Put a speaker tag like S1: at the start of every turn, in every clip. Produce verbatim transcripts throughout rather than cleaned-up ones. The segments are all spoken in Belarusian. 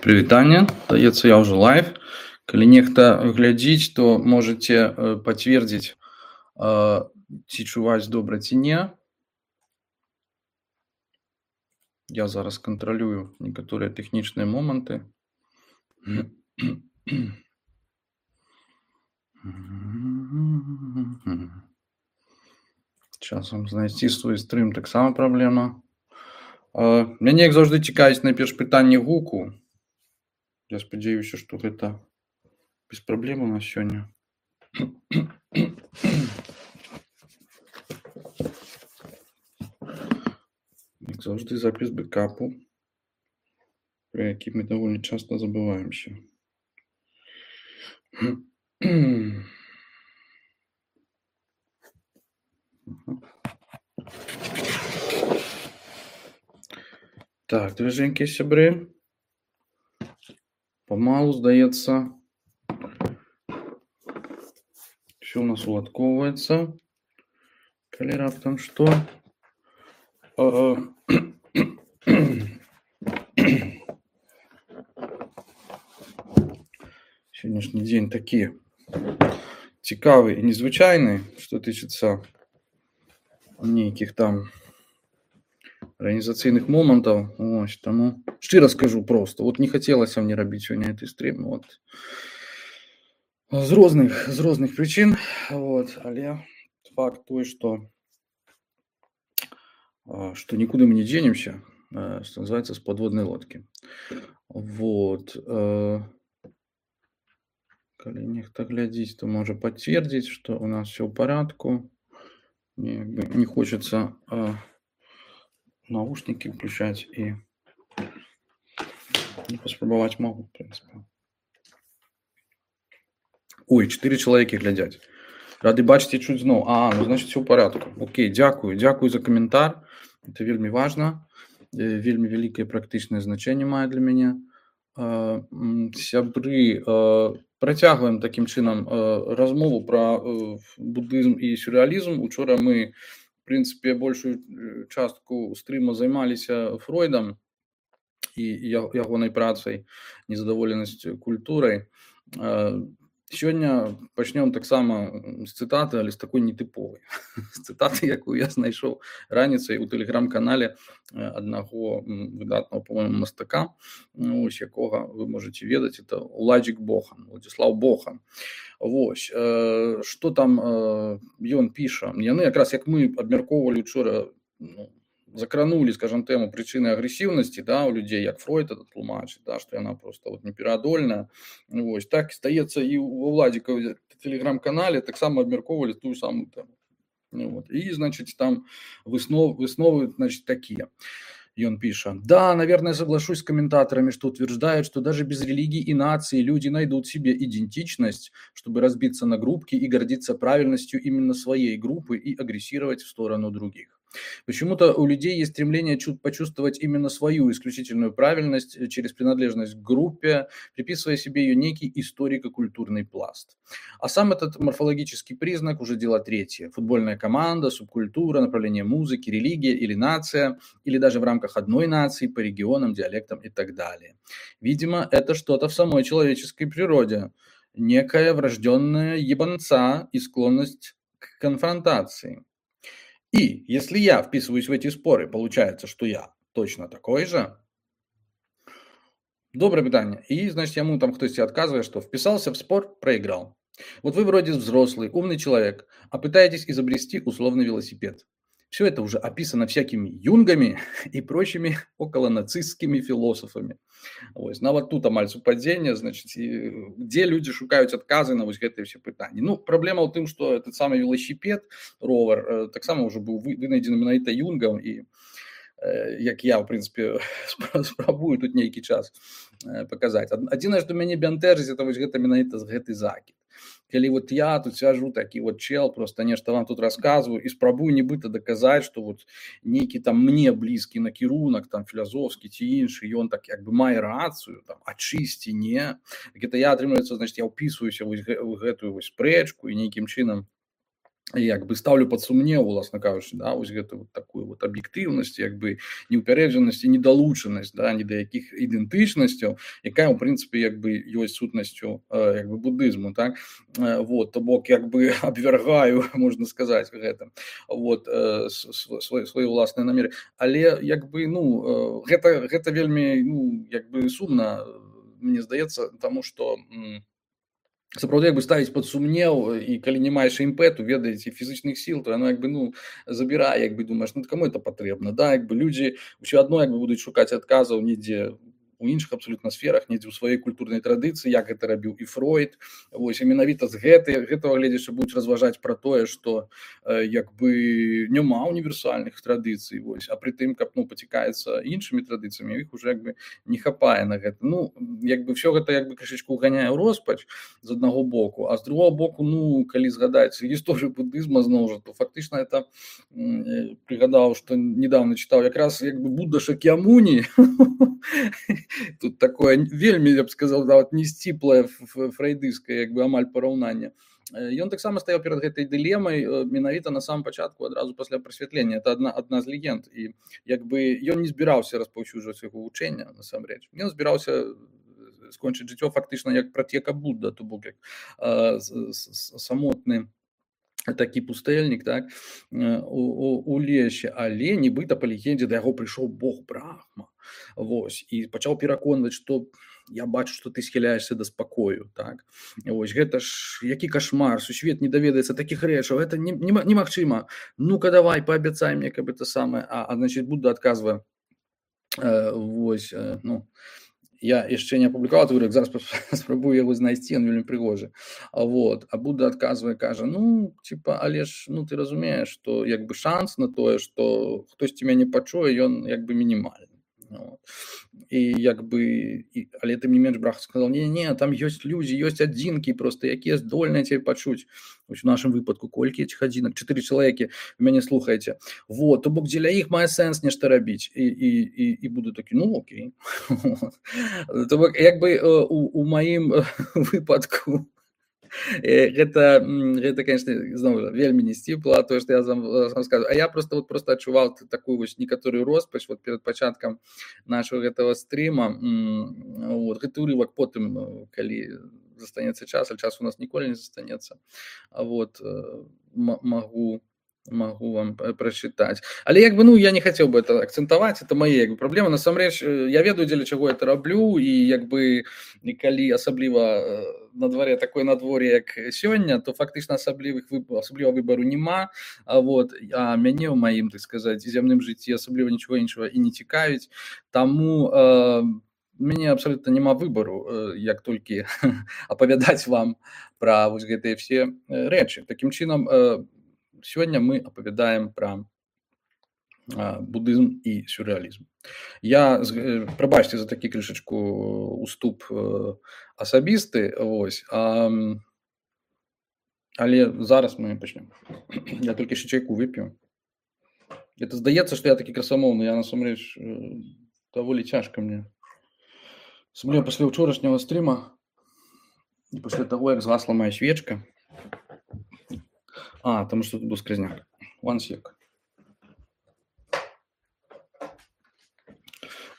S1: Прывітанне, здаецца, я ўжо лайв. Калі нехта глядзіць, то можаце э, пацвердзіць, э, ці чуваць добра ці не. Я зараз кантралюю некаторыя тэхнічныя моманты. Часам знайсці свой стрым таксама праблема. Э, Мяне, як заўжды, цікавіць найперш пытанне гуку. Я спадзяюся, што гэта без праблем у нас сёння. Як заўжды, запіс бэкапу, пра які мы даволі часта забываемся. Так, даражэнькія сябры, памалу, здаецца, ўсё ў нас уладкоўваецца. Калі раптам што. Э, Сённяшні дзень такі цікавы і незвычайны, што тычыцца нейкіх там арганізацыйных момантаў. Ось, таму шчыра скажу проста, вот не хацелася мне рабіць сёння гэты стрім, вот. З розных, з розных прычын, вот, але факт той, што э, што нікуды мы не дзенемся, э, што называецца, з падводнай лодкі. Вот. э, Калі нехта глядзіць, то можа пацвердзіць, што ў нас всё ў парадку. Мне як бы не хочацца э, навушнікі ўключаць і ну, паспрабаваць магу, в прынцыпе. Ой, чатыры чалавекі глядзяць. Рады бачыць і чуць зноў. А, ну, значыць, всё ў парадку. Окей, дзякую, дзякую за каментар. Это вельмі важна. Э, Вельмі вялікае практычнае значэнне мае для мяне. Э, м, Сябры, э, працягваем такім чынам э, размову пра э, будызм і сюррэалізм. Учора мы, в прынцыпе, большую э, частку стрыма займаліся Фройдам і я- ягонай працай «Незадаволенасць культурай». Э, Сёння пачнём таксама м, з цытаты, але з такой нетыповай. З цытаты, якую я знайшоў раніцай у тэлеграм-канале э, аднаго м, выдатнага, па-мойму, мастака, ну, вось якога вы можаце ведаць, это Уладзік Бохан, Уладзіслаў Бохан. Вось, э, што там э, ён піша? Яны якраз, як мы абмяркоўвалі учора, ну, закранулі, скажам, тэму прычыны агрэсіўнасці, да, у людзей, як Фройд это тлумачыць, да, што яна проста вот непераадольная. Вось, так, здаецца, і ва Уладзікаве тэлеграм-канале таксама абмяркоўвалі тую самую тэму. Ну, вот. И, значит, там выснов, высновы, значит, такие. И он пишет: да, наверное, соглашусь с комментаторами, что утверждают, что даже без религий и наций люди найдут себе идентичность, чтобы разбиться на группки и гордиться правильностью именно своей группы и агрессировать в сторону других. Почему-то у людей есть стремление чу- почувствовать именно свою исключительную правильность э, через принадлежность к группе, приписывая себе ее некий историко-культурный пласт. А сам этот морфологический признак уже дело третье. Футбольная команда, субкультура, направление музыки, религия или нация, или даже в рамках одной нации по регионам, диалектам и так далее. Видимо, это что-то в самой человеческой природе. Некая врожденная ебанца и склонность к конфронтации. И если я вписываюсь в эти споры, получается, что я точно такой же. Доброе питание. И, значит, ему там кто-то отказывает, что вписался в спор, проиграл. Вот вы вроде взрослый, умный человек, а пытаетесь изобрести условный велосипед. Все это уже описано всякими юнгами и прочими околонацистскими философами. Ось, нават тут амаль супадзенне, значыць, і дзе людзі шукаюць адказы на вось гэтыя ўсе пытанні. Ну, праблема ў тым, што этот самы велосипед, ровер, э, таксама ўжо быў вы- вынайдзены менавіта юнгам, і э, як я, в прынцыпе, спра- спрабую тут нейкі час э, паказаць. Ад- Адзінае, што мяне бянтэжыць, это вось гэта менавіта гэты закід. Калі вот я тут сяжу, такі вот чел, просто нешта вам тут расказваю і спрабую нібыта даказаць, што вот нейкі там мне блізкі накірунак, там філазофскі ці іншы, ён так як бы мае рацыю, там, а чысці не. Так это я, атрымліваецца, значит, я ўпісваюся вось гэ- ў гэтую вось спрэчку і нейкім чынам як бы ставлю пад сумнеў, уласна кажучы, да, вось гэту вот такую вот аб'ектыўнасць, як бы неўпярэджанасць і недалучанасць, да, ні да якіх ідэнтычнасцяў, якая ў прынцыпе як бы ёсць сутнасцю як бы будызму, так. Вот, то бок як бы абвяргаю, можна сказаць, гэта вот свае свае ўласныя намеры, але як бы ну гэта гэта вельмі ну як бы сумна, мне здаецца, таму што сапраўды як бы ставіць пад сумнеў, і калі не маеш імпэту, ведаеце, фізычных сіл, то яно як бы ну забірае, як бы думаеш, ну каму это патрэбна, да, як бы людзі ўсё адно як бы будуць шукаць адказаў недзе у іншых абсалютна сферах, недзе ў сваёй культурнай традыцыі, як гэта рабіў і Фройд. Вось, і менавіта з гэтай гэтага гледзячы будуць разважаць пра тое, што як бы няма універсальных традыцый, вось, а пры тым, каб ну пацікаецца іншымі традыцыямі, іх уже як бы не хапае на гэта. Ну як бы ўсё гэта як бы крышачку ўганяе ў роспач з аднаго боку, а з другого боку, ну калі згадаць гісторыю будызма зноў жа, то фактычна это прыгадаў, што недавно чытаў якраз як бы Будда Шакьямуні. Тут такое вельмі, я б сказал, нават не сціплае фрейдыйскае як бы амаль параўнанне. Ён таксама стаяў перад гэтай дылемай менавіта на самом пачатку, адразу пасля прасвятлення. Это адна адна з легенд, і як бы ён не збіраўся распаўсюджваць свайго вучэння насамрэч. Ён збіраўся скончыць жыццё фактычна як пратэка Будда, то бок як самотны такі пустэльнік, так, у, у, у лесе, але нібыта па легендзе да яго прыйшоў Бог Брахма. Вось, і пачаў пераконваць, што я бачу, што ты схіляешся да спакою, так. Вось, гэта ж які кашмар, сусвет не даведаецца такіх рэчаў, гэта немагчыма. Ну-ка давай, паабяцай мне, каб это самае, а, а значит, Будда адказвае, э, вось, э, ну, я яшчэ не апублікаваў той урок, зараз спрабую яго знайсці, ён вельмі прыгожы. Вот, а Будда адказвае, кажа, ну, типа, але ж, ну, ты разумееш, што як бы шанс на тое, што хтосьці мяне пачуе, ён як бы мінімальны. Вот. І як бы, і, але тым не менш Брахма сказал, не-не, там ёсць людзі, ёсць адзінкі просто, якія здольныя цябе пачуць. Вось у нашым выпадку колькі этих адзінак? Чатыры чалавекі вы мяне слухаеце. Вот, то бок дзеля іх мае сэнс нешта рабіць. І, і, і, і буду такі, ну окей. То бок як бы у, у маім выпадку гэта, гэта, конечно, зноў вельмі не сціпла, тое, што я вам скажу. А я просто вот просто адчуваў такую вось некаторую роспач вот перад пачаткам нашого гэтага стріма. Вот, гэты урывак потым, калі застанецца час, а час у нас ніколі не застанецца. Вот, магу могу вам прочитать. Але як бы, ну, я не хотел бы это акцентовать, это мои як бы праблемы. Насамрэч, я ведаю, дзеля чаго это раблю, і як бы, калі асабліва на дворе такое надвор'е, як сёння, то фактычна асаблівых асабліва выбару нема. А вот, а мяне ў маім, так сказаць, зямным жыцці асабліва нічого іншага і не цікавіць. Таму э, мяне абсалютна няма выбару, як толькі апавядаць вам пра вось гэтыя все рэчы. Такім чынам, э, сегодня мы апавядаем пра будызм і сюррэалізм. Я, прабачце за такі крышачку уступ асабісты, вось, а, але зараз мы пачнем. Я толькі яшчэ чайку вып'ю. Это здаецца, што я такі красамоўны, я насамрэч даволі цяжка мне. Асабліва пасля ўчорашняга стрыма і пасля таго, як згасла моя свечка. А, там что-то был сквозняк. One sec.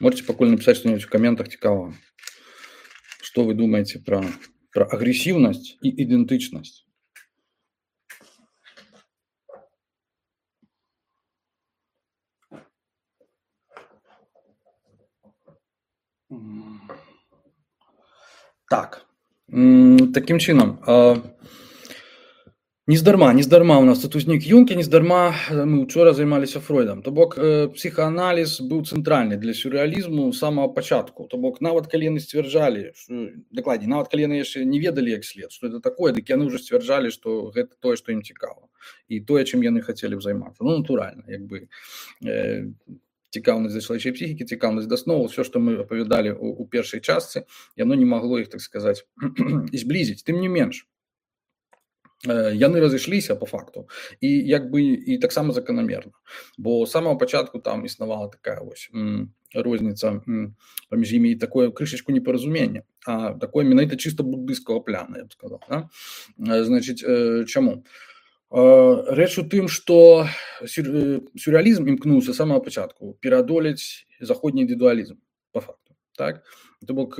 S1: Можете покольно написать что-нибудь в комментах цікаво. Что вы думаете про, про агрессивность и идентичность? Так. Таким чином... Нездарма, нездарма у нас тут узнік Юнг, і нездарма мы учора займаліся Фройдам. То бок псіхааналіз быў цэнтральны для сюррэалізму з самага пачатку. То бок нават калі яны сцвярджалі, што, дакладней, нават калі яны яшчэ не ведалі як след, што это такое, дык яны ўжо сцвярджалі, што гэта тое, што ім цікава. І тое, чым яны хацелі б займацца. Ну, натуральна, як бы э, цікаўнасць да чалавечай псіхікі, цікаўнасць да сноў, все, што мы апавядалі у, у першай частцы, яно не магло іх, так сказаць, зблізіць. Тым не менш, яны разышліся по факту і як бы і таксама заканамерна, бо з самого пачатку там існавала такая вось розніца паміж імі і такое крышачку непаразуменне, а такое менавіта чыста буддыйскага пляна, я б сказаў, да? Значыць, чаму? Рэч у тым, што сюррэалізм імкнуўся з самага пачатку пераадолець заходні індывідуалізм па факту. Так? То бок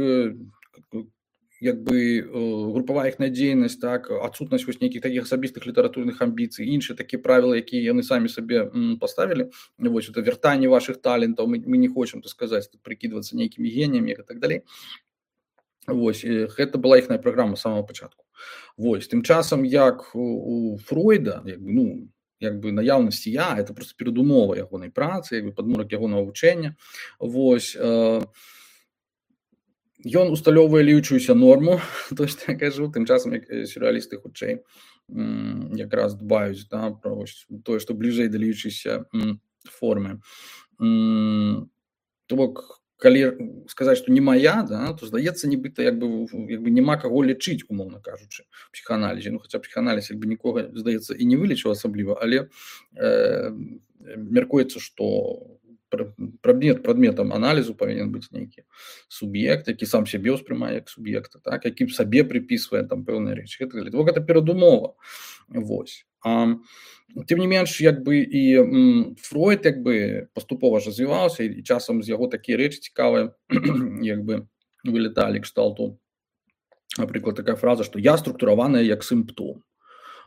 S1: як бы групавая іх надзейнасць, так, адсутнасць вось нейкіх такіх асабістых літаратурных амбіцый, іншыя такія правілы, якія яны самі сабе паставілі, вось это вяртанне вашых талентаў, мы, мы не хочам, так сказаць, прыкідвацца нейкімі геніямі і так далей. Вось, гэта была іхная праграма з самага пачатку. Вось, тым часам, як у Фройда, як бы, ну, як бы наяўнасць я, это просто перадумова ягонай працы, як бы падмурак ягонага вучэння. Вось, э, ён усталёўвае лічуюся норму, то што я кажу, тым часам, як сюррэалісты хутчэй якраз дбаюць, да, пра вось тое, што бліжэй да лічыся формы. То бок, калі сказаць, што не мая, да, то здаецца, нібыта як бы, як бы няма каго лічыць, умоўна кажучы, у псіхааналізе. Ну, хаця псіхааналіз як бы нікога, здаецца, і не вылічыў асабліва, але э, мяркуецца, што Прадмет, прадметам аналізу павінен быць нейкі суб'ект, які сам сябе ўспрымае як суб'екта, так, які сабе прыпісвае там пэўныя рэчы. Гэта, гэта перадумова. Вось. А, тым не менш, як бы і м, Фройд як бы паступова развіваўся, і часам з яго такія рэчы цікавыя як бы вылеталі кшталту. Напрыклад, такая фраза, што я структураваная як сімптом.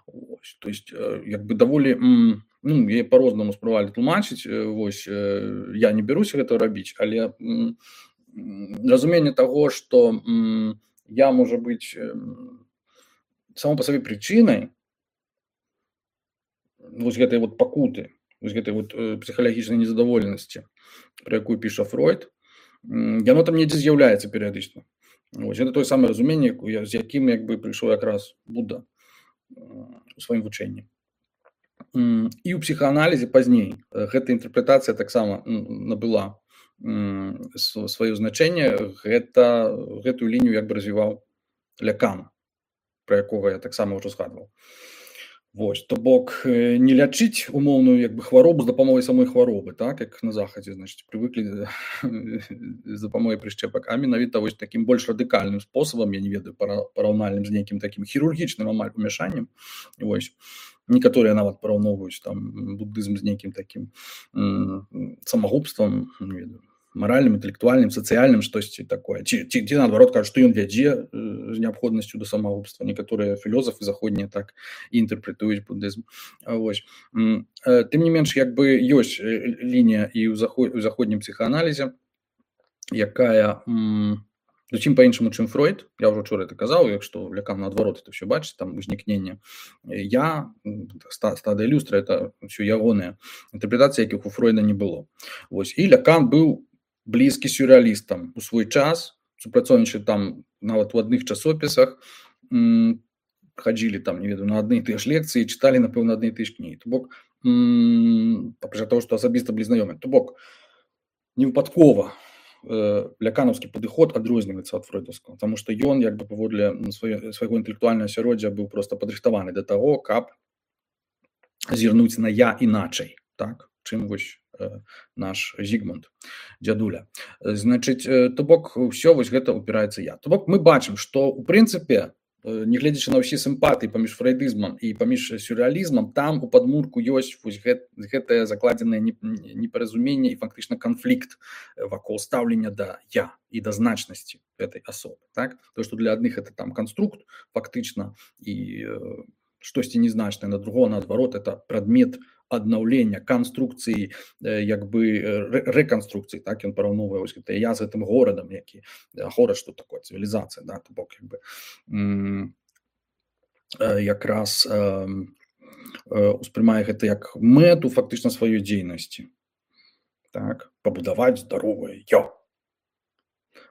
S1: Вось. То есть, як бы даволі... М, ну, я по-рознаму спрабавалі тлумачыць, вось, я не бяруся гэта рабіць, але м, разуменне таго, што м, я можа быць само па сабе прычынай вось гэтай вот пакуты, вось гэтай вот псіхалагічнай незадаволенасці, пра якую піша Фройд, яно там недзе з'яўляецца перыядычна. Вось, гэта тое самае разуменне, з якім як бы прыйшоў якраз Будда у сваім вучэнні. І ў псіхааналізе пазней гэта інтэрпрэтацыя таксама набыла сваё значэнне, гэта, гэтую лінію як бы развіваў Лякан, пра якога я таксама ўжо згадваў. Вось, то бок не лячыць умоўную як бы хваробу з дапамогай самой хваробы, так, як на захадзе, значыць, прывыклі з дапамогай прышчэпак, а менавіта вось такім больш радыкальным спосабам, я не ведаю, параўнальным з нейкім такім хірургічным амаль умяшаннем, вось. Некаторыя нават параўноўваюць там буддызм з нейкім такім самагубствам, не ведаю, маральным, інтэлектуальным, сацыяльным, штосьці такое. Ці, ці, ці наадварот кажуць, што ён вядзе з неабходнасцю да самагубства. Некаторыя філёзафы заходнія так і інтэрпрэтуюць буддызм. Вось. Тым не менш, як бы ёсць лінія і ў заходнім псіхааналізе, якая зусім па-іншаму, чым Фройд. Я ўжо учора это казаў, як што Лякан наадварот это ўсё бачыць, там узнікненне я, стадыя люстра, это ўсё ягоныя інтэрпрэтацыі, якіх у Фройда не было. Вось. І Лякан быў блізкі сюррэалістам у свой час, супрацоўнічалі там нават у адных часопісах, хадзілі там, не ведаю, на адны і тыя ж лекцыі, чыталі, напэўна, адны і тыя ж кнігі. То бок, папрача таго, што асабіста былі знаёмыя. То бок, невыпадкова ляканаўскі падыход адрозніваецца ад фройдаўскага, таму што ён як бы паводле свайго інтэлектуальнага асяроддзя быў проста падрыхтаваны да таго, каб зірнуць на я іначай, так, чым вось наш Зігмунд, дзядуля. Значыць, то бок, ўсё вось гэта упіраецца я. То бок, мы бачым, што ў прынцыпе, нягледзячы на ўсе сімпатыі паміж фрейдызмам і паміж сюррэалізмам, там у падмурку ёсць вось гэт, гэтае закладзенае непаразуменне і фактычна канфлікт вакол стаўлення да я і да значнасці гэтай асобы. Так? То, што для адных это там канструкт фактычна і штосьці незначнае, на другого наадварот это прадмет аднаўлення, канструкцыі, як бы рэканструкцыі, так, ён параўноўвае вось гэта я з гэтым горадам, які горад, што такое цывілізацыя, да, то бок як бы м, якраз э, успрымае гэта як мэту фактычна сваёй дзейнасці, так, пабудаваць здаровае я.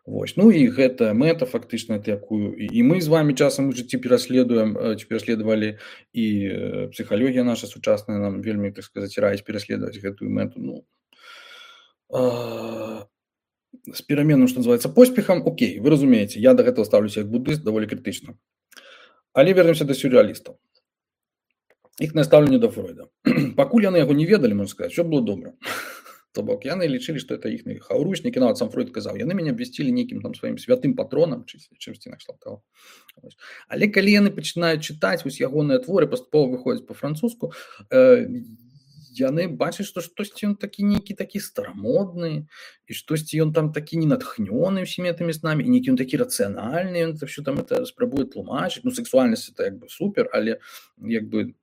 S1: Вось. Ну і гэтая мэта фактычна, якую і мы з вами часам у жыцці пераследуем, ці пераследавалі, і псіхалогія наша сучасная нам вельмі, так сказаць, раіць пераследаваць гэтую мэту. Ну, э, з пераменным, што называецца, поспехам, окей, вы разумееце, я да гэтага ставлюся як буддыст даволі крытычна. Але вернемся да сюррэалістаў. Іх настаўленне да Фройда. Пакуль яны яго не ведалі, можна сказаць, все было добра. То бок яны лічылі, што это іхныя хаўручнікі, нават сам Фройд казаў, яны мяне абвясцілі нейкім там сваім святым патронам, чымсьці накшталт таго. Але калі яны пачынаюць чытаць вось ягоныя творы, паступова выходзяць па-французску, э, яны бачаць, што штосьці ён такі нейкі такі старамодны, і штосьці ён там такі ненатхнёны ўсімі гэтымі снамі, і нейкі ён такі рацыянальны, ён так що там это спрабуе тлумачыць. Ну, сексуальнасць это як бы супер, але як бы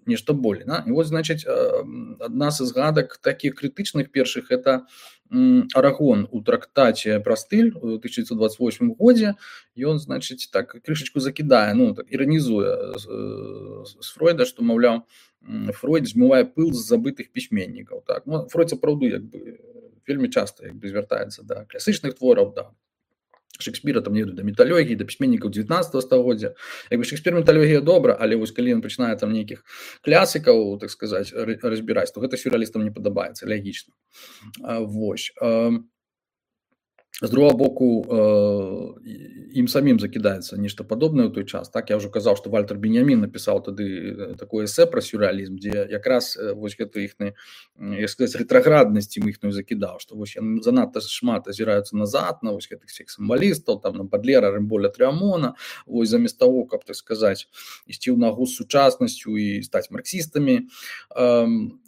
S1: нешта болей. Да? І вот, значыць, адна з згадак такіх крытычных першых это Арагон у трактаце пра стыль у тысяча девятьсот двадцать восьмым годзе. Ён, значыць, так крышачку закідае, ну, так, іранізуе з, з Фройда, што, маўляў, Фройд змывае пыл з забытых пісьменнікаў. Так? Ну, Фройд сапраўды як бы вельмі часта як бы звяртаецца да класічных твораў, да Шекспіра, там не ведаю, да міталогіі, да пісьменнікаў дзевятнаццатага стагоддзя. Як бы Шекспір міталогія добра, але вось калі ён пачынае там нейкіх класікаў, так сказаць, разбіраць, то гэта сюррэалістам не падабаецца, лягічна. Вось. З другого боку, ім самім закідаецца нешта падобнае ў той час. Так, я ўжо казаў, што Вальтер Беньямін напісаў тады такое эсэ пра сюррэалізм, дзе якраз вось гэта іхны, як сказаць, рэтраграднасць ім іхную закідаў, што вось яны занадта шмат азіраюцца назад на вось гэтых всех сімвалістаў, там на Бадлера, Рэмболя, Трыамона, вось замест таго, каб, так сказаць, ісці ў нагу з сучаснасцю і стаць марксістамі.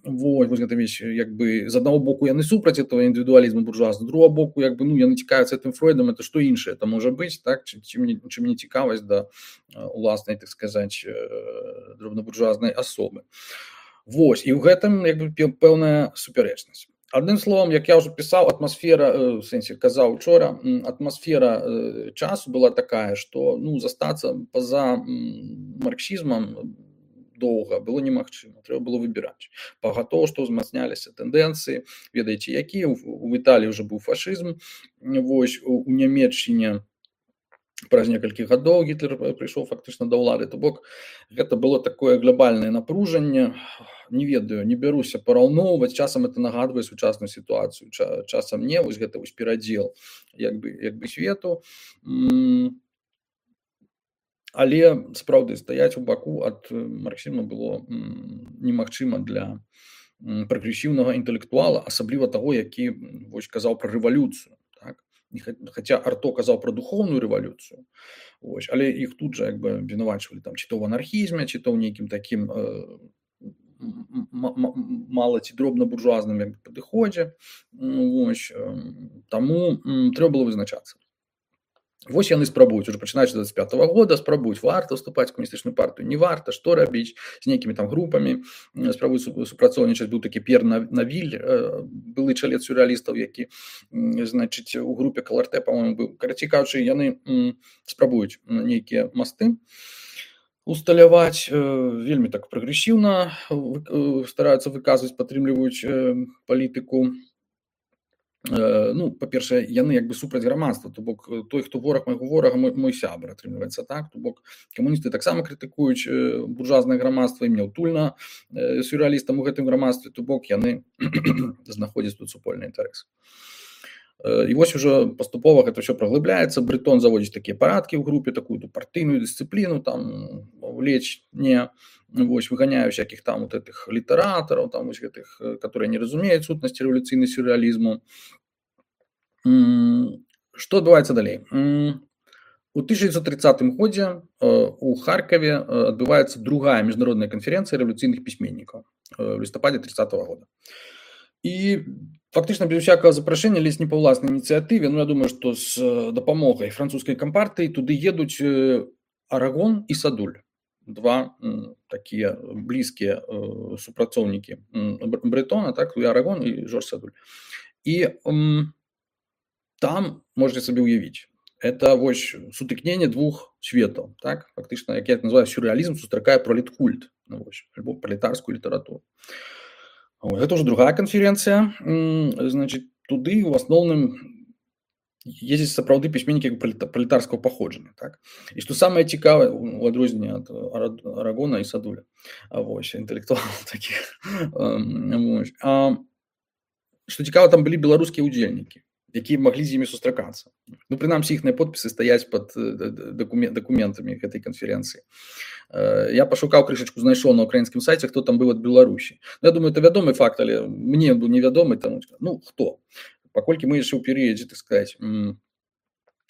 S1: Вось, вось гэта вещь, як бы, з аднаго боку яны супраць этого індывідуалізму буржуазна, з другого боку, як бы, ну, яны цікавяцца гэтым Фройдам, это што іншае это можа быць, так, чым не, чым не цікавасць да уласнай, так сказаць, дробнабуржуазнай асобы. Вось, і ў гэтым, як бы, пэўная супярэчнасць. Адным словом, як я ўжо пісаў, атмасфера, в сэнсе казаў учора, атмасфера часу была такая, што, ну, застацца па-за марксізмам доўга было немагчыма, трэба было выбіраць. Пагатоў, што ўзмацняліся тэндэнцыі, ведаеце, які у Італіі ўжо быў фашызм, вось, у Нямецчыне праз некалькі гадоў Гітлер прыйшоў фактычна да ўлады, то бок гэта было такое глобальнае напружанне, не ведаю, не бяруся параўноўваць, часам это нагадвае сучасную сітуацыю, часам не, вось гэта вось перадзел як бы, як бы свету. Але сапраўды стаяць у баку ад марксізму было немагчыма для прагрэсіўнага інтэлектуала, асабліва таго, які вось казаў пра рэвалюцыю, так? Хаця Арто казаў пра духоўную рэвалюцыю, вось, але іх тут жа як бы абвінавачвалі там ці то ў анархізме, ці то ў нейкім такім э, мала ці дробна буржуазным як бы падыходзе. Вось, э, таму э, трэба было вызначацца. Вось яны спрабуюць, уже пачынаючы з двадцать пятого года, спрабуюць, варта ўступаць у камуністычную партыю, не варта, што рабіць, з нейкімі там групамі, спрабуюць супрацоўнічаць. Быў такі П'ер Навіль, былы чалец сюррэалістаў, які, значыць, у групе Каларте, па-моему, быў. Карацей кажучы, яны спрабуюць нейкія масты усталяваць, вельмі так прагрэсіўна стараюцца выказваць, падтрымліваюць палітыку. Ну, па-першае, яны як бы супраць грамадства, то бок той, хто вораг майго ворага, мой, мой сябар, атрымліваецца, так? То бок камуністы таксама крытыкуюць буржуазнае грамадства, ім няўтульна сюррэалістам у гэтым грамадстве, то бок яны знаходзяць тут супольны інтарэс. І вось ужо паступова гэта ўсё праглыбляецца, Брытон заводзіць такія парадкі ў групе, такую партыйную дысцыпліну, там влечь не, вось, выганяю всяких там вот этих літаратараў, там вось гэтых, которые не разумеюць сутнасці рэвалюцыйнай сюррэалізму. Што адбываецца далей? У тысяча девятьсот тридцатым годзе у Харкаве адбываецца другая міжнародная канферэнцыя рэвалюцыйных пісьменнікаў в лістападзе тридцатого года. І фактычна без усякага запрашэння, ледзь не па ўласнай ініцыятыве, ну я думаю, што з дапамогай французскай кампартыі туды едуць Арагон і Садуль, два такія блізкія супрацоўнікі Брэтона, так, і Арагон і Жорж Садуль. І там можете сабе ўявіць, это вось сутыкненне двух светаў, так, фактычна, як я это называю, сюррэалізм сустракае пролеткульт, ну, вось, альбо пролетарскую літаратуру. Это уже другая конференция, значит, туды в основном ездят сапраўды письменники пролетарского походжання, так? И что самое цікавое, у адрозненне от Арагона и Садуля, вось, интеллектуалов таких, вось. А, что цікава, там были белорусские удзельники. якія маглі з імі сустракацца. Ну, прынамсі, іхныя подпісы стаяць пад дакумент, дакументамі гэтай канферэнцыі. Я пашукаў крышачку, знайшоў на украінскім сайце, хто там быў ад Беларусі. Я думаю, это вядомы факт, але мне быў невядомы, таму, ну, хто? Паколькі мы яшчэ ў перыядзе, так сказаць,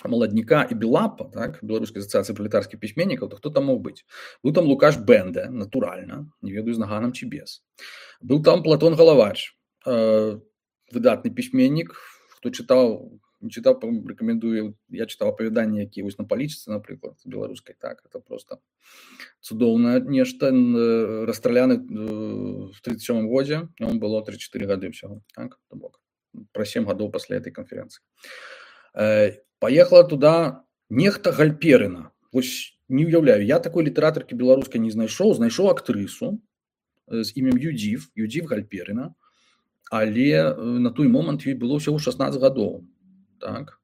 S1: маладніка і Белапа, так, Беларускай асацыяцыі пралетарскіх пісьменнікаў, то хто там мог быць? Быў там Лукаш Бенде, натуральна, не ведаю, з наганам ці без. Быў там Платон Галавач, выдатны пісьменнік, хто чытаў, не чытаў, рэкамендую, я чытаў апавяданні, якія вось на палічцы, напрыклад, беларускай, так, это просто цудоўна нешта, расстраляны в тридцать сёмым годзе, яму было тридцать четыре гады ўсяго, так, то бок, пра сем гадоў пасля этой канферэнцыі. Паехала туда нехта Гальперына. Вось не уяўляю, я такой літаратаркі беларускай не знайшоў, знайшоў актрысу з імем Юдзіф, Юдзіф Гальперына, але на той момант ёй было ўсяго шаснаццаць гадоў. Так.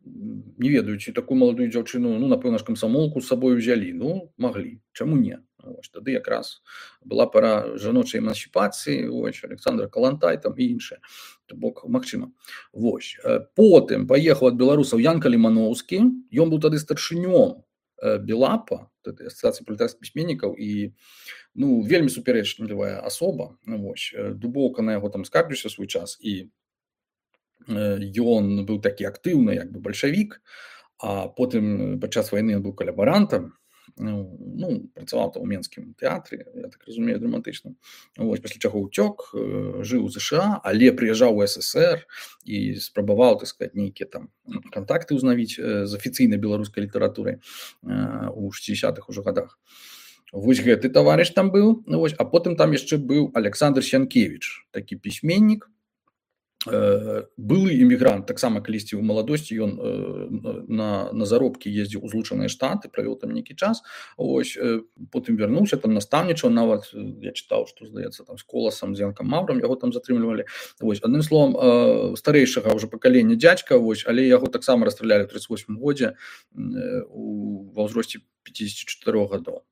S1: Не ведаю, ці такую маладую дзяўчыну, ну, напэўна ж, камсамолку з сабой узялі. Ну, маглі. Чаму не? Вось, тады якраз была пара жаночай эмансіпацыі, вось, Александра Калантай там і іншае. То бок, магчыма. Вось. Потым паехаў ад беларусаў Ян Каліманоўскі. Ён быў тады старшынём Белапа, асацыяцыі пралетарскіх пісьменнікаў, і, ну, вельмі супярэчлівая асоба. Вось. Дубоўка на яго там скарбіўся свой час, і ён быў такі актыўны, як бы бальшавік, а потым падчас вайны ён быў калабарантам, ну, працаваў там у Менскім тэатры, я так разумею, драматычна. Вось, пасля чаго ўцёк, жыў у ЗША, але прыязджаў у СССР і спрабаваў, так сказаць, нейкія там кантакты ўзнавіць з афіцыйнай беларускай літаратурай у шэсцідзесятых ужо гадах. Вось гэты таварыш там быў, вось, а потым там яшчэ быў Александр Сянкевіч, такі пісьменнік, былы эмігрант, таксама калісьці ў маладосці ён на, на заробкі ездзіў у Злучаныя Штаты, правёў там нейкі час, ось, потым вярнуўся, там настаўнічаў, нават я чытаў, што, здаецца, там з Коласам, з Янкам Маўрам яго там затрымлівалі. Вось, адным словам, старэйшага ўжо пакалення дзядзька, вось, але яго таксама расстралялі ў тридцать восьмым годзе ва ўзросце пятьдесят четыре гадоў.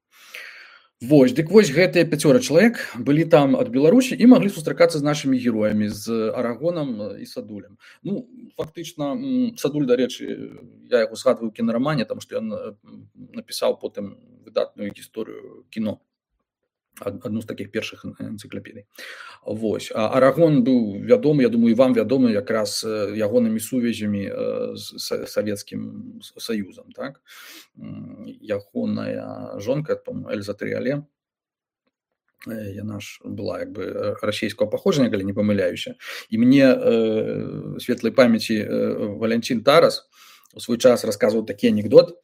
S1: Вось, дык вось гэтыя пяцёра чалавек былі там ад Беларусі і маглі сустракацца з нашымі героямі, з Арагонам і Садулем. Ну, фактычна, Садуль, дарэчы, я яго згадваю ў кінарамане, таму што ён напісаў потым выдатную гісторыю кіно, адну з такіх першых энцыклапедый. Вось. А Арагон быў вядомы, я думаю, і вам вядомы якраз ягонымі сувязямі з Савецкім Саюзам, так? Ягоная жонка, по-моему, Эльза Трыале, яна ж была як бы расійскага паходжання, калі не памыляюся. І мне э, светлай памяці э, Валянцін Тарас у свой час расказваў такі анекдот,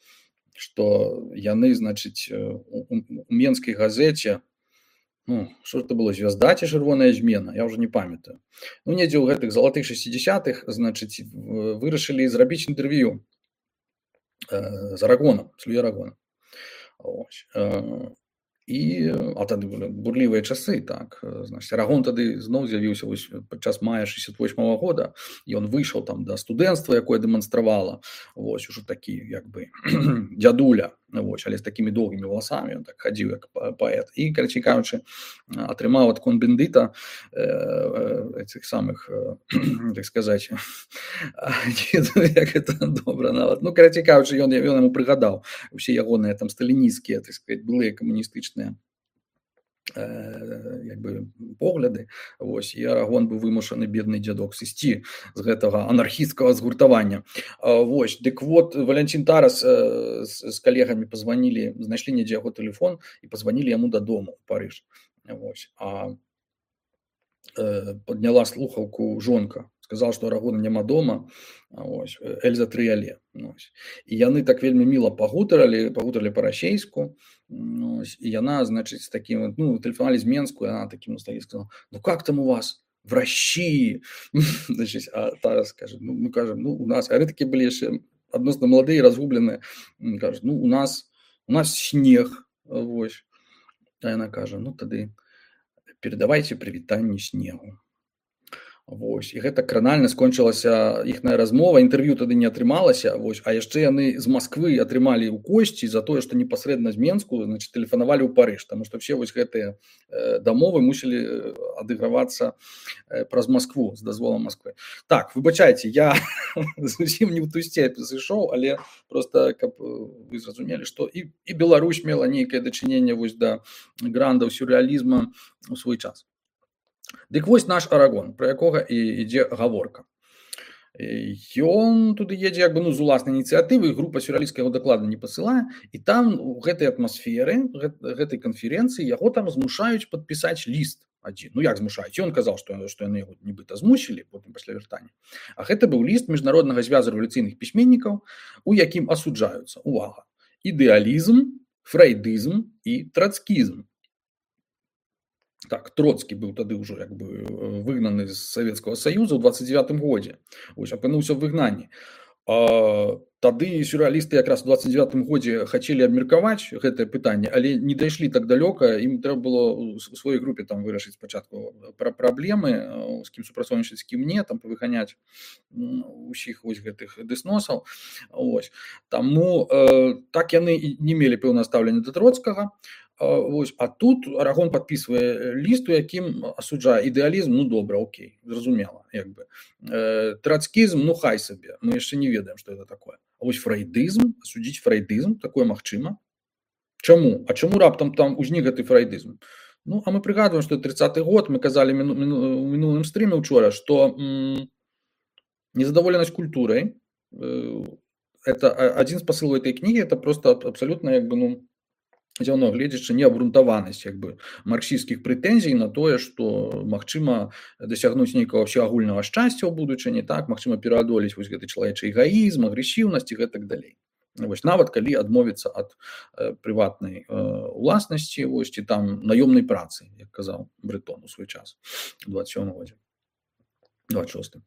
S1: што яны, значыць, у, у Менскай газеце, ну, што это было, «Звязда» ці «Чырвоная змена», я ўжо не памятаю. Ну, недзе ў гэтых залатых шэсцідзесятых, значыць, вырашылі зрабіць інтэрв'ю э, з Арагонам, з Луі Арагонам. Ось. Э, і, а тады былі бурлівыя часы, так, значыць, Арагон тады зноў з'явіўся вось падчас мая шэсцьдесят восьмага года, і ён выйшаў там да студэнцтва, якое дэманстравала, вось, ужо такі, як бы, дзядуля, вось, але з такімі доўгімі валасамі, ён так хадзіў як паэт, і, карацей кажучы, атрымаў ад Кон-Бендыта э, цих самых, э, так сказаць, не ведаю, як гэта добра нават, ну, карацей кажучы, ён, ён яму прыгадаў усе ягоныя там сталінісцкія, так сказаць, былыя камуністычныя як бы погляды, вось, і Арагон быў вымушаны, бедны дзядок, сысці з гэтага анархісцкага згуртавання. Вось, дык вот, Валянцін Тарас з калегамі пазванілі, знайшлі недзе яго тэлефон і пазванілі яму дадому ў Парыж. Вось, а падняла слухаўку жонка, сказала, што Арагона няма дома, ось, Эльза Трыале. Ось. І яны так вельмі міла пагутаралі, пагутаралі па-расейску, ось, і яна, значыць, з такім, ну, тэлефанавалі з Менску, і яна такім усталі, сказала, ну, как там у вас? В России? Значыць, а Тарас кажа, ну, мы кажем, ну, у нас, а такі былі яшчэ адносна маладыя, разгубленыя, кажа, ну, у нас, у нас снег, вось. А яна кажа, ну, тады передавайте прывітанне снегу. Вось, і гэта кранальна скончылася іхная размова, інтэрв'ю тады не атрымалася, вось, а яшчэ яны з Масквы атрымалі ў косці за тое, што непасрэдна з Менску, значит, тэлефанавалі ў Парыж, таму што ўсе вось гэтыя э, дамовы мусілі адыгравацца э, праз Маскву, з дазволам Масквы. Так, выбачайце, я зусім не ў ту сцепь зышоў, але просто каб вы зразумелі, што і, і Беларусь мела нейкае дачыненне вось да грандаў сюррэалізма ў свой час. Дык вось наш Арагон, пра якога і ідзе гаворка. Ён туды едзе як бы, ну, з уласнай ініцыятывы, група сюррэалістка яго дакладна не пасылае, і там у гэтай атмасферы, гэтай канферэнцыі яго там змушаюць падпісаць ліст адзін. Ну як змушаюць? Ён казаў, што, што яны яго нібыта змусілі, потым пасля вяртання. А гэта быў ліст міжнароднага звязу рэвалюцыйных пісьменнікаў, у якім асуджаюцца, увага, ідэалізм, фрэйдызм і трацкізм. Так, Троцкі быў тады ўжо як бы выгнаны з Савецкага Саюза ў дваццаць дзевятым годзе. Вось, апынуўся ў выгнанні. А, тады сюррэалісты якраз у дваццаць дзевятым годзе хацелі абмеркаваць гэтае пытанне, але не дайшлі так далёка, ім трэба было у сваёй групе там вырашыць спачатку пра праблемы, з кім супрацоўнічаць, з кім не, там павыганяць усіх вось гэтых дэсносаў. Вось. Таму э, так яны не мелі пэўнае стаўленне да Троцкага. Вось, а тут Арагон падпісвае ліст, у якім асуджае ідэалізм, ну добра, окей, зразумела, як бы. Э, трацкізм, ну хай сабе, мы яшчэ не ведаем, што гэта такое. А вось фрэйдызм, асудзіць фрэйдызм, такое магчыма. Чаму? А чаму раптам там узнік гэты фрэйдызм? Ну, а мы прыгадваем, што тридцаты год, мы казалі мину, мину, у мінулым стріме учора, што м, незадаволенасць культурай, э, это адзін з пасылаў этой кнігі, это просто абсалютна, як бы, ну, зяўно гледзячы неабрунтаванасць як бы марксісцкіх прэтэнзій на тое, што магчыма дасягнуць нейкага ўсеагульнага шчасця ў будучыні, так, магчыма пераадолець вось гэты чалавечы эгоізм, агрэсіўнасць і гэтак далей. Вось, нават калі адмовіцца ад э, прыватнай э, уласнасці, вось, ці там наёмнай працы, як казаў Брытон у свой час у дваццаць сёмым годзе. двадцать шостым.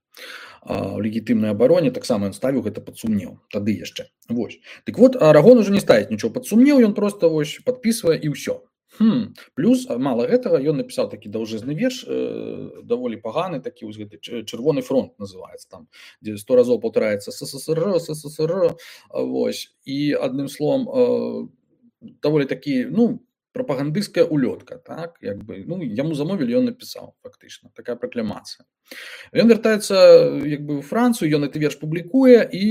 S1: А, у легітымнай абароне таксама ён ставіў гэта пад сумнеў, тады яшчэ. Вось. Дык вот, Арагон уже не ставіць нічого пад сумнеў, ён просто вось падпісвае і ўсё. Хм. Плюс, мала гэтага, ён напісаў такі даўжызны верш, э, даволі паганы, такі вось гэты чырвоны фронт называецца там, дзе сто разоў паўтараецца СССР, СССР, вось. І адным словам, э, даволі такі, ну, прапагандысцкая улётка, так, як бы, ну, яму замовілі, ён напісаў, фактычна, такая пракламацыя. Ён вяртаецца як бы ў Францыю, ён гэты верш публікуе, і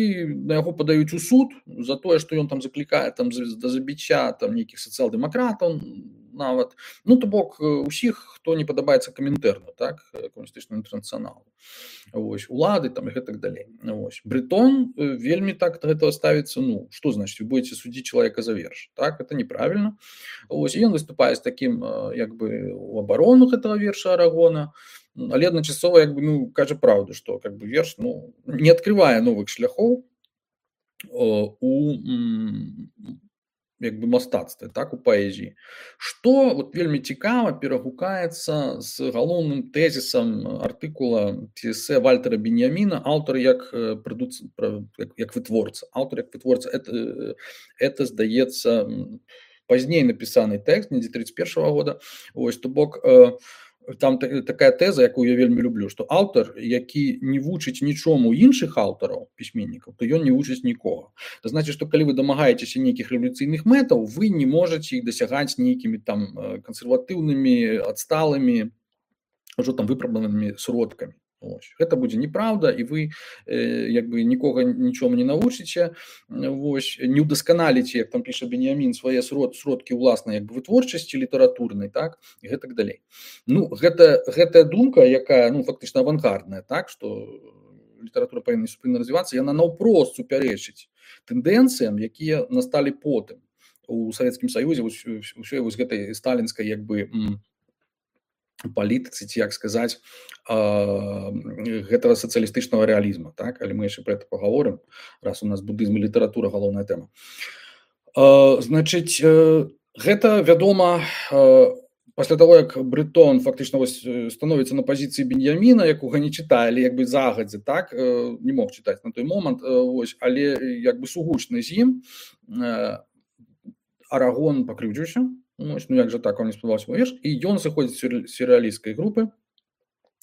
S1: на яго падаюць у суд за тое, што ён там заклікае там да забіцця там нейкіх сацыял-дэмакратаў нават, ну, то бок усіх, хто не падабаецца камінтэрну, так, камуністычнаму інтэрнацыяналу. Вось, улады там і гэтак далей. Вось. Брытон вельмі так да гэтага ставіцца, ну, што значыць, вы будете судзіць чалавека за верш, так, это неправільна. Вось, і ён выступае з такім як бы у абарону гэтага верша Арагона, але адначасова як бы, ну, кажа праўду, што как бы верш, ну, не адкрывае новых шляхоў у як бы мастацтве, так, у паэзіі. Што вот вельмі цікава перагукаецца з галоўным тэзісам артыкула ці эсэ Вальтера Беньяміна, аўтар як прадуц... як, як вытворца. Аўтар як вытворца, это, это здаецца пазней напісаны тэкст, недзе тридцать першага года. Вось, то бок там такая тэза, якую я вельмі люблю, што аўтар, які не вучыць нічому іншых аўтараў, пісьменнікаў, то ён не вучыць нікога. Это значит, што калі вы дамагаецеся нейкіх рэвалюцыйных мэтаў, вы не можаце іх дасягаць нейкімі там кансерватыўнымі, адсталымі, ўжо там выпрабаванымі сродкамі. Вось. Гэта будзе неправда, і вы э, як бы нікога нічому не навучыце, вось, не ўдасканаліце, як там піша Беньямін, свае срод, сродкі ўласнай як бы вытворчасці літаратурнай, так, і гэтак далей. Ну, гэта, гэтая думка, якая, ну, фактычна авангардная, так, што літаратура павінна супынна развівацца, яна наўпрост супярэчыць тэндэнцыям, якія насталі потым у Савецкім Саюзе, ўсёй вось гэтай сталінскай як бы палітыцы, ці як сказаць, гэтага сацыялістычнага рэалізма, так, але мы яшчэ пра гэта пагаворым, раз у нас будызм і літаратура галоўная тэма. Значыць, гэта вядома пасля таго, як Брытон фактычна вось становіцца на пазіцыі Беньяміна, якога не чытае, але як бы загадзя, так, не мог чытаць на той момант, вось, але як бы сугучны з ім, Арагон пакрыўдзіўся. Ну, як жа так, он не спадабаўся мой верш, і ён сыходзіць з сюррэалісцкай групы,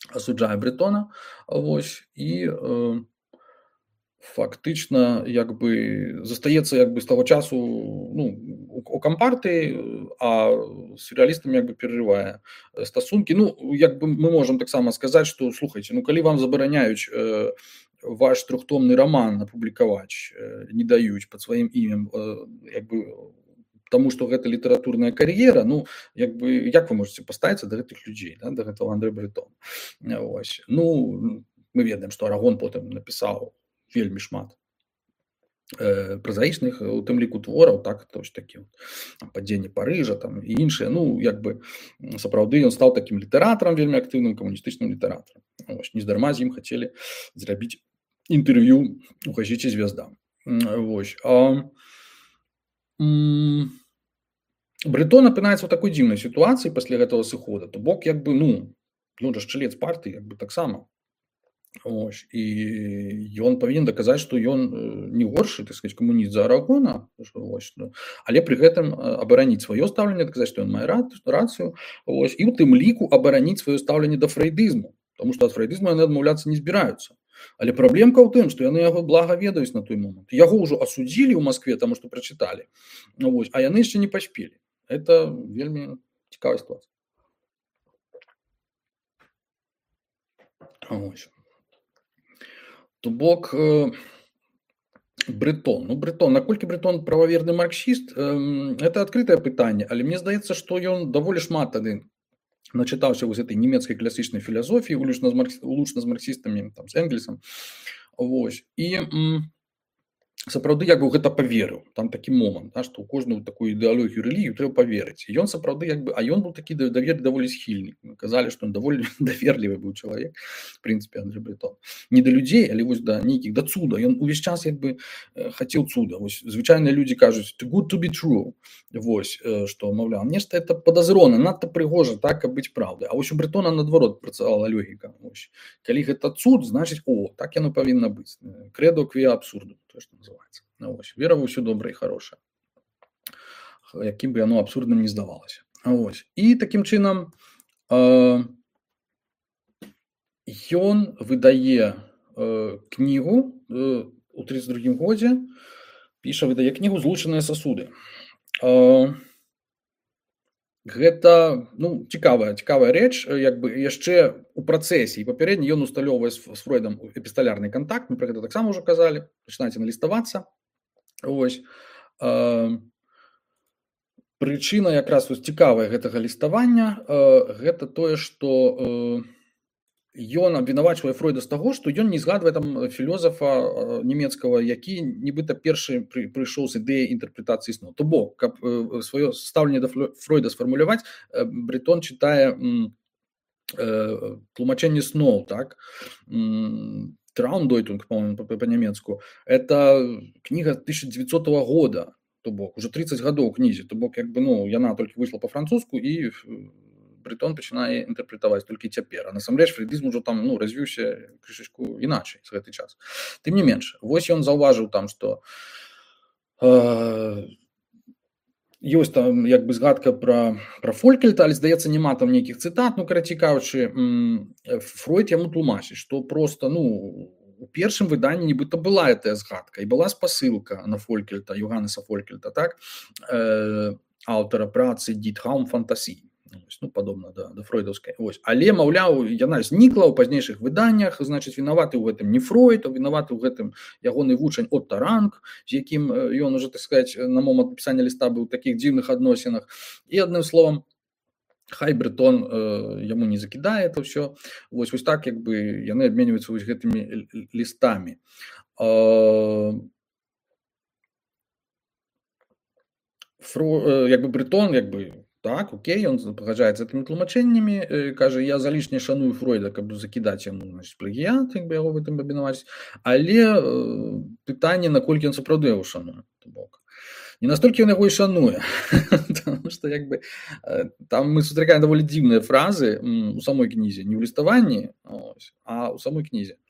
S1: асуджае Брэтона, вось, і э, фактычна як бы застаецца як бы з таго часу, ну, у, у кампартыі, а сюррэалістам як бы перарывае стасункі. Ну, як бы мы можам таксама сказаць, што слухайце, ну калі вам забараняюць э, ваш трохтомны роман апублікаваць, э, не даюць пад сваім імем, э, як бы таму што гэта літаратурная кар'ера, ну як бы як вы можете паставіцца да гэтых людзей, да, да гэтага Андре Бретона. Вось. Ну, мы ведаем, што Арагон потым напісаў вельмі шмат э, празаічных, у тым ліку твораў, так, тож такі падзенне Парыжа там і іншыя. Ну, як бы сапраўды ён стаў такім літаратарам вельмі актыўным, камуністычным літаратарам. Вось. Нездарма з ім хацелі зрабіць інтэрв'ю у газеце «Звезда». Вось. А м- Брэтон апынаецца ў такой дзіўнай сітуацыі пасля гэтага сыхода, то бок як бы, ну, ён жа чалец партыі, як бы таксама. Ось. І ён павінен даказаць, што ён не горшы, так сказаць, камуніст за Арагона, ось, ну, але пры гэтым абараніць сваё стаўленне, даказаць, што ён мае рацыю, ось, і ў тым ліку абараніць сваё стаўленне да фрэйдызму, таму што ад фрэйдызму яны адмаўляцца не збіраюцца. Але праблемка ў тым, што яны яго блага ведаюць на той момант. Яго ўжо асудзілі ў Маскве, таму што прачыталі, ось, а яны яшчэ не паспелі. Это вельмі цікавая ситуація. Ось. То бок э, Бретон. Ну, Бретон, наколькі Бретон прававерны марксіст, э, это адкрытае пытанне, але мне здаецца, што ён даволі шмат тады начытаўся вось этой нямецкай класічнай філасофіі, улучна з, маркс... улучна з марксістамі, там, з Энгельсам. Вось. І м, сапраўды як бы гэта паверыў. Там такі момант, да, што ў кожную такую ідэалогію рэлігію трэба паверыць. І ён сапраўды як бы, а ён быў такі давер даволі схільны. Казалі, што ён даволі даверлівы быў чалавек, в прынцыпе, Андре Бретон. Не да людзей, але вось да нейкіх, да цуда. Ён увесь час як бы хацеў цуда. Вось звычайныя людзі кажуць too good to be true. Вось, што, маўляў, нешта это падазрона, надта прыгожа, так, каб быць праўдай. А вось у Бретона наадварот працавала логіка. Вось. Калі гэта цуд, значыць, о, так яно павінна быць. Крэдо квіа абсурду, то што называецца. Ну, вось, вера ва ўсё добрае і харошае. Якім бы яно абсурдным не здавалася. Вось. І такім чынам э, ён выдае э, кнігу э, у тридцать другім годзе, піша, выдае кнігу «Злучаныя сасуды». Гэта, ну, цікавая, цікавая рэч, як бы яшчэ у працэсе і папярэдне ён усталёўвае з Фройдам эпісталярны контакт, мы пра гэта таксама ўжо казалі, пачынаеце наліставацца. Ось. Прычына якраз вось цікавая гэтага ліставання, гэта тое, што ён абвінавачвае Фройда з таго, што ён не згадвае там філёзафа нямецкага, які нібыта першы пры, прыйшоў з ідэяй інтэрпрэтацыі сну. То бок, каб сваё стаўленне да Фройда сфармуляваць, Бретон чытае тлумачэнне сноў, так? Traumdeutung, по-моему, по-нямецку. Это кніга тысяча дзевяццатого года, то бок, уже тридцать гадоў кнізе, то бок, як бы, ну, яна толькі выйшла па-французску і Бретон пачынае інтэрпрэтаваць толькі цяпер. А насамрэч фрэйдызм ужо там, ну, развіўся крышачку іначай з гэты час. Тым не менш, вось ён заўважыў там, што э, ёсць там як бы згадка пра, пра Фолькельта, але, здаецца, няма там нейкіх цытат, ну, карацей кажучы, Фройд яму тлумачыць, што проста, ну, у першым выданні нібыта была гэтая згадка, і была спасылка на Фолькельта, Йоганнеса Фолькельта, так, э, аўтара працы «Die Traumfantasie». Ну, падобна да, да фройдаўскай. Ось. Але, маўляў, яна знікла ў пазнейшых выданнях, значыць, вінаваты ў гэтым не Фройд, а вінаваты ў гэтым ягоны вучань Отто Ранг, з якім ён уже, так сказаць, на момант напісання ліста быў у такіх дзіўных адносінах. І, адным словам, хай Бретон э, яму не закідае это ўсё. Вось, вось так, як бы, яны абменьваюцца вось гэтымі лістамі. Э, Фро, э, як бы Бретон, як бы, так, окей, ён пагаджаецца гэтымі тлумачэннямі, кажа, я залішне шаную Фройда, каб закідаць яму, значыць, плагіят, як бы яго в гэтым абвінаваціць, але э, пытанне, наколькі ён сапраўды яго шануе, то бок. Не настолькі ён яго і шануе, тому што, як бы, там мы сустракаем даволі дзіўныя фразы у самой кнізе, не ў ліставанні, ось, а ў самой кнізе.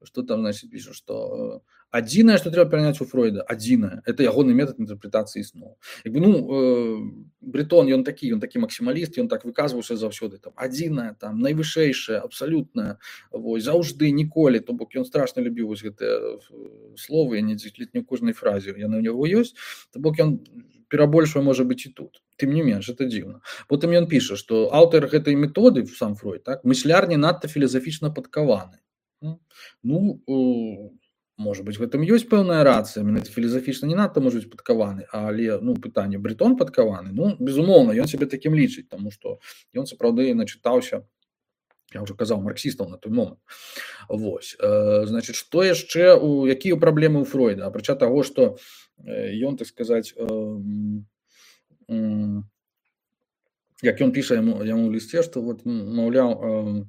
S1: что там, значит, пишут, что адзінае, што трэба пераняць у Фройда, адзінае, это ягоны метад інтэрпрэтацыі сноў. Як бы, ну, э, Брытон, ён такі, ён такі максімаліст, ён так выказваўся заўсёды, там, адзінае, там, найвышэйшае, абсалютнае, вось, заўжды, ніколі, то бок ён страшна любіў вось гэтыя словы, я не ледзь не ў кожнай фразе, яны ў яго ёсць, то бок ён перабольшвае, можа быць, і тут. Тым не менш, это дзіўна. Потым ён піша, што аўтар гэтай методы, сам Фройд, так, мысляр не надта філасафічна падкаваны. Ну, э, можа быць, гэтым ёсць пэўная рацыя, менавіта філасафічна не надта можа быць падкаваны, але, ну, пытанне, Брытон падкаваны? Ну, безумоўна, ён сябе такім лічыць, таму што ён сапраўды начытаўся, я ўжо казаў, марксістаў на той момант. Вось, э, значыць, што яшчэ, у якія праблемы ў Фройда? Апрача таго, што ён, так сказаць, э, э, як ён піша яму, яму ў лісце, што, вот, маўляў, э,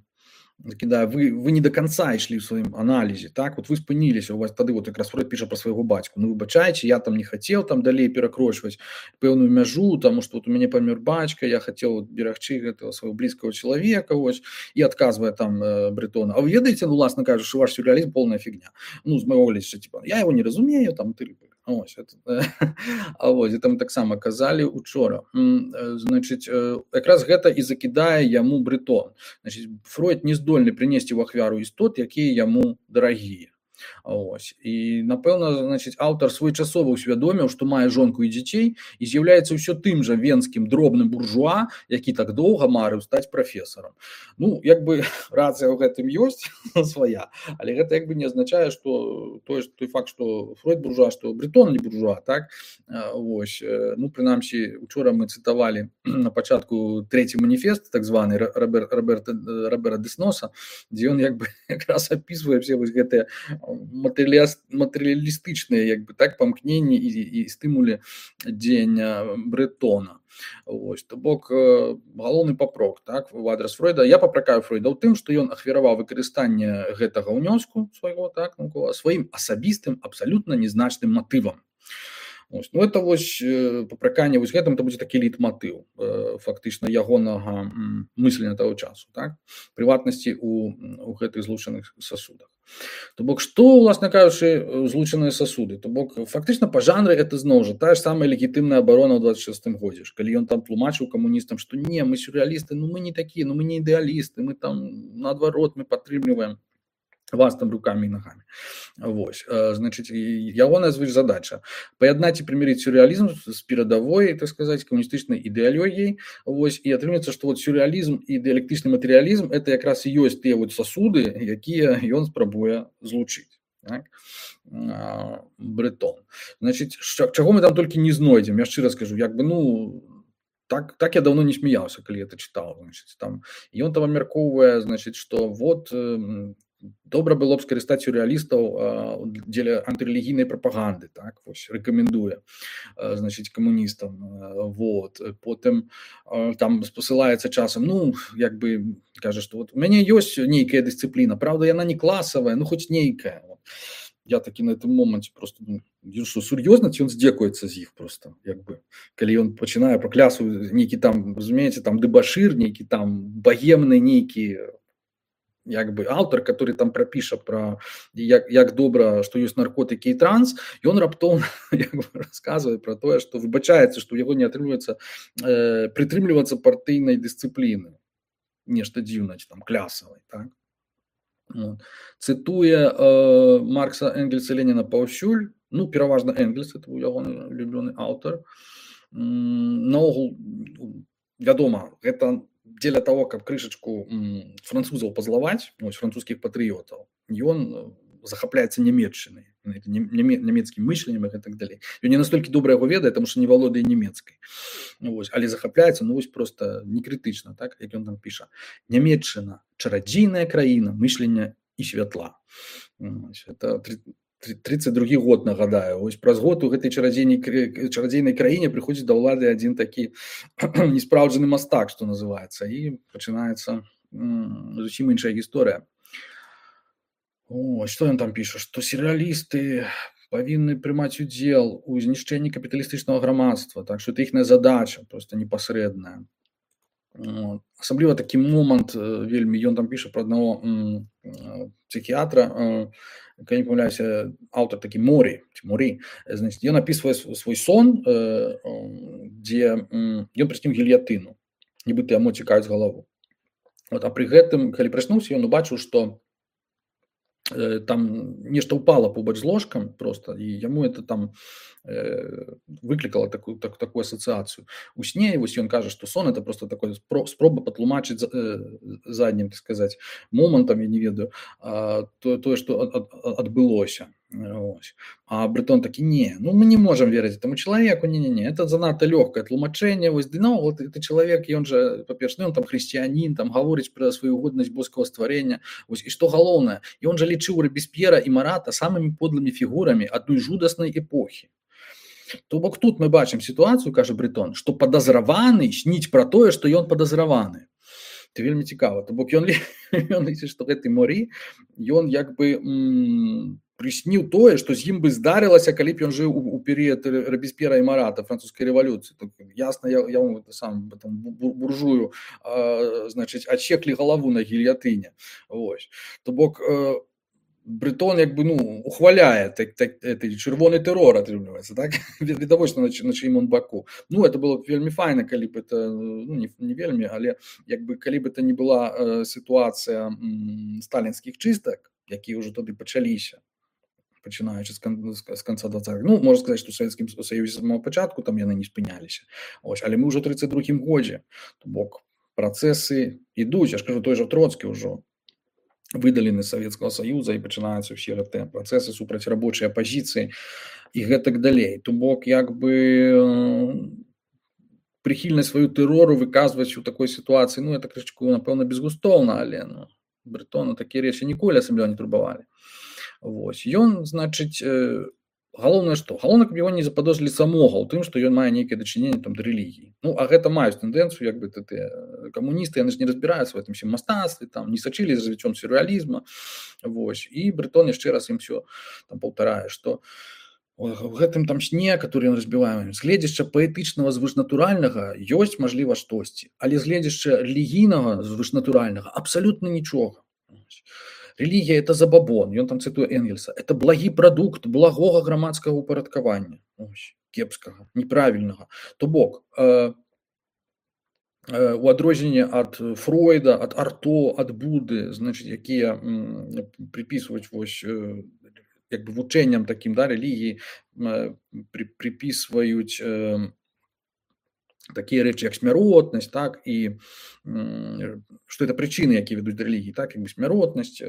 S1: кідае, вы, вы не до конца ішлі ў сваім аналізе, так, вот вы спыніліся, у вас тады вот якраз Фройд піша пра свайго бацьку, ну, выбачайце, я там не хацеў там далей перакрочваць пэўную мяжу, таму што вот у мяне памёр бацька, я хацеў вот берагчы гэтага свайго блізкага чалавека, вось, і адказвае там э, Брытона. А вы ведаеце, ну, уласна кажучы, ваш сюрреалізм полная фігня. Ну, з майго гледжання, типа, я его не разумею, там, ты, ось, это, а вось, там таксама казалі учора. Значыць, якраз гэта і закідае яму Брытон. Значыць, Фройд не здольны прынесці ў ахвяру істот, якія яму дарагія. Ось. І, напэўна, значыць, аўтар своечасова ўсвядоміў, што мае жонку і дзяцей і з'яўляецца ўсё тым жа венскім дробным буржуа, які так доўга марыў стаць прафесарам. Ну, як бы рацыя ў гэтым ёсць свая, але гэта як бы не азначае, што той, той факт, што Фройд буржуа, што Брытон не буржуа, так? Вось. Ну, прынамсі, учора мы цытавалі на пачатку трэці маніфест, так званы Робер, Роберта, Робера Десноса, дзе ён як бы якраз апісвае все вось гэтыя матэрыялістычныя, як бы, так, памкненні і, і стымулі дзеяння Брытона. Ось, то бок, галоўны папрок, так, у адрас Фройда. Я папракаю Фройда ў тым, што ён ахвяраваў выкарыстанне гэтага ўнёску свайго, так, сваім асабістым, абсалютна незначным матывам. Ось, ну, это вось папраканне вось гэтым, это будзе такі лейтматыў фактычна ягонага мыслення таго часу, так, прыватнасці у, у гэтых злучаных сасудах. То бок, што, уласна кажучы, злучаныя сасуды? То бок, фактычна па жанры это зноў жа тая ж самая легітымная абарона ў дваццаць шостым годзе, калі ён там тлумачыў камуністам, што не, мы сюррэалісты, ну мы не такія, ну мы не ідэалісты, мы там наадварот, мы падтрымліваем вас там руками і ногамі. Вось, значыць, ягоная задача паяднаць і прымірыць сюррэалізм з перадавой, так сказаць, камуністычнай ідэалогіяй. Вось, і атрымліваецца, што вот сюррэалізм і дыялектычны матэрыялізм это якраз і ёсць тыя вот сасуды, якія ён спрабуе злучыць. Так? Брытон. Значыць, чаго мы там толькі не знойдзем, я шчыра скажу, як бы, ну, так, так я давно не смяяўся, калі это чытаў. Значыць, там, ён там абмяркоўвае, значыць, што вот добра было б скарыстаць сюррэалістаў дзеля антырэлігійнай прапаганды, так, вось, рэкамендуе, значыць, камуністам, вот, потым там спасылаецца часам, ну, як бы, кажа, што вот у мяне ёсць нейкая дысцыпліна, правда, яна не класавая, ну, хоць нейкая. Я такі на гэтым моманце просто, ну, што сур'ёзна, ці ён здзекуецца з іх просто, як бы, калі ён пачынае паклясу нейкі там, разумееце, там дэбашыр, нейкі там багемны нейкі, як бы аўтар, который там прапіша пра як, як добра, што ёсць наркотыкі і транс, ён раптоўна як бы расказвае пра тое, што выбачаецца, што ў яго не атрымліваецца э, прытрымлівацца партыйнай дысцыпліны. Нешта дзіўна, там клясавай, так? Вот. Цытуе э, Маркса, Энгельса, Леніна паўсюль, ну, пераважна Энгельс, это ягоны любёны аўтар. Наогул, вядома, гэта дзеля того, каб крышачку французаў пазлаваць, ось, французскіх патрыётаў, ён захапляецца нямецчынай, нямецкім мысленнем і так далей. Ён не настолькі добра яго ведае, таму што не валодае нямецкай. Ось, але захапляецца, ну, вось просто некрытычна, так, як ён там піша. Нямецчына – чарадзейная краіна мыслення і святла. Ось, это тридцать другі год, нагадаю. Ось праз год у гэтай чарадзейнай, чарадзейнай краіне прыходзіць да ўлады адзін такі неспраўджаны мастак, што называецца, і пачынаецца зусім іншая гісторыя. О, што ён там піша? Што сюррэалісты павінны прымаць удзел у знішчэнні капіталістычнага грамадства, так што это іхная задача, проста непасрэдная. Вот. Асабліва такі момант вельмі, ён там піша пра аднаго псіхіатра, калі не памыляюся, аўтар такі Морі, Морі, значит, ён апісвае свой сон, дзе ён прысніў гільятыну, нібыта яму цікаюць галаву. Вот, а пры гэтым, калі праснуўся, ён убачыў, што там нешта упало побач з ложкам просто, і яму это там э, выклікала такую, так, такую асацыяцыю. У сне вось ён кажа, што сон это просто такое спроба патлумачыць э, заднім, так сказаць, момантам, я не ведаю, а, то, тое, што ад, ад, адбылося. Ось. А Брытон такі, не, ну мы не можем верыць этому чалавеку, не-не-не, это занадта лёгкае тлумачэнне, вось, ды, ну, вот это чалавек, ён жа, па-перш, ну, ён там хрысціянін, там гаворыць пра сваю годнасць боскага стварення, вось, і што галоўнае, ён жа лічыў Робеспьера і Марата самымі подлымі фігурамі адной жудаснай эпохі. То бок тут мы бачым сітуацыю, кажа Брытон, што падазраваны сніць пра тое, што ён падазраваны. Это вельмі цікава. То бок ён, ён лічыць, што гэты Морі, ён як бы м, прысніў тое, што з ім бы здарылася, калі б ён жыў у, у перыяд Робеспьера і Марата, французскай рэвалюцыі. То, ясна, я, я сам там, буржую, а, значыць, адсеклі галаву на гільятыне. Ось. То бок э, Брытон як бы, ну, ухваляе так, так, этой чырвоны тэрор, атрымліваецца, так? Відавочна, на, на чыім он баку. Ну, это было б вельмі файна, калі б это, ну, не, не вельмі, але як бы, калі б это не была э, сітуацыя м, сталінскіх чыстак, якія ўжо тады пачаліся, пачынаючы з, кон, з, з канца двадцатых. Ну, можна сказаць, што ў Савецкім Саюзе з самого пачатку там яны не спыняліся. Ось, але мы ўжо ў трыццаць другім годзе. То бок, працэсы ідуць, я ж кажу, той жа Троцкі ўжо выдалены з Савецкага Саюза і пачынаюцца ўсе гэтыя працэсы супраць рабочай апазіцыі і гэтак далей. То бок, як бы прыхільнасць сваю тэрору выказваць у такой сітуацыі, ну, это крышку, напэўна, безгустоўна, але ну, Брытону такія рэчы ніколі асабліва не турбавалі. Вось. Ён, значыць, галоўнае што? Галоўнае, каб яго не западозрылі самога ў тым, што ён мае нейкае дачыненне там да рэлігіі. Ну, а гэта маюць тэндэнцыю, як бы тыя камуністы, яны ж не разбіраюцца ў гэтым всім мастацтве, там не сачылі за развіццём сюррэалізма. Вось. І Брытон яшчэ раз ім всё там паўтарае, што у гэтым там сне, который ён разбівае, з гледзяшча паэтычнага звышнатуральнага ёсць, мажліва, штосьці, але з гледзяшча рэлігійнага звышнатуральнага абсалютна нічога. Рэлігія – это забабон, ён там цытуе Энгельса, это благі прадукт благога грамадскага упарадкавання, ось, кепскага, неправільнага. То бок, э, э, у адрозненне ад Фройда, ад Арто, ад Буды, значыць, якія м, припісваюць вось, э, як бы вучэнням такім, да, рэлігіі, э, при, припісваюць э, такія рэчы, як смяротнасць, так, і што это прычыны, якія вядуць да рэлігіі, так, як бы смяротнасць,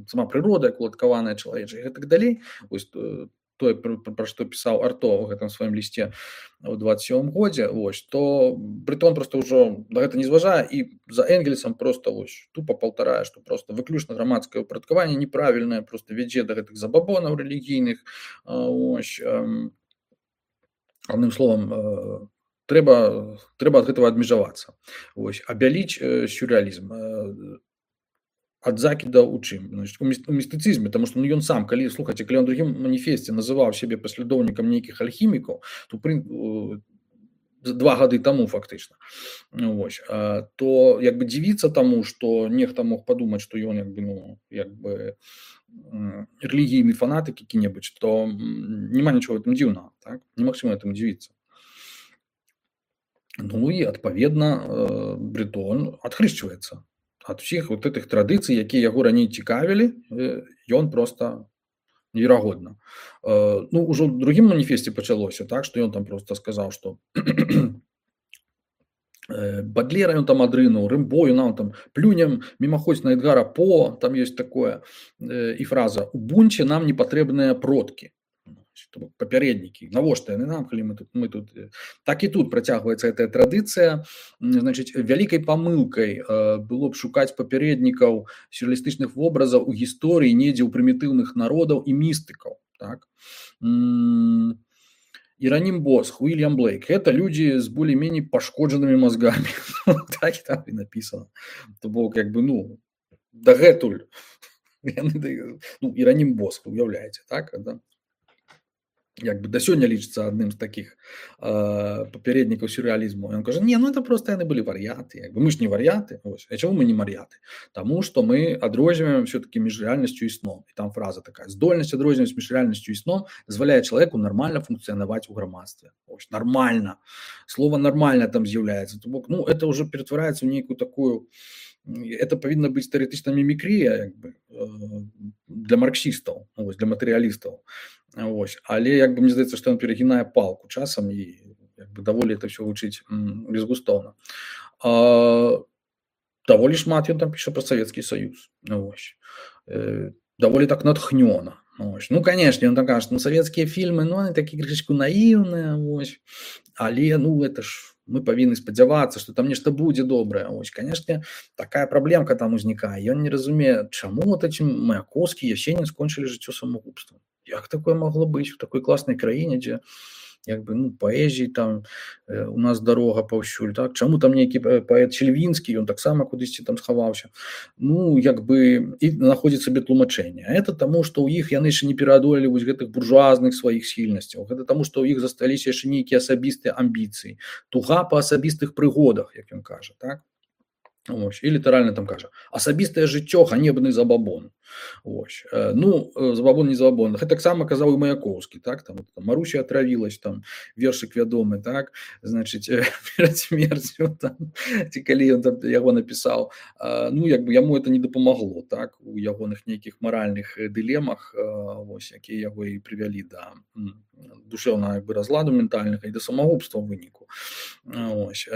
S1: сама прырода, як уладкаваная чалавечая, і гэтак далей. Вось тое, пра, пра што пісаў Арто ў гэтым сваім лісце ў дваццаць сёмым годзе, вось, то Брытон проста ўжо да гэта не зважае і за Энгельсам проста вось тупа паўтарае, што проста выключна грамадскае ўпарадкаванне неправільнае, проста вядзе да гэтых забабонаў рэлігійных, ось, адным словам, трэба, трэба ад гэтага адмежавацца. Вось, абяліць э, сюррэалізм э, ад закіда ў чым? Значит, у, міст, у містыцызме, таму што ну, ён сам, калі, слухайце, калі он у другім маніфесце называў сябе паслядоўнікам нейкіх альхімікаў, то прын, э, два гады таму фактычна, вось, э, то як бы дзівіцца таму, што нехта мог падумаць, што ён як бы, ну, як бы рэлігійны фанатык які-небудзь, то няма нічого в этом дзіўнага, так? Немагчыма этому дзівіцца. Ну і, адпаведна, Брытон адхрышчваецца ад усіх вот этих традыцый, якія яго раней цікавілі, ён проста неверагодна. Ну, ўжо ў другім маніфесце пачалося, так, што ён там проста сказаў, што Бадлера ён там адрынуў, Рымбо, ён там плюнем мімаходзь на Эдгара По, там ёсць такое, і фраза «У бунце нам не патрэбныя продкі». Папярэднікі, навошта яны нам, калі мы тут, мы тут... Так і тут працягваецца гэтая традыцыя. Значыць, вялікай памылкай было б шукаць папярэднікаў сюррэалістычных вобразаў у гісторыі недзе ў прымітыўных народаў і містыкаў. Так? Іранім Босх, Уильям Блейк – гэта людзі з болей-меней пашкоджанымі мазгамі. Так і там і напісана. То бок, як бы, ну, дагэтуль. Ну, Іранім Босх, уяўляеце, так? Да? як бы да сёння лічыцца адным з такіх э, папярэднікаў сюррэалізму. Ён кажа: не, ну это просто яны былі вар'яты, як бы мы ж не вар'яты. Вось. А чаму мы не мар'яты? Таму што мы адрозніваем все-таки між рэальнасцю і сном. І там фраза такая: здольнасць адрозніваць між рэальнасцю і сном дазваляе чалавеку нармальна функцыянаваць у грамадстве. Ось, нармальна. Слово нармальна там з'яўляецца. То бок, ну это уже ператвараецца ў нейкую такую, это павінна быць тэарэтычна мімікрія, як бы, э, для марксістаў, ось, для матэрыялістаў. Ось. Але як бы мне здаецца, што ён перагінае палку часам і як бы даволі это ўсё гучыць безгустоўна. А, даволі шмат ён там піша пра Савецкі Саюз. Ось. Э, даволі так натхнёна. Ось. Ну, канешне, ён там кажа, ну савецкія фільмы, ну они такі крышачку наіўныя, ось. Але ну это ж мы павінны спадзявацца, што там нешта будзе добрае. Ось, канешне, такая праблемка там узнікае. Ён не разумее, чаму вот эти Маяковскі, Ясенін скончылі жыццё самагубствам. Як такое могло быць у такой класнай краіне, дзе як бы, ну, паэзіі там э, у нас дарога паўсюль, так? Чаму там нейкі паэт Чельвінскі, ён таксама кудысьці там схаваўся. Ну, як бы і знаходзіць сабе тлумачэнне. А это таму, што ў іх яны яшчэ не пераадолелі вось гэтых буржуазных сваіх схільнасцяў. Гэта таму, што ў іх засталіся яшчэ нейкія асабістыя амбіцыі. Туга па асабістых прыгодах, як ён кажа, так? Ось. І літаральна там кажа: асабістае жыццё ганебны забабон. Ось. Ну, забабон не забабон. Гэта таксама казаў і Маяковскі, так? Там, там Маруся отравілась, там вершык вядомы, так? Значыць, перад смерцю там, ці калі ён там яго напісаў, ну як бы яму это не дапамагло, так? У ягоных нейкіх маральных дылемах, ось, якія яго і прывялі да душэўнага як бы разладу ментальнага і да самагубства ў выніку. Ось.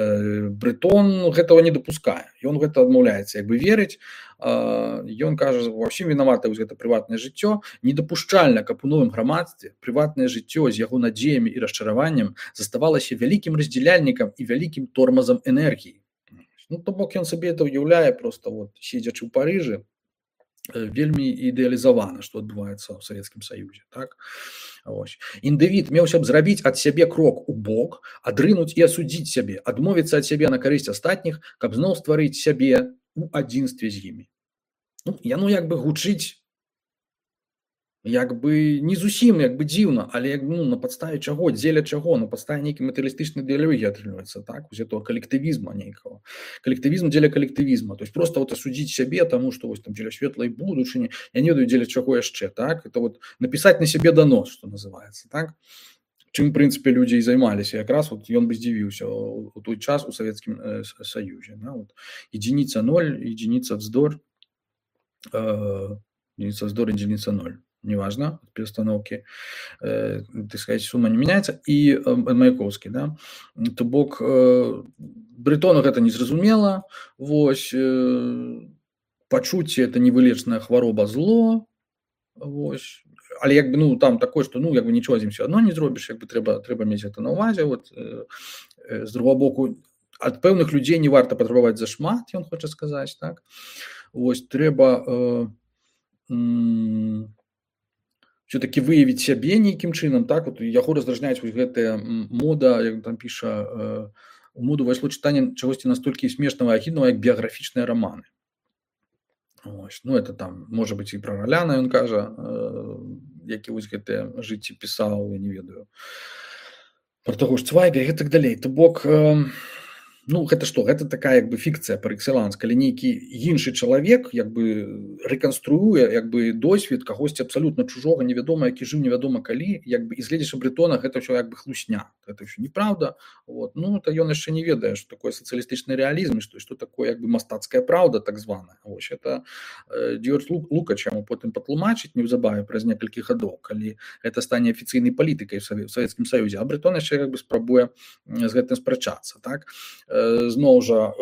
S1: Брытон гэтага не дапускае. Ён гэта адмаўляецца як бы верыць. Ён кажа, ва ўсім вінавата вось гэта прыватнае жыццё. Недапушчальна, каб у новым грамадстве прыватнае жыццё з яго надзеямі і расчараваннем заставалася вялікім раздзяляльнікам і вялікім тормазам энергіі. Ну, то бок ён сабе это ўяўляе проста вот, седзячы ў Парыжы, вельмі ідэалізавана, што адбываецца ў Савецкім Саюзе, так? Ось. Індывід меўся б зрабіць ад сябе крок у бок, адрынуць і асудзіць сябе, адмовіцца ад сябе на карысць астатніх, каб зноў стварыць сябе у адзінстве з імі. Ну, яно як бы гучыць як бы не зусім як бы дзіўна, але як, ну, на падставе чаго, дзеля чаго, на падставе нейкай матэрыялістычнай ідэалогіі атрымліваецца, так, вось этого калектывізма нейкага. Калектывізм дзеля калектывізма, то есть просто вот асудзіць сябе таму, што вось там дзеля светлай будучыні, я не ведаю дзеля чаго яшчэ, так, это вот напісаць на сябе данос, што называецца, так. Чым, в прынцыпе, людзі і займаліся, якраз вот ён бы здзівіўся у той час у Савецкім э, Саюзе, да, вот единица ноль, единица вздор, э, единица вздор, единица ноль. Неважно, от перестановки, э, так сказать, сумма не меняется, и э, Маяковский, да, то бок э, Брытону гэта не зразумела, вось, э, пачуцці это невылечная хвароба зло, вось, але як бы, ну, там такое, што, ну, як бы нічого з ім все одно не зробіш, як бы трэба, трэба мець гэта на ўвазе, вот, э, э, з другого боку, ад пэўных людзей не варта патрабаваць зашмат, ён хоча сказаць, так, вось, трэба э, м- все-таки выявіць сябе нейкім чынам, так, вот яго раздражняюць вось гэтая мода, як там піша, э, у моду увайшло чытанне чагосьці настолькі смешнага і агіднага, як біяграфічныя раманы. Ось, ну, это там, можа быць, і пра Раляна ён кажа, э, які вось гэтае жыцці пісаў, я не ведаю, пра таго ж Цвайга і гэтак далей. То бок, э, ну, гэта што? Гэта такая як бы фікцыя пар экселанс, калі нейкі іншы чалавек як бы рэканструюе як бы досвед кагосьці абсалютна чужога, невядома, які жыў невядома калі, як бы і гледзячы Брытона, гэта ўсё як бы хлусня. Гэта ўсё неправда. Вот. Ну, то ён яшчэ не ведае, што такое сацыялістычны рэалізм, што што такое як бы мастацкая праўда, так званая. Вось это э, Дзёрдж Лукач яму потым патлумачыць неўзабаве праз некалькі гадоў, калі гэта стане афіцыйнай палітыкай у Савецкім Саюзе, а Брытон яшчэ як бы спрабуе з гэтым спрачацца, так? Зноў жа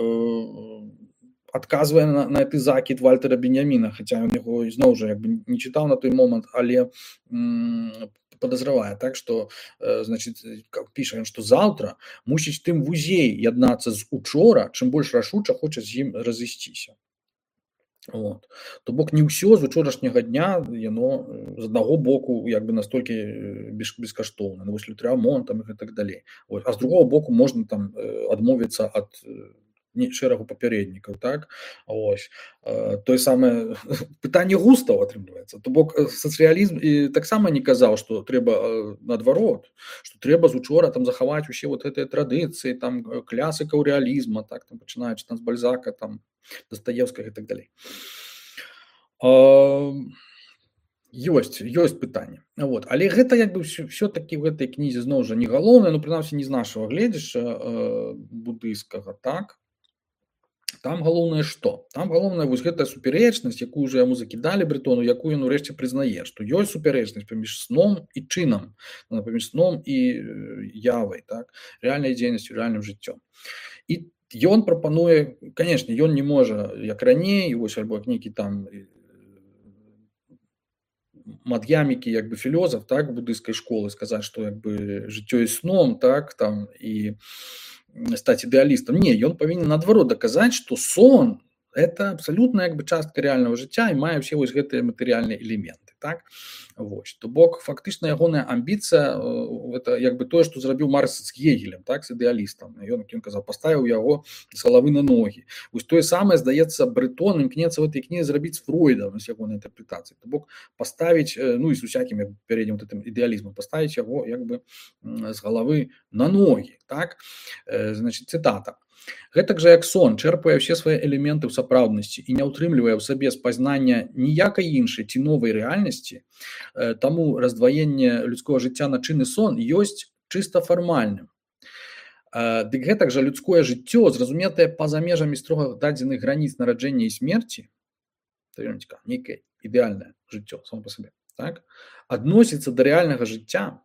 S1: адказвае на, на гэты закід Вальтера Беньяміна, хаця ён яго зноў жа як бы не чытаў на той момант, але м, падазравае, так, што значыць, піша ён, што заўтра мусіць тым вузей яднацца з учора, чым больш рашуча хоча з ім разысціся. Вот. То бок не ўсё з учорашняга дня яно з аднаго боку як бы настолькі бескаштоўна, вось лютрамонт там і гэтак далей. Ось. А з другого боку можна там адмовіцца ад шэрагу папярэднікаў, так? Ось. Тое самае пытанне густаў атрымліваецца. То бок сацыялізм і таксама не казаў, што трэба наадварот, што трэба з учора там захаваць усе вот гэтыя традыцыі, там класікаў рэалізма, так, там пачынаючы там з Бальзака, там Дастаеўскага і так далей. Ёсць, ёсць пытанне. Вот. Але гэта як бы все-таки в гэтай кнізе зноў жа не галоўнае, ну прынамсі не з нашага гледзяшча будыйскага, так? Там галоўнае што? Там галоўнае вось гэтая супярэчнасць, якую ўжо яму закідалі Брэтону, якую ён урэшце прызнае, што ёсць супярэчнасць паміж сном і чынам, паміж сном і явай, так? Рэальнай дзейнасцю, рэальным жыццём. І ён прапануе, канешне, ён не можа, як раней, вось альбо як нейкі там Мад'ямікі, як бы філёзаф, так, будыйскай школы, сказаць, што як бы жыццё і сном, так, там, і стаць ідэалістам. Не, ён павінен наадварот даказаць, што сон это абсалютна як бы частка рэальнага жыцця і мае ўсе вось гэтыя матэрыяльныя элементы, так? Вось. То бок фактычна ягоная амбіцыя это як бы тое, што зрабіў Маркс з Гегелем, так, з ідэалістам. Ён, як ён казаў, паставіў яго з галавы на ногі. Вось тое самае, здаецца, Брэтон імкнецца ў гэтай кнізе зрабіць з Фройдам з ягонай інтэрпрэтацыяй. То бок паставіць, ну і з усякім пярэднім гэтым ідэалізмам, паставіць яго як бы з галавы на ногі, так? Значит, цытата. Гэтак жа як сон чэрпае ўсе свае элементы ў сапраўднасці і не ўтрымлівае ў сабе спазнання ніякай іншай ці новай рэальнасці, таму раздваенне людскога жыцця на чын і сон ёсць чыста фармальным. Дык гэтак жа людское жыццё, зразуметае па-за межамі строга дадзеных граніц нараджэння і смерці, нейкае ідэальнае жыццё само па сабе, так, адносіцца да рэальнага жыцця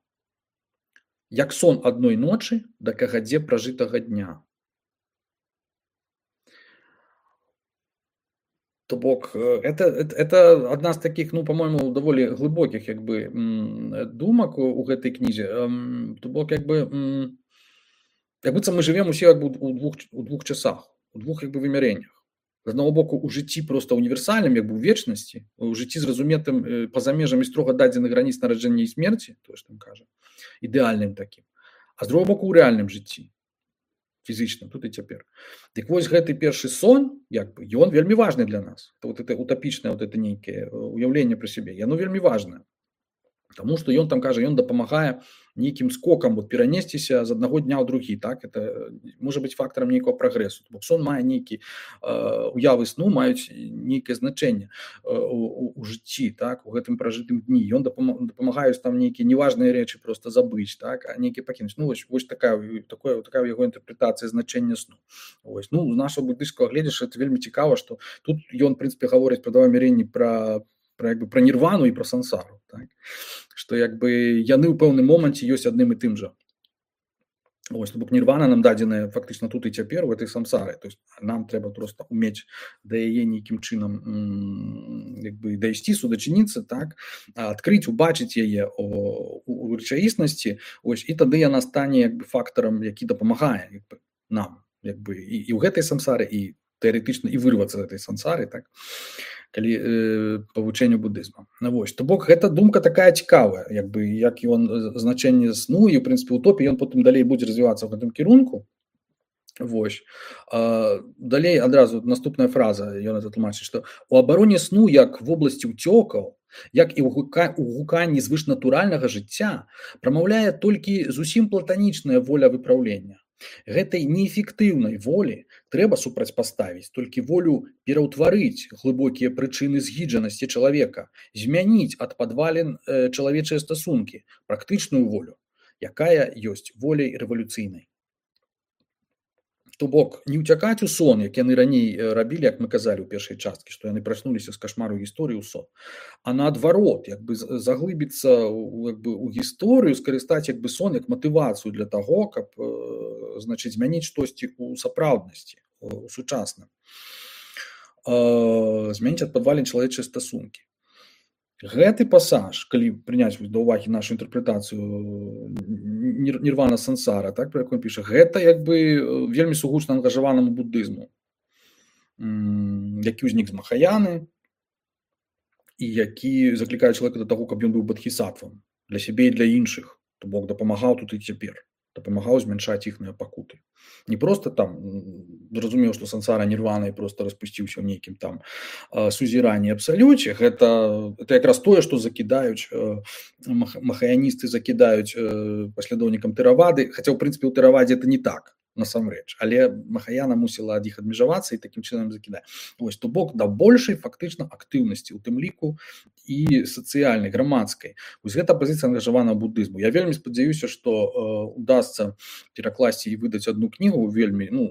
S1: як сон адной ночы да кагадзе пражытага дня. То бок, это, это, это одна з таких, ну, по-моему, даволі глибоких, якби, думок у гэтай кнізе. То бок, якби, якби це ми живемо усі якби у двох, у двох часах, у двох, якби, виміреннях. З одного боку, у житті просто універсальним, якби, у вечності, у житті зрозумітим поза межами строго дадених границь народження і смерті, то ж там каже, ідеальним таким. А з другого боку, у реальним житті. Фізично, тут і цяпер. Так вось гэты першы сон, як бы, ён вельмі важны для нас. Это вот это утопічнае вот это нейкае уяўленне пра сябе, яно вельмі важнае. Таму што ён там кажа, ён дапамагае нейкім скокам вот перанесціся з аднаго дня ў другі, так? Это можа быць фактарам нейкага прагрэсу. Бо сон мае нейкі э, уявы сну маюць нейкае значэнне э, у, у жыцці, так? У гэтым пражытым дні. Ён дапамагаюць там нейкія неважныя рэчы просто забыць, так? А нейкія пакінуць. Ну вось, вось такая, такая, такая яго інтэрпрэтацыя значэння сну. Вось. Ну, з нашага буддыйскага гледзяшча это вельмі цікава, што тут ён, в прынцыпе, гаворыць пра два вымярэнні пра Про, якби, про нірвану і про сансару. Так? Што якби, яны ў пэўным моманце ёсць адным і тым жа. Ось, бок нірвана нам дадзеная фактычна тут і цяпер у этой сансары. То есть нам трэба просто умець да яе нейкім чынам якби, дайсці, судачыніцца, так? Адкрыць, убачыць яе у, у рэчаіснасці, ось, і тады яна стане якби, фактарам, які дапамагае якби, нам якби, і, і ў гэтай сансары, і тэарэтычна і вырвацца з этой сансары, так? Калі э, па вучэнню будызма. Ну, вось. То бок, гэта думка такая цікавая, як бы, як ён значэнне сну, і, ў прынцыпе, утопія, ён потым далей будзе развівацца ў гэтым кірунку. Вось. А, далей адразу наступная фраза, ён это тлумачыць, што у абароне сну, як в обласці ўцёкаў, як і ў гуканні звышнатуральнага жыцця, прамаўляе толькі зусім платанічная воля выпраўлення. Гэтай неэфектыўнай волі трэба супрацьпаставіць толькі волю пераўтварыць глыбокія прычыны згіджанасці чалавека, змяніць ад падвалін э, чалавечыя стасункі, практычную волю, якая ёсць воляй рэвалюцыйнай. То бок, не ўцякаць у сон, як яны раней рабілі, як мы казалі ў першай часткі, што яны праснуліся з кашмару гісторыі ў сон, а наадварот, як бы заглыбіцца як бы, у гісторыю, скарыстаць як бы, сон як матывацыю для таго, каб значыць, змяніць штосьці ў сапраўднасці, у сучасным. Змяніць ад падвалін чалавечыя стасункі. Гэты пасаж, калі прыняць да ўвагі нашу інтэрпрэтацыю нірвана сансара, так, пра якую піша, гэта як бы вельмі сугучна ангажаванаму буддызму, які ўзнік з Махаяны і які заклікае чалавека да таго, каб ён быў бадхісаттвам для сябе і для іншых, то бок дапамагаў тут і цяпер. дапамагаў змяншаць іхныя пакуты. Не просто там зразумеў, што сансара нірвана і просто распусціўся ў нейкім там сузіранні абсалюце. Гэта, гэта якраз тое, што закідаюць махаяністы, закідаюць паслядоўнікам тэравады, хаця ў прынцыпе ў тэравадзе это не так насамрэч, але махаяна мусіла ад іх адмежавацца і такім чынам закідае. Вось, то бок да большай фактычна актыўнасці, у тым ліку і сацыяльнай, грамадскай. Вось гэта пазіцыя ангажаванага будызму. Я вельмі спадзяюся, што э, удасца перакласці і выдаць адну кнігу вельмі, ну,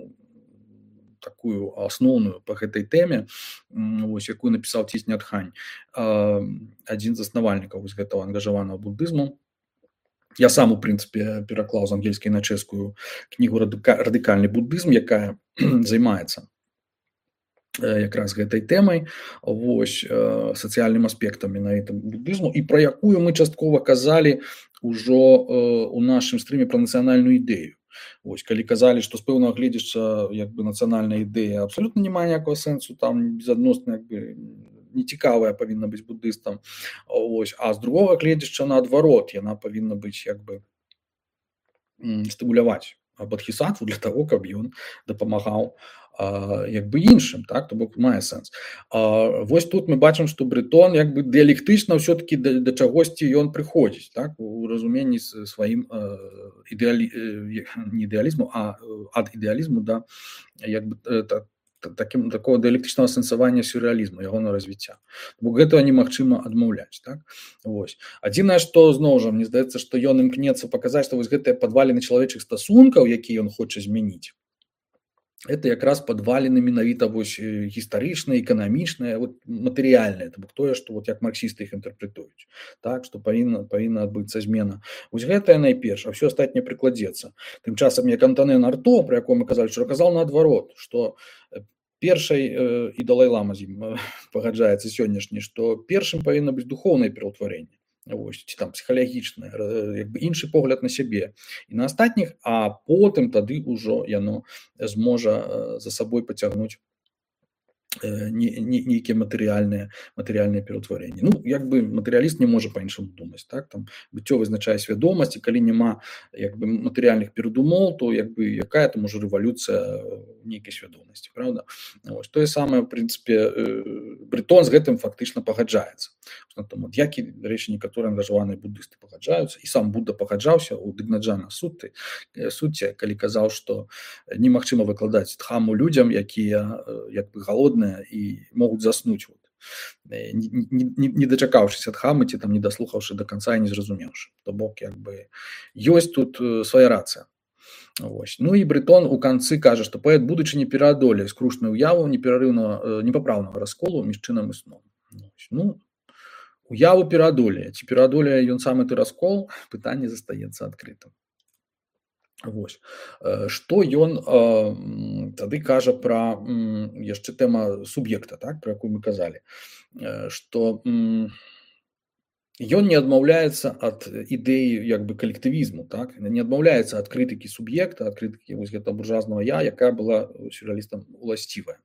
S1: такую асноўную па гэтай тэме, вось, якую напісаў Ціс Нят Хань, э, адзін з заснавальнікаў вось гэтага ангажаванага будызму. Я сам, у прынцыпе, пераклаў з ангельскай на чэшскую кнігу «Радыкальны будызм», якая займаецца якраз гэтай тэмай, вось, сацыяльным аспектам менавіта будызму, і пра якую мы часткова казалі ўжо у нашым стрыме пра нацыянальную ідэю. Вось, калі казалі, што з пэўнага гледзяча як бы нацыянальная ідэя абсалютна не мае ніякага сэнсу, там безадносна як бы нецікавая павінна быць будыстам, ось, а з другога гледзяча наадварот, яна павінна быць як бы стымуляваць бодхісаттву для таго, каб ён дапамагаў а, як бы іншым, так, то бок мае сэнс. А, вось тут мы бачым, што Брытон як бы дыялектычна ўсё-такі да, да чагосьці ён прыходзіць, так, у разуменні сваім ідэалі... не ідэалізму, а ад ідэалізму да як бы та, таким такого дыялектычнага сэнсавання сюррэалізму, ягонага развіцця. Бо гэтага немагчыма адмаўляць, так? Вось. Адзінае, што зноў жа мне здаецца, што ён імкнецца паказаць, што вось гэтыя падваліны чалавечых стасункаў, якія ён хоча змяніць, это якраз падваліны менавіта вось гістарычныя, эканамічныя, вот матэрыяльныя, то бок тое, што вот як марксісты іх інтэрпрэтуюць, так, што павінна павінна адбыцца змена. Вось гэтае найперш, а ўсё астатняе прыкладзецца. Тым часам як Антонен Арто, пра якое мы казалі, што казаў наадварот, што першай і Далай-лама з ім пагаджаецца сённяшні, што першым павінна быць духоўнае пераўтварэнне. Вось, ці там псіхалагічнае, як бы іншы погляд на сябе і на астатніх, а потым тады ўжо яно зможа за сабой пацягнуць нейкія матэрыяльныя матэрыяльныя пераўтварэнні. Ну, як бы матэрыяліст не можа па-іншаму думаць, так, там быццё вызначае свядомасць, і калі няма як бы матэрыяльных перадумоў, то як бы якая там ужо рэвалюцыя нейкай свядомасці, правда? Вось, тое самае, в прынцыпе, Брытон з гэтым фактычна пагаджаецца. Тому, як і, рэчы, некаторыя ангажаваныя буддысты пагаджаюцца, і сам Будда пагаджаўся у Дыгнаджана Сутты, Сутце, калі казаў, што немагчыма выкладаць дхаму людзям, якія як бы галодныя і могуць заснуць, вот, не, не, не дачакаўшыся дхамы, ці там не даслухаўшы да канца і не зразумеўшы. То бок, як бы, ёсць тут свая рацыя. Вось. Ну і Брытон у канцы кажа, што паэт будучыні пераадолее скрушную ўяву неперарыўнага, непапраўнага расколу між чынам і сном. Ну, уяву пераадолее. Ці пераадолее ён сам гэты раскол, пытанне застаецца адкрытым. Вось. Што ён э, тады кажа пра м, яшчэ тэма суб'екта, так, пра якую мы казалі, што м, ён не адмаўляецца ад ідэі як бы калектывізму, так, не адмаўляецца ад крытыкі суб'екта, ад крытыкі вось гэтага буржуазнага я, якая была сюррэалістам уласцівая.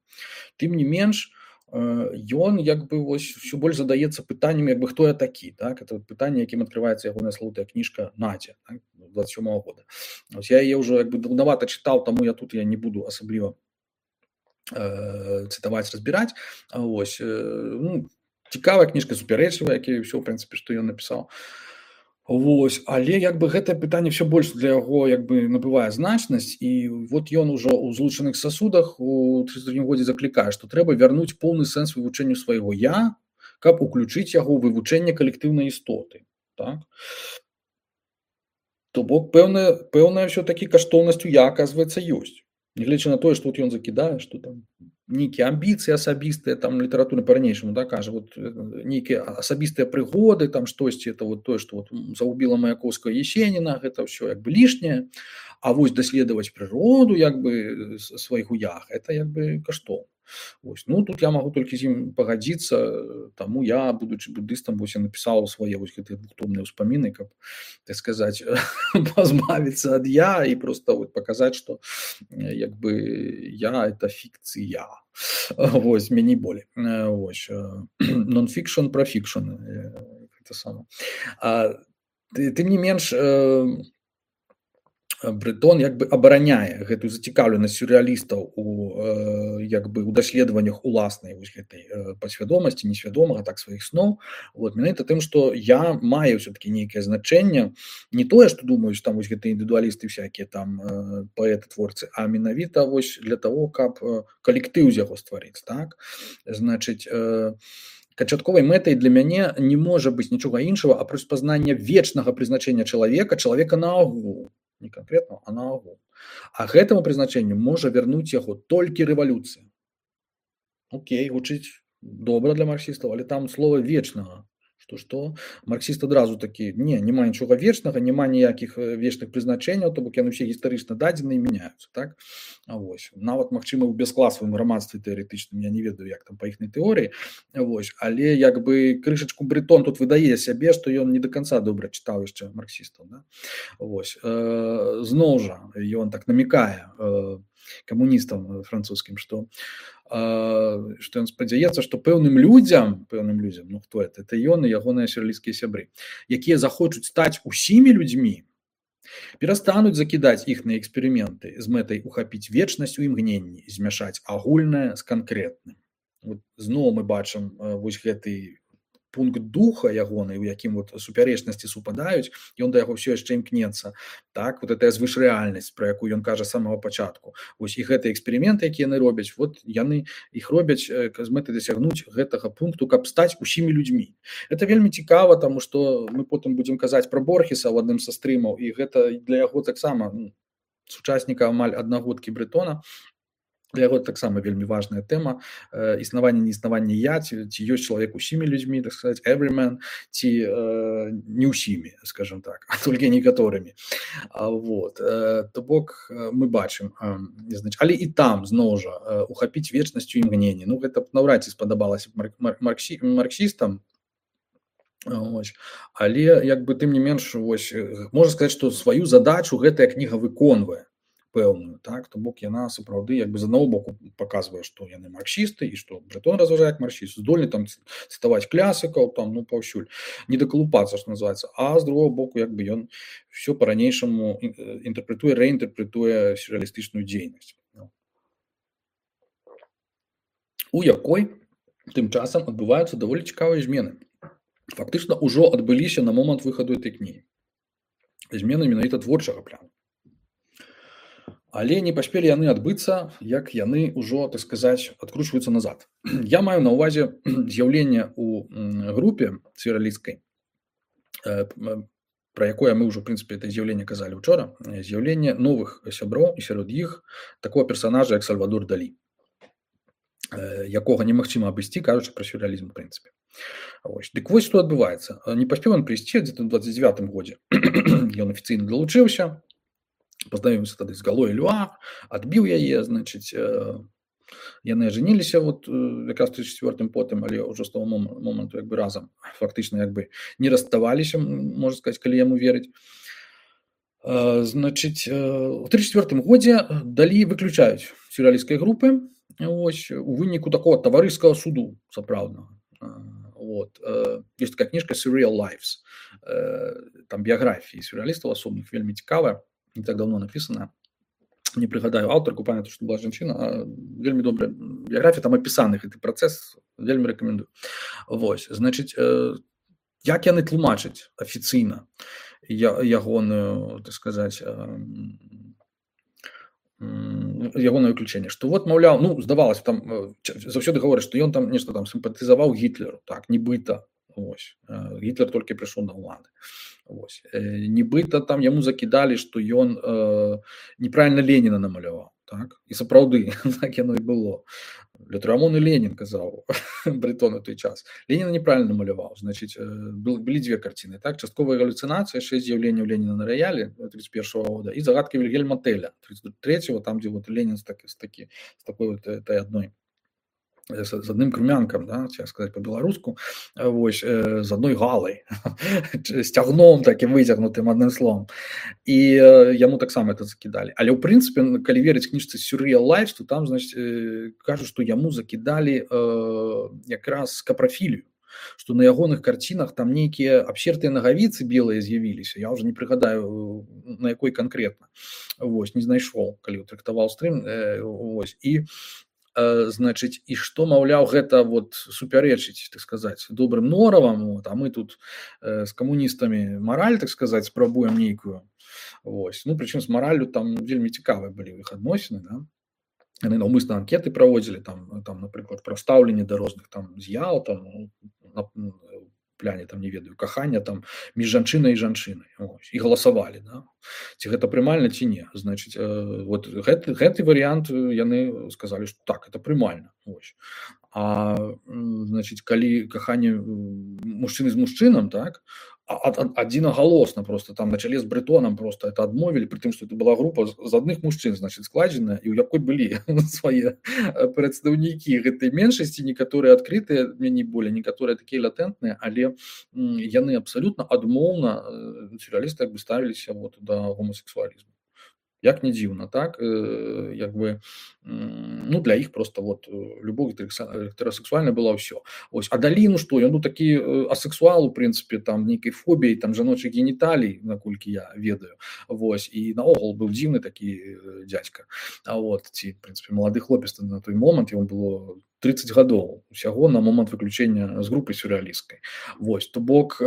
S1: Тым не менш, ён як бы вось ўсё больш задаецца пытаннем, як бы хто я такі, так, это пытанне, якім адкрываецца ягоная славутая кніжка «Надзя», так, двадцать сёмага года. Ось я яе ўжо як бы даўнавата чытаў, таму я тут я не буду асабліва э, цытаваць, разбіраць. Ось, э, ну, цікавая кніжка, супярэчлівая, як і ўсё, в прынцыпе, што ён напісаў. Вось, але як бы гэтае пытанне все больш для яго як бы набывае значнасць, і вот ён ужо ў злучаных сасудах у тридцать другім годзе заклікае, што трэба вярнуць поўны сэнс вывучэнню свайго я, каб уключыць яго ў вывучэнне калектыўнай істоты, так? То бок пэўная пэўная ўсё-такі каштоўнасць у я, аказваецца, ёсць. Нягледзячы на тое, што вот ён закідае, што там нейкія амбіцыі асабістыя, там літаратура па-ранейшаму, да, кажа, вот нейкія асабістыя прыгоды, там штосьці, это вот тое, што вот загубіла Маяковскага Есеніна, гэта ўсё як бы лішняе, а вось даследаваць прыроду як бы свайго я, это як бы каштоўна. Вось. Ну, тут я магу толькі з ім пагадзіцца, таму я, будучы буддыстам, вось я напісаў свае вось гэтыя двухтомныя ўспаміны, каб, так сказаць, пазбавіцца ад я і проста вот паказаць, што як бы я это фікцыя. Вось, меней болей. Вось. Non-fiction про fiction. Гэта сама. А, тым не менш, Брэтон як бы абараняе гэтую зацікаўленасць сюррэалістаў у як бы ў даследаваннях уласнай вось гэтай падсвядомасці, несвядомага, так сваіх сноў. Вот менавіта тым, што я маю ўсё-такі нейкае значэнне, не тое, што думаюць там вось гэтыя індывідуалісты всякія там паэты, творцы, а менавіта вось для таго, каб калектыў з яго стварыць, так? Значыць, канчатковай мэтай для мяне не можа быць нічога іншага, апроч пазнання вечнага прызначэння чалавека, чалавека наогул. Не конкретно, а наогул. А гэтаму прызначэнню можа вярнуць яго толькі рэвалюцыя. Окей, гучыць добра для марксістаў, але там слова вечнага. Што што? Марксіст адразу такі: не, няма нічога вечнага, няма ніякіх вечных прызначэнняў, то бок яны ўсе гістарычна дадзеныя і мяняюцца, так? А вось, нават магчыма ў бяскласавым грамадстве тэарэтычным, я не ведаю, як там па іхнай тэорыі, вось, але як бы крышачку Брэтон тут выдае сябе, што ён не да канца добра чытаў яшчэ марксістаў, да? Вось, зноў жа, ён так намікае камуністам французскім, што што ён спадзяецца, што пэўным людзям, пэўным людзям, ну хто это? Это ён і ягоныя сюррэалісцкія сябры, якія захочуць стаць усімі людзьмі, перастануць закідаць іхныя эксперыменты з мэтай ухапіць вечнасць у імгненні, змяшаць агульнае з канкрэтным. Вот, зноў мы бачым вось гэты пункт духа ягоны, у якім вот супярэчнасці супадаюць, ён да яго ўсё яшчэ імкнецца. Так, вот гэтая звышрэальнасць, пра якую ён кажа з самага пачатку. Вось і гэтыя эксперыменты, якія яны робяць, вот яны іх робяць з мэтай дасягнуць гэтага пункту, каб стаць усімі людзьмі. Это вельмі цікава, таму што мы потым будзем казаць пра Борхеса ў адным са стрымаў, і гэта для яго таксама ну, сучасніка амаль аднагодкі Брэтона. Для яго таксама вельмі важная тэма э, існавання, неіснавання я, ці, ці ёсць чалавек усімі людзьмі, так сказаць, every man, ці э, не ўсімі, скажем так, а толькі некаторымі. А, вот, э, то бок мы бачым, э, значит, але і там зноў жа э, ухапіць вечнасцю імгнення. Ну, гэта наўрад ці спадабалася марк, марк, марксі, марксістам, ось. Але як бы тым не менш, ось, можна сказаць, што сваю задачу гэтая кніга выконвае. Пэўную, так, то бок яна сапраўды як бы з аднаго боку паказвае, што яны марксісты і што Брэтон разважае як марксіст, здольны там цытаваць класікаў, там, ну, паўсюль, не дакалупацца, што называецца, а з другого боку як бы ён ўсё па-ранейшаму інтэрпрэтуе, рэінтэрпрэтуе сюррэалістычную дзейнасць. У якой тым часам адбываюцца даволі цікавыя змены. Фактычна ўжо адбыліся на момант выхаду этой кнігі. Змены менавіта творчага плану. Але не паспелі яны адбыцца, як яны ўжо, так сказаць, адкручваюцца назад. Я маю на ўвазе з'яўленне ў групе сюррэалісцкай, пра якое мы ўжо, в прынцыпе, это з'яўленне казалі учора, з'яўленне новых сяброў і сярод іх такого персонажа, як Сальвадор Далі, якога немагчыма абысці, кажучы пра сюррэалізм, в прынцыпе. Вось. Дык вось што адбываецца. Не паспеў ён прыйсці дзе-то ў дваццаць дзевятым годзе. Ён афіцыйна далучыўся, пазнаёміўся тады з Галой Элюар, адбіў яе, значыць, э, яны ажаніліся вот якраз у тридцать четвёртым потым, але ўжо з таго моманту як бы разам фактычна як бы не расставаліся, можна сказаць, калі яму верыць. Э, значыць, э, у тридцать четвёртым годзе Далі выключаюць сюррэалісцкай групы, ось, у выніку такого таварыскага суду, сапраўднага. Вот. Ёсць такая кніжка Surreal Lives, э, там біяграфіі сюррэалістаў асобных, вельмі цікавая. Не так давно написана, не прыгадаю аўтарку, памятаю, што была жанчына, а вельмі добрая біяграфія, там апісаны гэты працэс, вельмі рэкамендую. Вось, значыць, э, як яны тлумачаць афіцыйна ягоную, так сказаць, э, ягонае выключэнне, што вот, маўляў, ну, здавалася, там заўсёды гавораць, што ён там нешта там сімпатызаваў Гітлеру, так, нібыта, ось, Гітлер толькі прыйшоў на ўлады. Вось. Нібыта там яму закідалі, што ён э, неправільна Леніна намаляваў, так? І сапраўды, так яно і было. Лютрамон і Ленін казаў Брэтон у той час. Леніна неправільна намаляваў, значыць, былі дзве карціны, так? Частковая галюцынацыя, шэсць з'яўленняў Леніна на раяле тридцать первого года і загадка Вільгельма Теля тридцать третьего, там, дзе вот Ленін з, так, з, такі, з такой вот этой адной з адным крумянкам, да, ці сказаць па-беларуску, вось, з адной галай, сцягном такім выцягнутым адным словам. І яму таксама это закідалі. Але ў прынцыпе, калі верыць кніжцы Surreal Lives, то там, значыць, кажуць, што яму закідалі э, якраз каправілію. што на ягоных карцінах там нейкія абсертыя нагавіцы белыя з'явіліся. Я ўжо не прыгадаю, на якой канкрэтна. Вось, не знайшоў, калі трактаваў стрым. Вось. І значыць, і што, маўляў, гэта вот супярэчыць, так сказаць, добрым норавам, вот, а мы тут э, з камуністамі мараль, так сказаць, спрабуем нейкую. Вось. Ну, прычым з мараллю там вельмі цікавыя былі ў іх адносіны, да? Яны наўмысна анкеты праводзілі, там, там, напрыклад, пра стаўленне да розных там з'яў, там, на пляне, там, не ведаю, кахання там між жанчынай і жанчынай. Ось. І галасавалі, да? Ці гэта прымальна, ці не. Значыць, э, вот гэты, гэты варыянт яны сказалі, што так, это прымальна. Ось. А, значыць, калі каханне мужчыны з мужчынам, так, адзінагалосна просто там на чале з Брытонам просто это адмовілі, пры тым, што это была група з адных мужчын, значыць, складзеная, і ў якой былі свае прадстаўнікі гэтай меншасці, некаторыя адкрытыя, меней болей, некаторыя такія латэнтныя, але яны абсалютна адмоўна, сюррэалісты, як бы ставіліся вот да гомасексуалізму. Як не дзіўна, так, як бы, ну, для іх просто вот любоў гетерасексуальная была ўсё. Ось, а далі, ну што, ён ну такі асексуал, у прынцыпе, там, нейкай фобіяй, там, жаночых геніталій, наколькі я ведаю, вось, і наогул быў дзіўны такі дзядзька, а вот, ці, в прынцыпе, малады хлопец на той момант, яму было трыццаць гадоў, усяго на момант выключэння з групы сюррэалісцкай. Вось, то бок,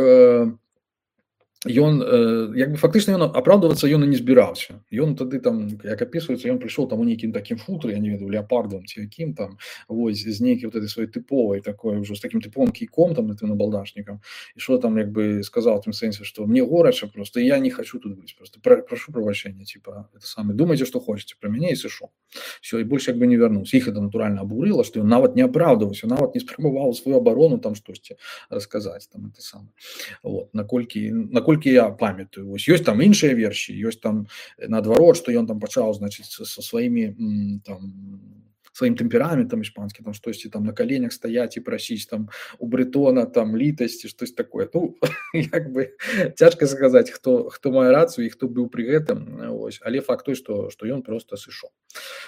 S1: ён, як бы, фактычна, ён апраўдвацца ён і не збіраўся. Ён тады там, як апісваецца, ён прыйшоў там у нейкім такім футры, я не ведаю, леапардовым ці якім там, вось, з нейкай вот этой сваёй тыповай такой ўжо, з такім тыповым кійком там, гэтым набалдашнікам, і што там, як бы, сказаў у тым сэнсе, што мне горача просто, і я не хочу тут быць, просто прашу прабачэння, типа, это самае, думайце, што хочаце пра мяне, і сышоў. Всё, і больш як бы не вярнуўся. Іх это натуральна абурыла, што ён нават не апраўдваўся, нават не спрабаваў сваю абарону там штосьці расказаць, там, это самае. Вот, наколькі, наколькі я памятаю. Вось, ёсць там іншыя версіі, ёсць там наадварот, што ён там пачаў, значыць, са сваімі там сваім тэмпераментам іспанскім, там штосьці там на каленях стаяць і прасіць там у Брытона там літасці, штось такое. Ну, як бы цяжка сказаць, хто, хто мае рацыю і хто быў пры гэтым. Ось. Але факт той, што, што ён проста сышоў.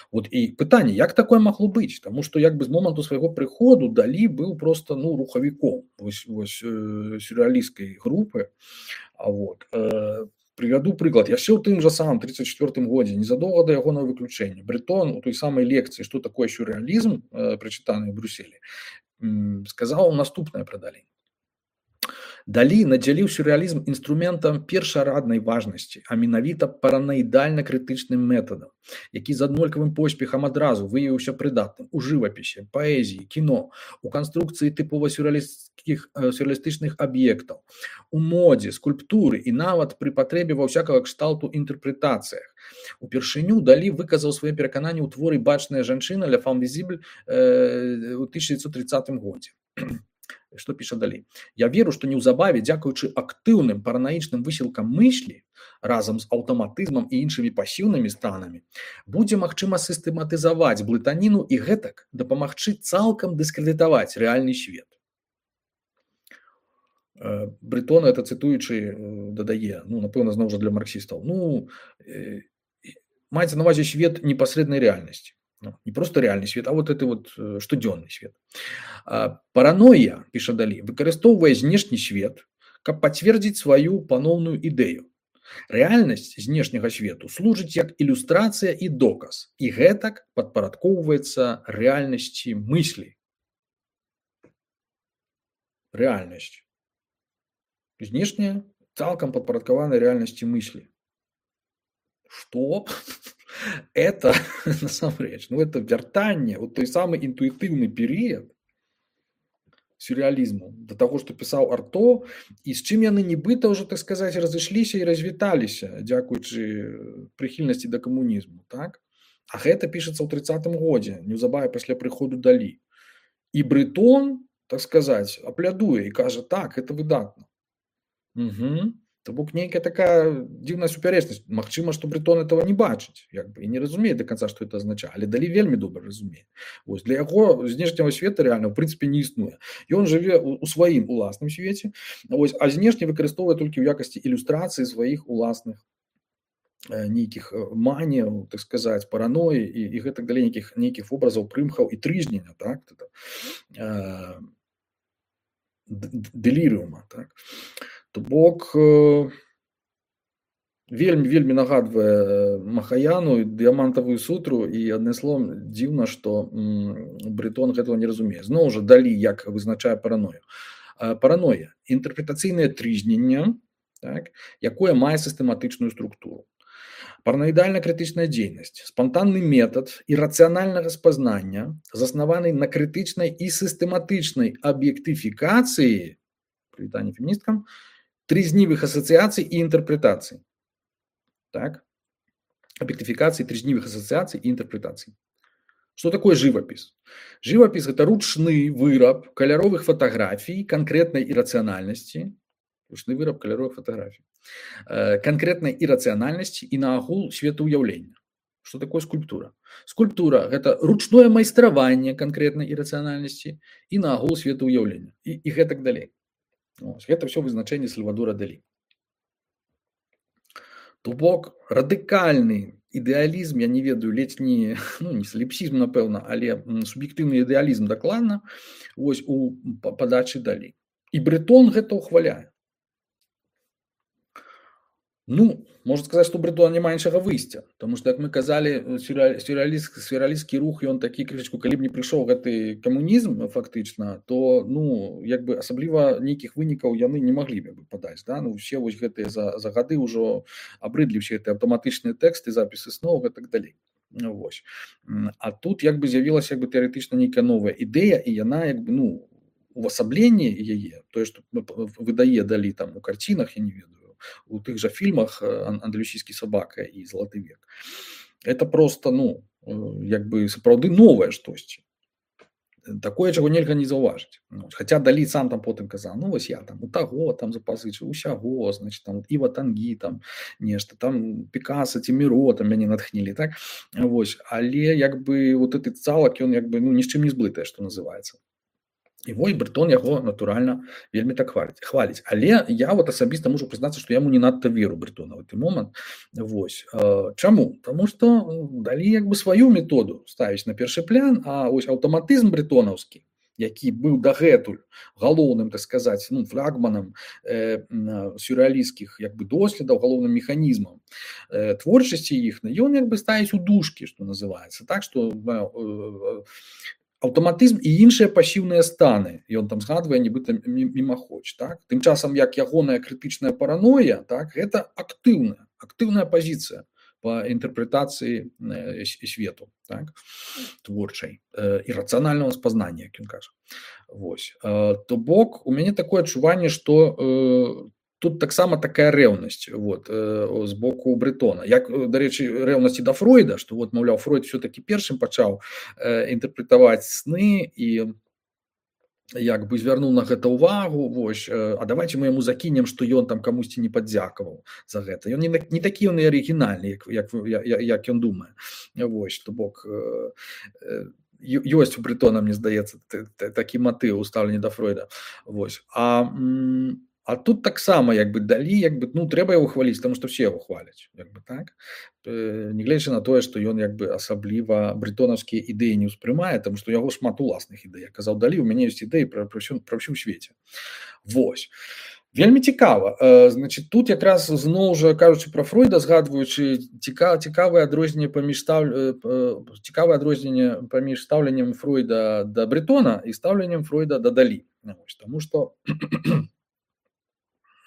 S1: Вот, і пытанне, як такое магло быць? Таму што як бы з моманту свайго прыходу Далі быў проста, ну, рухавіком вось, вось, э, сюррэалісцкай групы. А вот, э, прывяду прыклад. Яшчэ ў тым жа самым трыццаць чвёртым годзе, незадоўга да ягонага выключэння, Брытон у той самай лекцыі «Што такое сюррэалізм», э, прачытанай у Брюсселі, м, сказаў наступнае пра Далі. Далі надзяліў сюррэалізм інструментам першараднай важнасці, а менавіта паранаідальна-крытычным метадам, які з аднолькавым поспехам адразу выявіўся прыдатным у жывапісе, паэзіі, кіно, у канструкцыі тыпова сюррэалістычных, сюррэалістычных аб'ектаў, у модзе, скульптуры і нават пры патрэбе ва ўсякага кшталту інтэрпрэтацыях. Упершыню Далі выказаў свае перакананні ў творы «Бачная жанчына» «Ля фам візібль» ў тысяча дзевяцьсот трыццатым годзе. Што піша Далі? «Я веру, што неўзабаве, дзякуючы актыўным паранаічным высілкам мыслі, разам з аўтаматызмам і іншымі пасіўнымі станамі, будзе магчыма сістэматызаваць блытаніну і гэтак дапамагчы цалкам дыскрэдытаваць рэальны свет». Брытон, это цытуючы, дадае, ну, напэўна, зноў жа для марксістаў, ну, маецца на ўвазе свет непасрэднай рэальнасці. Ну, не просто реальный свет, а вот это вот штодзённы свет. Параноя, піша Далі, выкарыстоўвае знешні свет, каб пацвердзіць сваю паноўную ідэю. Рэальнасць знешняга свету служыць як ілюстрацыя і доказ, і гэтак падпарадкоўваецца рэальнасці мыслі. Рэальнасць. Знешняя цалкам падпарадкавана рэальнасці мыслі. Што? Это, насамрэч, ну, это вяртанне, вот той самы інтуітыўны перыяд сюррэалізму, да таго, што пісаў Арто, і з чым яны нібыта ўжо, так сказаць, разышліся і развіталіся, дзякуючы прыхільнасці да камунізму, так? А гэта пішацца ў трыццатым годзе, неўзабаве пасля прыходу Далі. І Брытон, так сказаць, аплядуе і кажа, так, это выдатна. Угу. То бок нейкая такая дзіўная супярэчнасць. Магчыма, што Брытон этого не бачыць, як бы, і не разумее да канца, што это азначае, але Далі вельмі добра разумее. Вось, для яго знешняга света рэальна, ў прынцыпе, не існуе. Ён жыве у сваім уласным свеце, вось, а знешне выкарыстоўвае толькі ў якасці ілюстрацыі сваіх уласных нейкіх маніяў, так сказаць, параноі і, і гэтак далей, нейкіх, нейкіх вобразаў, прымхаў і трызнення, так? дэлірыума, так? То бок вельмі вельмі нагадвае Махаяну, дыямантавую сутру, і адным словам дзіўна, што Брытон гэтага не разумее. Зноў жа Далі як вызначае параною. Параноя інтэрпрэтацыйнае трызненне, так, якое мае сістэматычную структуру. Параноідальна-крытычная дзейнасць, спантанны метад ірацыянальнага спазнання, заснаваны на крытычнай і сістэматычнай аб'ектыфікацыі, прывітанне феміністкам, трызнівых асацыяцый і інтэрпрэтацый. Так? Объектификации трызнівых ассоциаций и интерпретаций. Что такое живопись? Живопись – это ручный выраб каляровых фотографий конкретной иррациональности, ручный выраб каляровых фотографий, конкретной иррациональности и наогул светоуяўлення. Что такое скульптура? Скульптура – это ручное майстраванне конкретной иррациональности и наогул светоуяўлення. И, и гэтак далей. Это все вызначение Сальвадора Далі. То бок радыкальны ідэалізм, я не ведаю, ледзь не, ну, не саліпсізм, напэўна, але суб'ектыўны ідэалізм дакладна вось у падачы Далі. І Брытон гэта ўхваляе. Ну, можна сказаць, што Брытона няма іншага выйсця, тому што, як мы казалі, сюррэалісцкі рух, ён такі крышачку, калі б не прыйшоў гэты камунізм фактычна, то, ну, як бы асабліва нейкіх вынікаў яны не маглі бы падаць, да? Ну, усе вось гэтыя за, за гады ўжо абрыдлі ўсе гэтыя аўтаматычныя тэксты, запісы сноў і так далей. Вось. А тут як бы з'явілася як бы тэарэтычна нейкая новая ідэя, і яна як бы, ну, увасабленне яе, тое, што выдае Далі там у карцінах, я не ведаю, у тых жа фільмах «Андалюсійскі сабака» і «Залаты век». Это просто, ну, як бы сапраўды новае штосьці. Такое, чаго нельга не заўважыць. Ну, хаця Далі сам там потым казаў, ну, вось я там у таго там запазычыў, усяго, значит, там Іва Тангі, там нешта, там Пікаса ці Міро там мяне натхнілі, так? Вось, але як бы вот этот цалак, ён як бы, ну, ні з чым не зблытае, што называецца. І вось Брытон яго, натуральна, вельмі так хваліць. хваліць. Але я вот асабіста можу прызнацца, што я яму не надта веру Брытона ў гэты момант. Вось. Чаму? Таму што Далі як бы сваю методу ставіць на першы план, а вось аўтаматызм брытонаўскі, які быў дагэтуль галоўным, так сказаць, ну, флагманам э, сюррэалісцкіх як бы доследаў, галоўным механізмам э, творчасці іх, ён як бы ставіць у дужкі, што называецца. Так, што э, аўтаматызм і іншыя пасіўныя станы, ён там згадвае нібыта мімаходзь, так? Тым часам, як ягоная крытычная параноя, так, гэта актыўная, актыўная пазіцыя па інтэрпрэтацыі свету, так, творчай, ірацыянальнага спазнання, як ён кажа. Вось. То бок, у мяне такое адчуванне, што тут таксама такая рэўнасць вот, з боку Брытона. Як, дарэчы, рэўнасці да Фройда, што вот, маўляў, Фройд все-таки першым пачаў інтэрпрэтаваць сны і як бы звярнуў на гэта ўвагу, вось, а давайте мы яму закінем, што ён там камусьці не падзякаваў за гэта. Ён не, не такі ён і арыгінальны, як, як, як ён думае. Вось, то бок, ёсць у Брытона, мне здаецца, такі матыў у стаўленні да Фройда. Вось. А А тут таксама як бы Далі, як бы, ну, трэба яго хваліць, таму што ўсе яго хваляць, як бы так. Нягледзячы на тое, што ён як бы асабліва брытонаўскія ідэі не ўспрымае, таму што яго шмат уласных ідэй. Як казаў Далі, у мяне ёсць ідэі пра, пра, ўсю, пра ўсю свеце. Вось. Вельмі цікава. Значит, тут якраз зноў жа кажучы пра Фройда, згадваючы цікав, цікавае адрозненне паміж став... цікавае адрозненне паміж стаўленнем Фройда да Брытона і стаўленнем Фройда да Далі. Вось. Таму што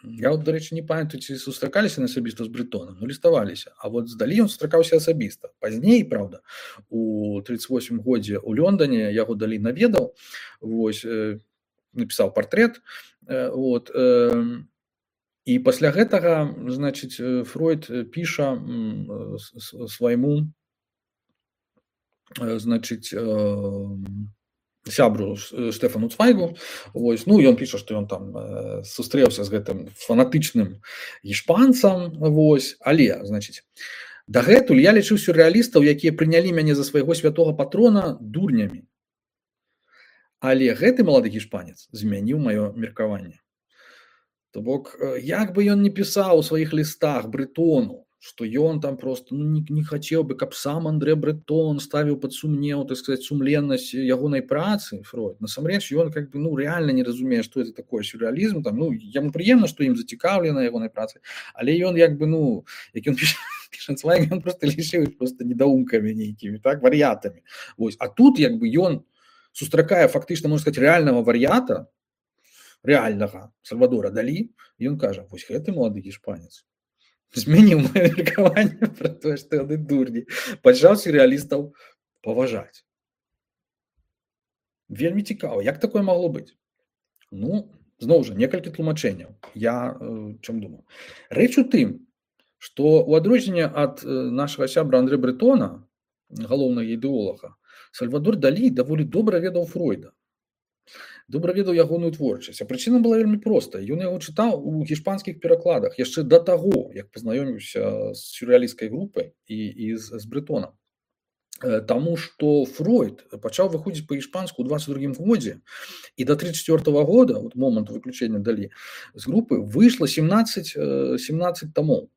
S1: я, вот, до речі, не памятаю, ці сустракаліся асабіста з Брытонам, ну, ліставаліся. А вот з Далі ён сустракаўся асабіста. Пазней, правда, у тридцать восьмым годзе у Лондоне яго Далі наведаў, вось, напісаў партрэт, вот, і пасля гэтага, значыць, Фройд піша свайму, значыць, сябру Штефану Цвайгу, вось, ну, ён піша, што ён там э, сустрэўся з гэтым фанатычным гішпанцам, вось, але, значыць, дагэтуль я лічыў сюррэалістаў, якія прынялі мяне за свайго святога патрона дурнямі. Але гэты малады гішпанец змяніў маё меркаванне. То бок, як бы ён не пісаў у сваіх лістах Брытону, што ён там просто ну, не, не хацеў бы, каб сам Андре Бретон ставіў пад сумнеў, так сказать, сумленнасць ягонай працы Фройд. Насамрэч ён как бы ну реально не разумее, што это такое сюрреалізм, там ну яму прыемна, што ім зацікаўлена ягонай працы, але ён як бы ну як ён піша Шанцвайг, ён просто лічыў просто недоумкамі нейкімі, так, вар'ятамі. Вось, а тут як бы ён сустракае фактычна, можна сказаць, рэальнага вар'ята, рэальнага Сальвадора Далі, і ён кажа: вось гэты малады іспанец змяніў маё меркаванне пра тое, што яны дурні, пачаў сюррэалістаў паважаць. Вельмі цікава, як такое магло быць? Ну, зноў жа, некалькі тлумачэнняў. Я э, чым думаю? Рэч у тым, што ў адрозненне ад э, нашага сябра Андре Бретона, галоўнага ідэолага, Сальвадор Далі даволі добра ведаў Фройда. Добра ведаў ягоную творчасць. А прычына была вельмі проста. Ён яго чытаў у гішпанскіх перакладах яшчэ да таго, як пазнаёміўся з сюррэалісцкай групай і, і з, з Бретонам. Таму што Фройд пачаў выходзіць па-іспанску ў дваццаць другім годзе, і да тридцать четвёртого года, от моманту выключэння Далі, з групы выйшла семнадцать, семнадцать томоў.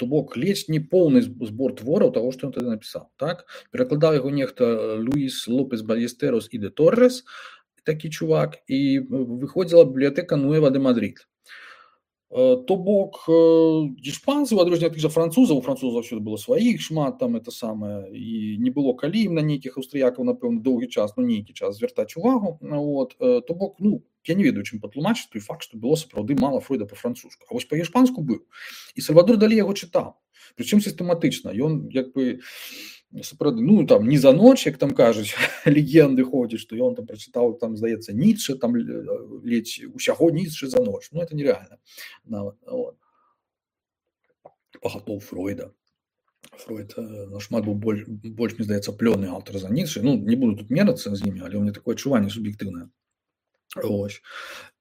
S1: То бок ледзь не поўны збор твораў таго, што ён тады напісаў. Так? Перакладаў яго нехта Луіс Лопес Балестерос і де Торрес, такі чувак, і выходзіла бібліятэка Нуэва де Мадрид. То бок іспанцы, у адрозненне ад тых жа французаў, у французаў заўсёды было сваіх шмат, там это самае, і не было калі ім на нейкіх аўстрыякаў, напэўна, доўгі час, ну нейкі час звяртаць увагу. Вот. То бок, ну, я не ведаю, чым патлумачыць той факт, што было сапраўды мала Фройда па-французску. А вось па-іспанску быў. І Сальвадор Далі яго чытаў. Прычым сістэматычна. Ён як бы сапраўды, ну там не за ноч, як там кажуць, легенды ходзяць, што ён там прачытаў, там здаецца, Ніцше, там ледзь усяго Ніцше за ноч. Ну это нереально. Нават, вот. Пагатоў Фройда. Фройд нашмат быў больш, больш, мне здаецца, плённы аўтар за Ніцше. Ну, не буду тут мерацца з імі, але ў мяне такое адчуванне суб'ектыўнае. Ось.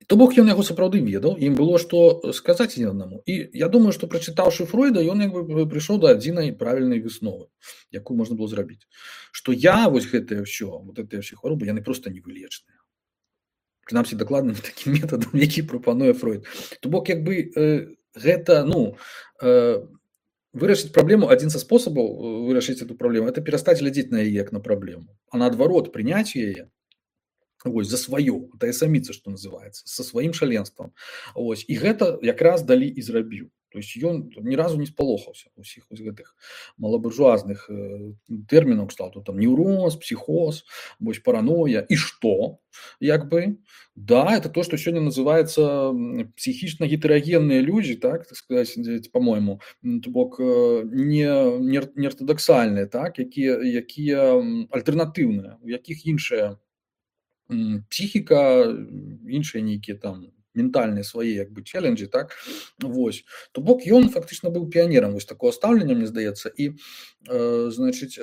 S1: То бок ён яго сапраўды ведаў, ім было што сказаць адзін аднаму. І я думаю, што прачытаўшы Фройда, ён як бы прыйшоў да адзінай правільнай высновы, якую можна было зрабіць. Што я вось гэтае ўсё, вот гэтыя ўсе хваробы, яны проста невылечныя. Прынамсі дакладным такім метадам, які прапануе Фройд. То бок як бы э, гэта, ну, э, вырашыць праблему, адзін са спосабаў вырашыць эту праблему, это перастаць глядзець на яе як на праблему, а наадварот прыняць яе. Ось, за сваё, тая саміца, што называецца, са сваім шаленствам. Ось, і гэта якраз Далі і зрабіў. То есть ён ні разу не спалохаўся ўсіх гэтых малабуржуазных э, тэрмінаў кшталту, там неўроз, псіхоз, вось параноя. І што? Як бы, да, это то, што сёння называецца псіхічна гетерагенныя людзі, так, так сказаць, по-моему, то бок не, не, не ортодоксальныя, так, якія, якія альтэрнатыўныя, у якіх іншыя псіхіка, іншыя нейкія там ментальныя свае як бы челленджы, так, вось. То бок ён фактычна быў піянерам вось такого стаўлення, мне здаецца, і, э, значыць,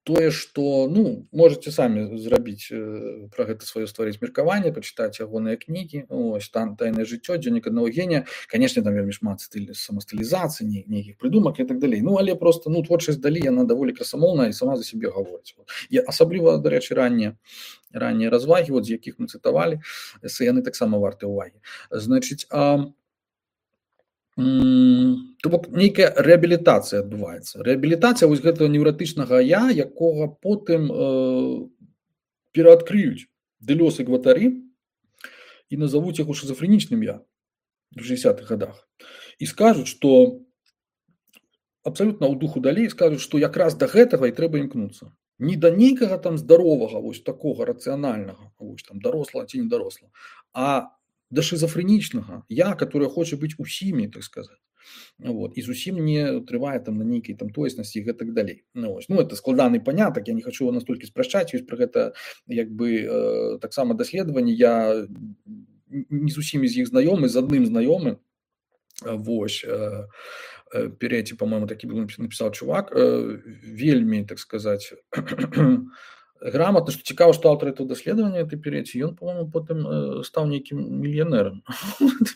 S1: тое, што, ну, можаце самі зрабіць э, пра гэта сваё стварыць меркаванне, пачытаць ягоныя кнігі, ось, там «Тайнае жыццё», «Дзённік аднаго генія», канешне, там вельмі шмат стыль самастылізацыі, нейкіх прыдумак і так далей. Ну, але просто, ну, творчасць Далі, яна даволі красамоўная і сама за сябе гаворыць. І асабліва, дарэчы, раннія раннія развагі, вот, з якіх мы цытавалі, яны таксама варты ўвагі. Значыць, а то бок нейкая рэабілітацыя адбываецца. Рэабілітацыя вось гэтага неўратычнага я, якога потым э, пераадкрыюць Дэлёс і Гватары і назавуць яго шизофрэнічным я в шэсцідзесятых годах. І скажуць, што абсалютна ў духу Далі скажуць, што якраз да гэтага і трэба імкнуцца. Не да нейкага там здаровага, вось такога рацыянальнага, вось там даросла ці не даросла, а да шизофрэнічнага я, который хоча быць усімі, так сказаць. Вот, і зусім не трывае там на нейкай там тоеснасці і гэтак далей. Ну, ось. Ну, это складаны панятак, я не хочу настолькі спрашчаць, ёсць пра гэта як бы э, таксама даследаванні, я не з усімі з іх знаёмы, з адным знаёмы. Вось, э, э, переці, по-моему, такі был напісаў чувак, э, вельмі, так сказаць, грамотно, што цікава, што аўтар этого даследавання этой переці, ён, по-моему, потым э, стаў нейкім мільянерам,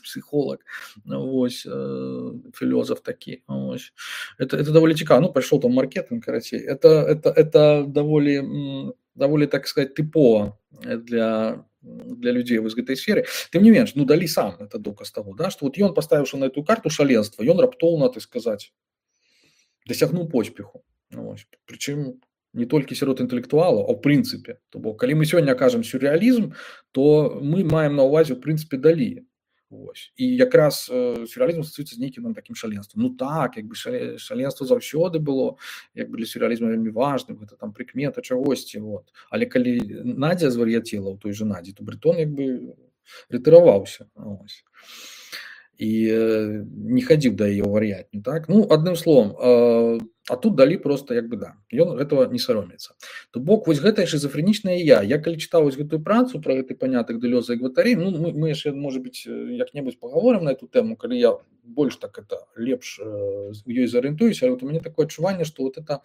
S1: псіхолог, вось, э, філёзаф такі, вось. Это, это даволі цікава, ну, пайшоў там маркетинг, карацей, это, это, это даволі, даволі, так сказать, тыпова для, для людзей вось гэтай сферы. Тым не менш, ну, Далі сам это доказ таго, да, што вот ён, паставіўшы на эту карту шаленства, ён раптоўна, так сказаць, дасягнуў поспеху. Вось. Прычым не толькі сярод інтэлектуалаў, а ў прынцыпе. То бок калі мы сёння кажам сюррэалізм, то мы маем на ўвазе ў прынцыпе Далі. Вось. І якраз э, сюррэалізм асацыюецца з нейкім такім шаленствам. Ну так, як бы шале, шаленства заўсёды было, як бы для сюррэалізму вельмі важным, гэта там прыкмета чагосьці. Вот. Але калі Надзя звар'яцела ў той жа Надзі, то Брытон як бы рытыраваўся. Вось. І э, не хадзіў да яе ў вар'ятню. Так? Ну, адным словам, э, а тут Далі просто як бы да, ён гэтага не саромецца. То бок вось гэтае шизофрэнічнае я. Я калі чытаў вось гэтую працу пра гэты панятак Дэлёза і Гваттарі, ну мы, мы яшчэ, можа быць, як-небудзь пагаворым на эту тэму, калі я больш так это лепш э, у ёй зарыентуюся, але вот у мяне такое адчуванне, што вот это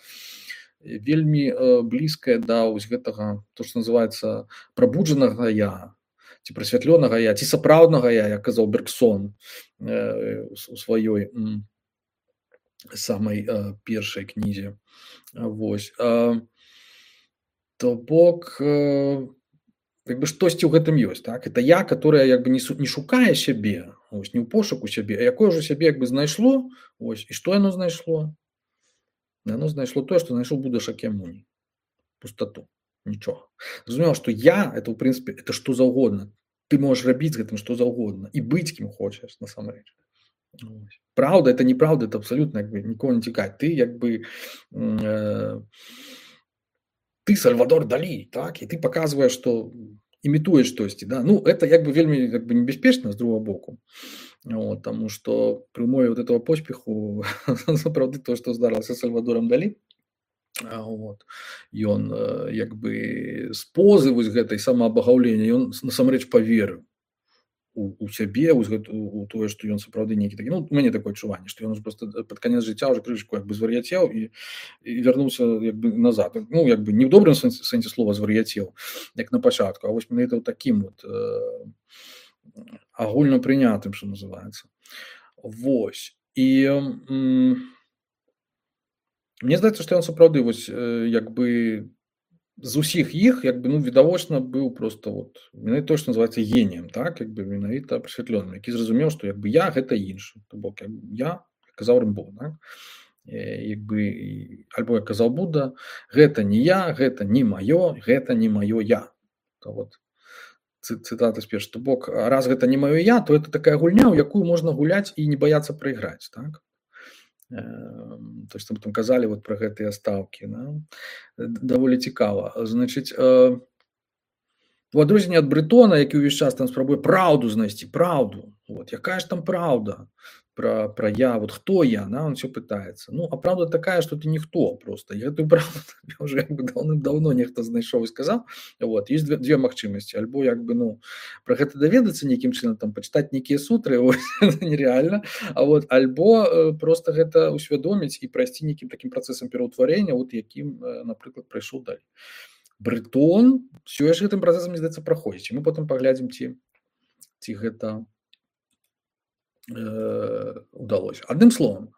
S1: вельмі э, блізкае да вось гэтага, то што называецца прабуджанага я, ці прасвятлёнага я, ці сапраўднага я, як казаў Бергсон э, у сваёй м, самай э, першай кнізе. Вось. Э, то бок э, як бы штосьці ў гэтым ёсць, так? Это я, которое як бы не, не шукае сябе, ось, не ў пошуку сябе, а якое ўжо сябе як бы знайшло, ось, і што яно знайшло? Яно знайшло тое, што знайшоў Буда Шакьямуні. Пустоту. Нічога. Зразумела, што я, это ў прынцыпе, это што заўгодна. Ты можаш рабіць з гэтым што заўгодна і быць кім хочаш, насамрэч. Правда, это неправда, это абсолютно як бы нікого не цікавіць. Ты як бы э, ты Сальвадор Далі, так? І ты паказваеш, што імітуеш штосьці, да? Ну, это як бы вельмі як бы небяспечна з другого боку. Вот, таму што пры умове вот этого поспеху сапраўды то, што здарылася з Сальвадором Далі, вот, ён як бы з позы вось гэтай самаабагаўлення ён насамрэч паверыў у, у сябе, у, у тое, што ён сапраўды нейкі такі, ну, у мяне такое адчуванне, што ён просто пад канец жыцця ўжо крышку як бы звар'яцеў і, і вярнуўся як бы назад. Ну, як бы не ў добрым сэнсе, сэнсе слова звар'яцеў, як на пачатку, а вось менавіта ў такім вот э, агульна прынятым, што называецца. Вось. І м, мне здаецца, што ён сапраўды вось э, як бы з усіх іх як бы ну відавочна быў просто вот менавіта то, што называецца геніем, так, як бы менавіта прасвятленым, які зразумеў, што як бы я гэта іншы, то бок як бы, я казаў Рымбо, так? Як бы альбо як казаў Буда, гэта не я, гэта не маё, гэта не маё я. То вот цытата з першага, то бок раз гэта не маё я, то это такая гульня, у якую можна гуляць і не баяцца прайграць, так? То есть там казалі вот про гэтыя стаўкі, да? Даволі цікава. Значыць, э, у адрозненне ад Брытона, які ўвесь час там спрабуе праўду знайсці, праўду. Вот, якая ж там праўда про, про я, вот хто я, да? Он все пытаецца. Ну, а праўда такая, што ты ніхто просто. Я гэтую праўду уже як бы даўным-даўно нехта знайшоў і сказаў. Вот, есть две, две магчымасці. Альбо як бы, ну, про гэта даведацца нейкім чынам, там, пачытаць нейкія сутры, вот, нереально. А вот, альбо э, просто гэта усвядоміць і прайсці нейкім такім працэсам пераўтварэння, вот, якім, э, напрыклад, прайшоў Далі. Брытон все ж гэтым працэсам, мне здаецца, праходзіць. І мы потым паглядзім, ці, ці гэта удалось. Адным словам,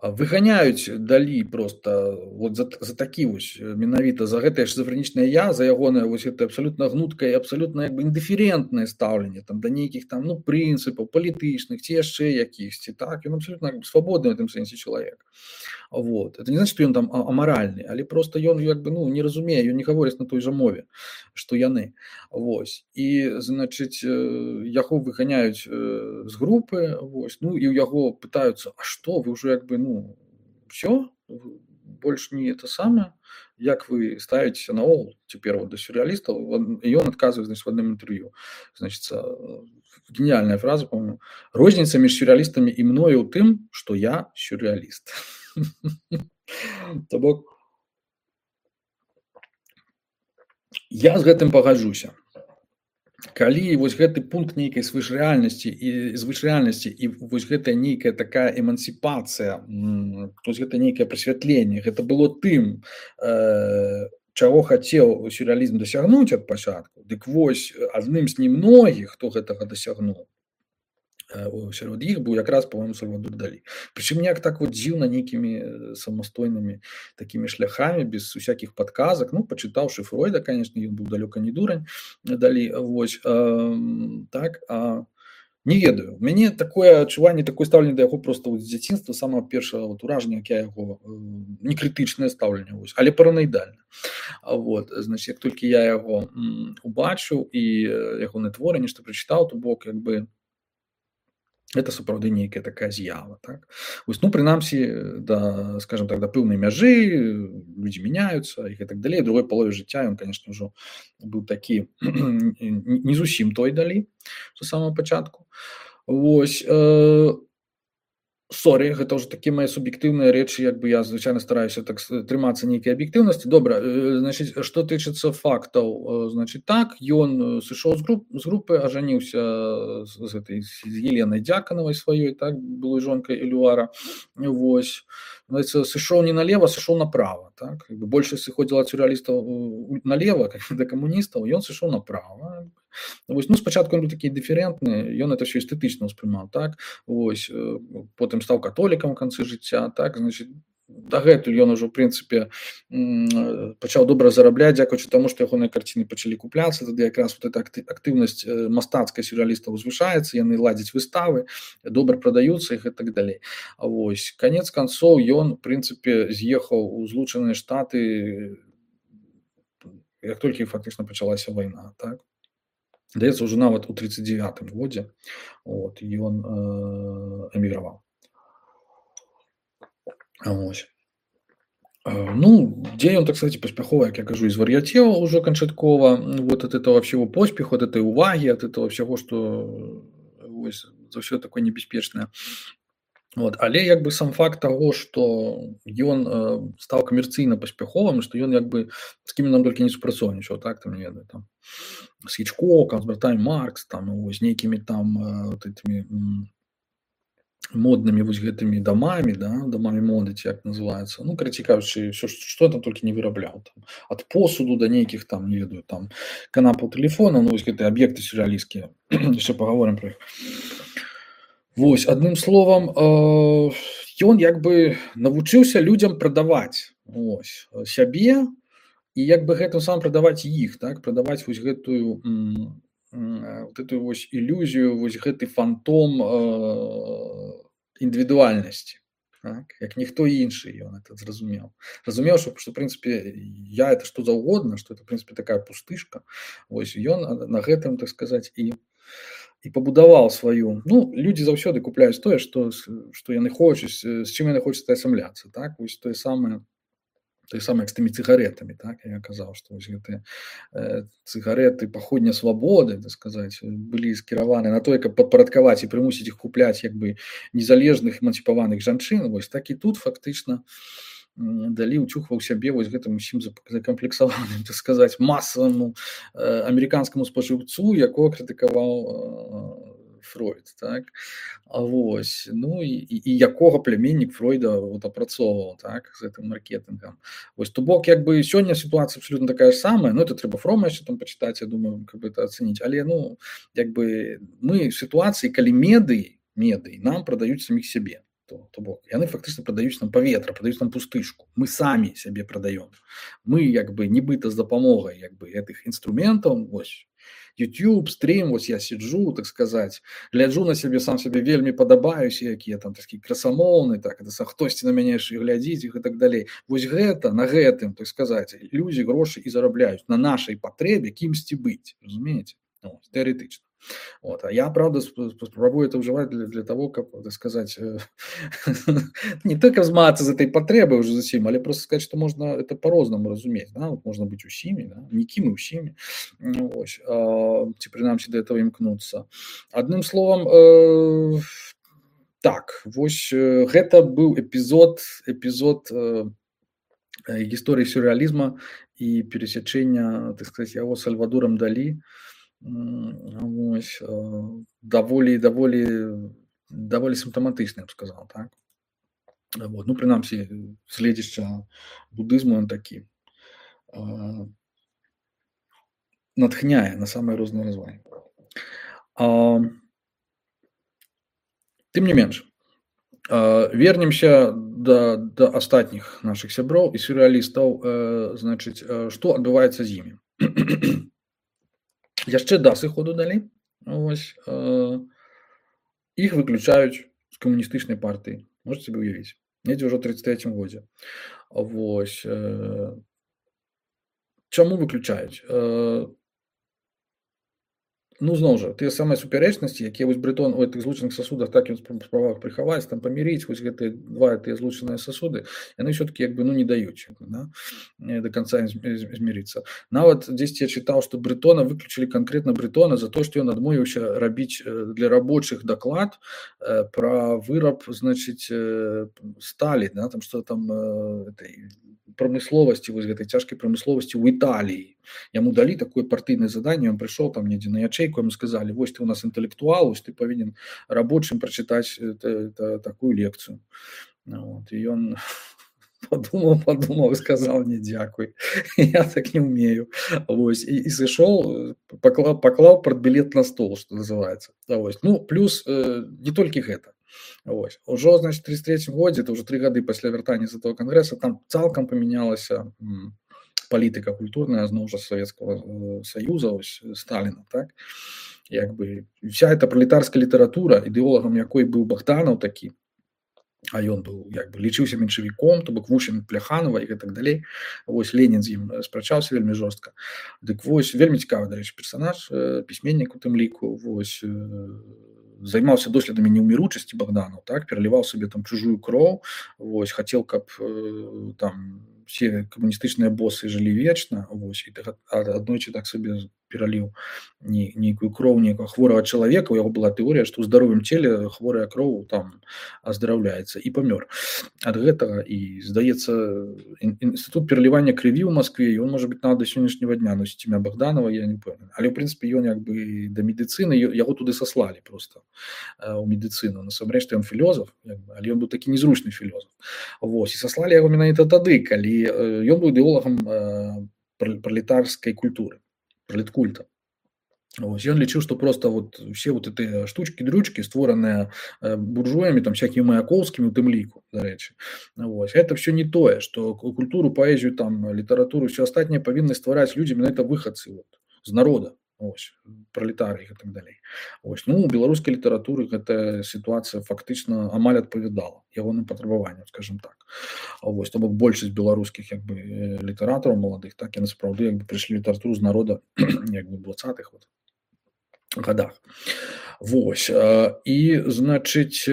S1: выганяюць Далі просто вот за, за такі вось менавіта за гэтае шизофрэнічнае я, за ягонае вось гэта абсалютна гнуткае, абсалютна як бы індыферентнае стаўленне там да нейкіх там ну прынцыпаў палітычных ці яшчэ якіхсьці, так, ён абсалютна свабодны в гэтым сэнсе чалавек. Вот. Это не значит, што ён там амаральны, але просто ён як бы ну не разумее, ён не гаворыць на той жа мове, што яны. Вось. І значыць яго выганяюць з групы, вось. Ну і ў яго пытаюцца: "А што, вы ўжо як бы ну все, больш не это самае, як вы ставіцеся наогул цяпер вот да сюррэалістаў?" І ён адказвае, значит, в адным інтэрв'ю. Значит, гениальная фраза, по-моему: "Розніца між сюррэалістамі і мною ў тым, што я сюррэаліст." То бок я з гэтым пагаджуся. Калі вось гэты пункт нейкай звышрэальнасці і звышрэальнасці і вось гэтая нейкая такая эмансіпацыя, вось гэта нейкае прасвятленне, гэта было тым, э, чаго хацеў сюррэалізм дасягнуць ад пачатку, дык вось адным з немногіх, хто гэтага дасягнуў сярод іх быў якраз, по-моему, Сальвадор Далі. Прычым неяк так вот дзіўна нейкімі самастойнымі такімі шляхамі, без усякіх падказак. Ну, пачытаўшы Фройда, конечно, ён быў далёка не дурань, Далі, вось, э, так, а Не ведаю. У мяне такое адчуванне, такое стаўленне да яго проста з дзяцінства, самага першага вот уражання, як я яго, не крытычнае стаўленне, вось, але параноідальна. Вот, значит, як толькі я яго убачыў і ягоныя творы, нешта прачытаў, то бок, як бы, это сапраўды нейкая такая з'ява, так? Вось, ну, прынамсі, да, скажем так, да пэўнай мяжы, людзі мяняюцца і гэтак далей. У другой палове жыцця ён, конечно, ўжо быў такі не зусім той далей, з самага пачатку. Вось, э, сорі, гэта ўжо такія мае суб'ектыўныя рэчы, як бы я звычайна стараюся так трымацца нейкай аб'ектыўнасці. Добра, значыць, што тычыцца фактаў, значыць, так, ён сышоў з, груп, з групы, ажаніўся з, з гэтай з Еленай Дзяканавай сваёй, так, былой жонкай Элюара. Вось, значыць, сышоў не налево, сышоў направо, так. Большасць сыходзіла ад сюррэалістаў налево, как да камуністаў, ён сышоў направо. Вось, ну, спачатку ён быў такі дыферентны, ён это ўсё эстэтычна ўспрымаў, так. Вось, потым стаў католікам у канцы жыцця, так, значыць, дагэтуль ён ужо, ў прынцыпе, пачаў добра зарабляць, дзякуючы таму, што ягоныя карціны пачалі купляцца, тады якраз вот эта актыўнасць мастацкая сюррэалістаў узвышаецца, яны ладзяць выставы, добра прадаюцца іх і так далей. Вось, канец канцоў ён, у прынцыпе, з'ехаў у Злучаныя Штаты, як толькі фактычна пачалася вайна, так. Здаецца, ўжо нават у тридцать девятым годзе, вот, ён э, эміграваў. Вось. Ну, дзе ён, так сказать, паспяхова, як я кажу, і звар'яцеў ужо канчаткова, вот, от этого всего поспеху, от этой уваги, от этого всего, што вось, заўсёды такое небяспечнае. Вот. Але як бы сам факт таго, што ён э, стаў камерцыйна паспяховым, што ён як бы з кім нам толькі не супрацоўнічаў, так, там, не ведаю, там, з Хічкокам, з братамі Маркс, там, з нейкімі там э, вот этими м, моднымі вось гэтымі дамамі, да, дамамі моды, ці як называецца. Ну, карацей кажучы, што, што там толькі не вырабляў. Там, ад посуду да нейкіх там, не ведаю, там, канапаў тэлефона, ну, вось гэтыя аб'екты сюррэалісцкія. Яшчэ пагаворым пра іх. Вось, адным словам, ён як бы навучыўся людзям прадаваць вось, сябе і як бы гэтым самым прадаваць іх, так, прадаваць вось гэтую м, вот эту вось ілюзію, вось гэты фантом э, індывідуальнасці, так, як ніхто іншы ён это зразумеў. Разумеў, што, што, в прынцыпе, я это што заўгодна, што это, в прынцыпе, такая пустышка. Вось, ён на гэтым, так сказаць, і і пабудаваў сваю. Ну, людзі заўсёды купляюць тое, што, што яны хочуць, з чым яны хочуць асамляцца, так, вось тое самае, тое самае, як з тымі цыгаретамі, так, я казаў, што вось гэтыя э, цыгареты паходня свабоды, так сказаць, былі скіраваны на тое, каб падпарадкаваць і прымусіць іх купляць як бы незалежных эмансіпаваных жанчын, вось так і тут фактычна Далі ўчухваў сябе вось гэтым усім закамплексаваным, так сказаць, масаваму э, амерыканскаму спажыўцу, якога крытыкаваў э, Фройд, так. А вось, ну і, і, і якога пляменнік Фройда вот апрацоўваў, так, з гэтым маркетынгам. Вось, то бок, як бы сёння сітуацыя абсолютно такая ж самая, ну это трэба Фрома яшчэ там пачытаць, я думаю, каб это ацэніць, але ну, як бы мы в сітуацыі, калі медыі, медыі нам прадаюць саміх сябе. То, то бок, яны фактычна прадаюць нам паветра, прадаюць нам пустышку. Мы самі сябе прадаём. Мы як бы нібыта з дапамогай як бы гэтых інструментаў, вось YouTube, стрім, вось я сиджу, так сказаць, гляджу на сябе, сам сябе вельмі падабаюся, якія там такі красамоўны, так, это хтосьці на мяне яшчэ глядзіць іх і так далей. Вось гэта, на гэтым, так сказаць, людзі грошы і зарабляюць на нашай патрэбе кімсьці быць, разумееце? Ну, тэарэтычна. Вот. А я, правда, спробую это уживать для, для того, как, так сказать, не только взматься з этой потребой уже зачем, але просто сказать, что можно это по-разному разуметь. Да? Вот можно быть усими, да? Никим и усими. Ось. А, ці принаймні до этого імкнуться. Одним словом, э, так, вось гэта быў эпизод, эпизод э, гісторыі сюрреализма и пересечения, так сказать, яго Сальвадором Далі. Ось, даволі, даволі, даволі сімптаматычны, я б сказал, так. Вот. Ну, прынамсі, следзішча будызму он такі натхняе на самыя розныя развагі. Тым не менш, вернемся да, да астатніх нашых сяброў і сюрреалістаў, значыць, што адбываецца з імі. Яшчэ да сыходу Далі, ось, э, іх выключаюць з камуністычнай партыі. Можаце сабе ўявіць. Недзе ўжо ў тридцать третьем годзе. Вось. Э, чаму выключаюць? Э, ну, зноў жа, тыя самыя супярэчнасці, якія вось Брытон у гэтых злучаных сасудах так ён спрабаваў прыхаваць, там памірыць вось гэтыя два тыя злучаныя сасуды, яны ўсё-такі як бы ну не даюць, да, да канца змірыцца. Нават дзесьці я чытаў, што Брытона выключылі канкрэтна Брытона за то, што ён адмовіўся рабіць для рабочых даклад пра выраб, значыць, сталі, да, там што там этой прамысловасці, вось гэтай цяжкай прамысловасці ў Італіі. Яму далі такое партыйнае заданне, ён прыйшоў там недзе на ячэйку, яму сказалі: вось ты у нас інтэлектуал, вось ты павінен рабочым прачытаць такую лекцыю. Вот. І ён подумаў, подумаў і сказаў: не, дзякуй, я так не умею. Вось. І, і сышоў, паклаў, паклаў партбілет на стол, што называецца. Вось. Ну, плюс э, не толькі гэта. Вось. Ужо, значит, в тридцать третьем годзе, это уже три гады пасля вяртання з этого кангрэса, там цалкам памянялася палітыка культурная зноў жа Савецкага Саюза, ось Сталіна, так? Як бы вся эта пролетарская літаратура, ідэолагам якой быў Богданаў такі, а ён быў, як бы, лічыўся меншавіком, то бок вучань Пляханова і гэтак далей. Вось Ленін з ім спрачаўся вельмі жорстка. Дык вось, вельмі цікавы, дарэчы, персанаж, пісьменнік у тым ліку, вось, займаўся доследамі неўміручасці Богданаў, так, пераліваў сабе там чужую кроў, вось, хацеў, каб э, там все камуністычныя босы жылі вечна, вось, і так, аднойчы так сабе пераліў не, нейкую кроў нейкага хворага чалавека, у яго была тэорыя, што ў здаровым целе хворая кроў там аздараўляецца, і памёр ад гэтага. І здаецца, інстытут пералівання крыві ў Маскве, ён можа быць нават да сённяшняга дня носіць імя Богданова, я не ўпэўнены. Але ў прынцыпе ён як бы да медыцыны, яго туды саслалі просто у медыцыну. Насамрэч ён філёзаф, але ён быў такі незручны філёзаф. Вось, і саслалі яго менавіта тады, калі ён быў ідэолагам пралетарскай культуры, пралеткульта. Ось, ён лічыў, што просто вот все вот эти штучкі-дрючкі, створаныя буржуямі, там всякімі Маяковскімі у тым ліку, дарэчы. Ось, это все не тое, што культуру, паэзію, там літаратуру, все астатняе павінны ствараць людзі менавіта выхадцы вот, з народа. Ось, пролетарыі і так далей. Ось, ну, у беларускай літаратуры гэта сітуацыя фактычна амаль адпавядала ягоным патрабаванням, скажем так. Ось, то бок большасць беларускіх як бы літаратараў маладых, так, яны сапраўды як бы прыйшлі літаратуру з народа як бы двадцатых вот годах. Вось, і, значыць,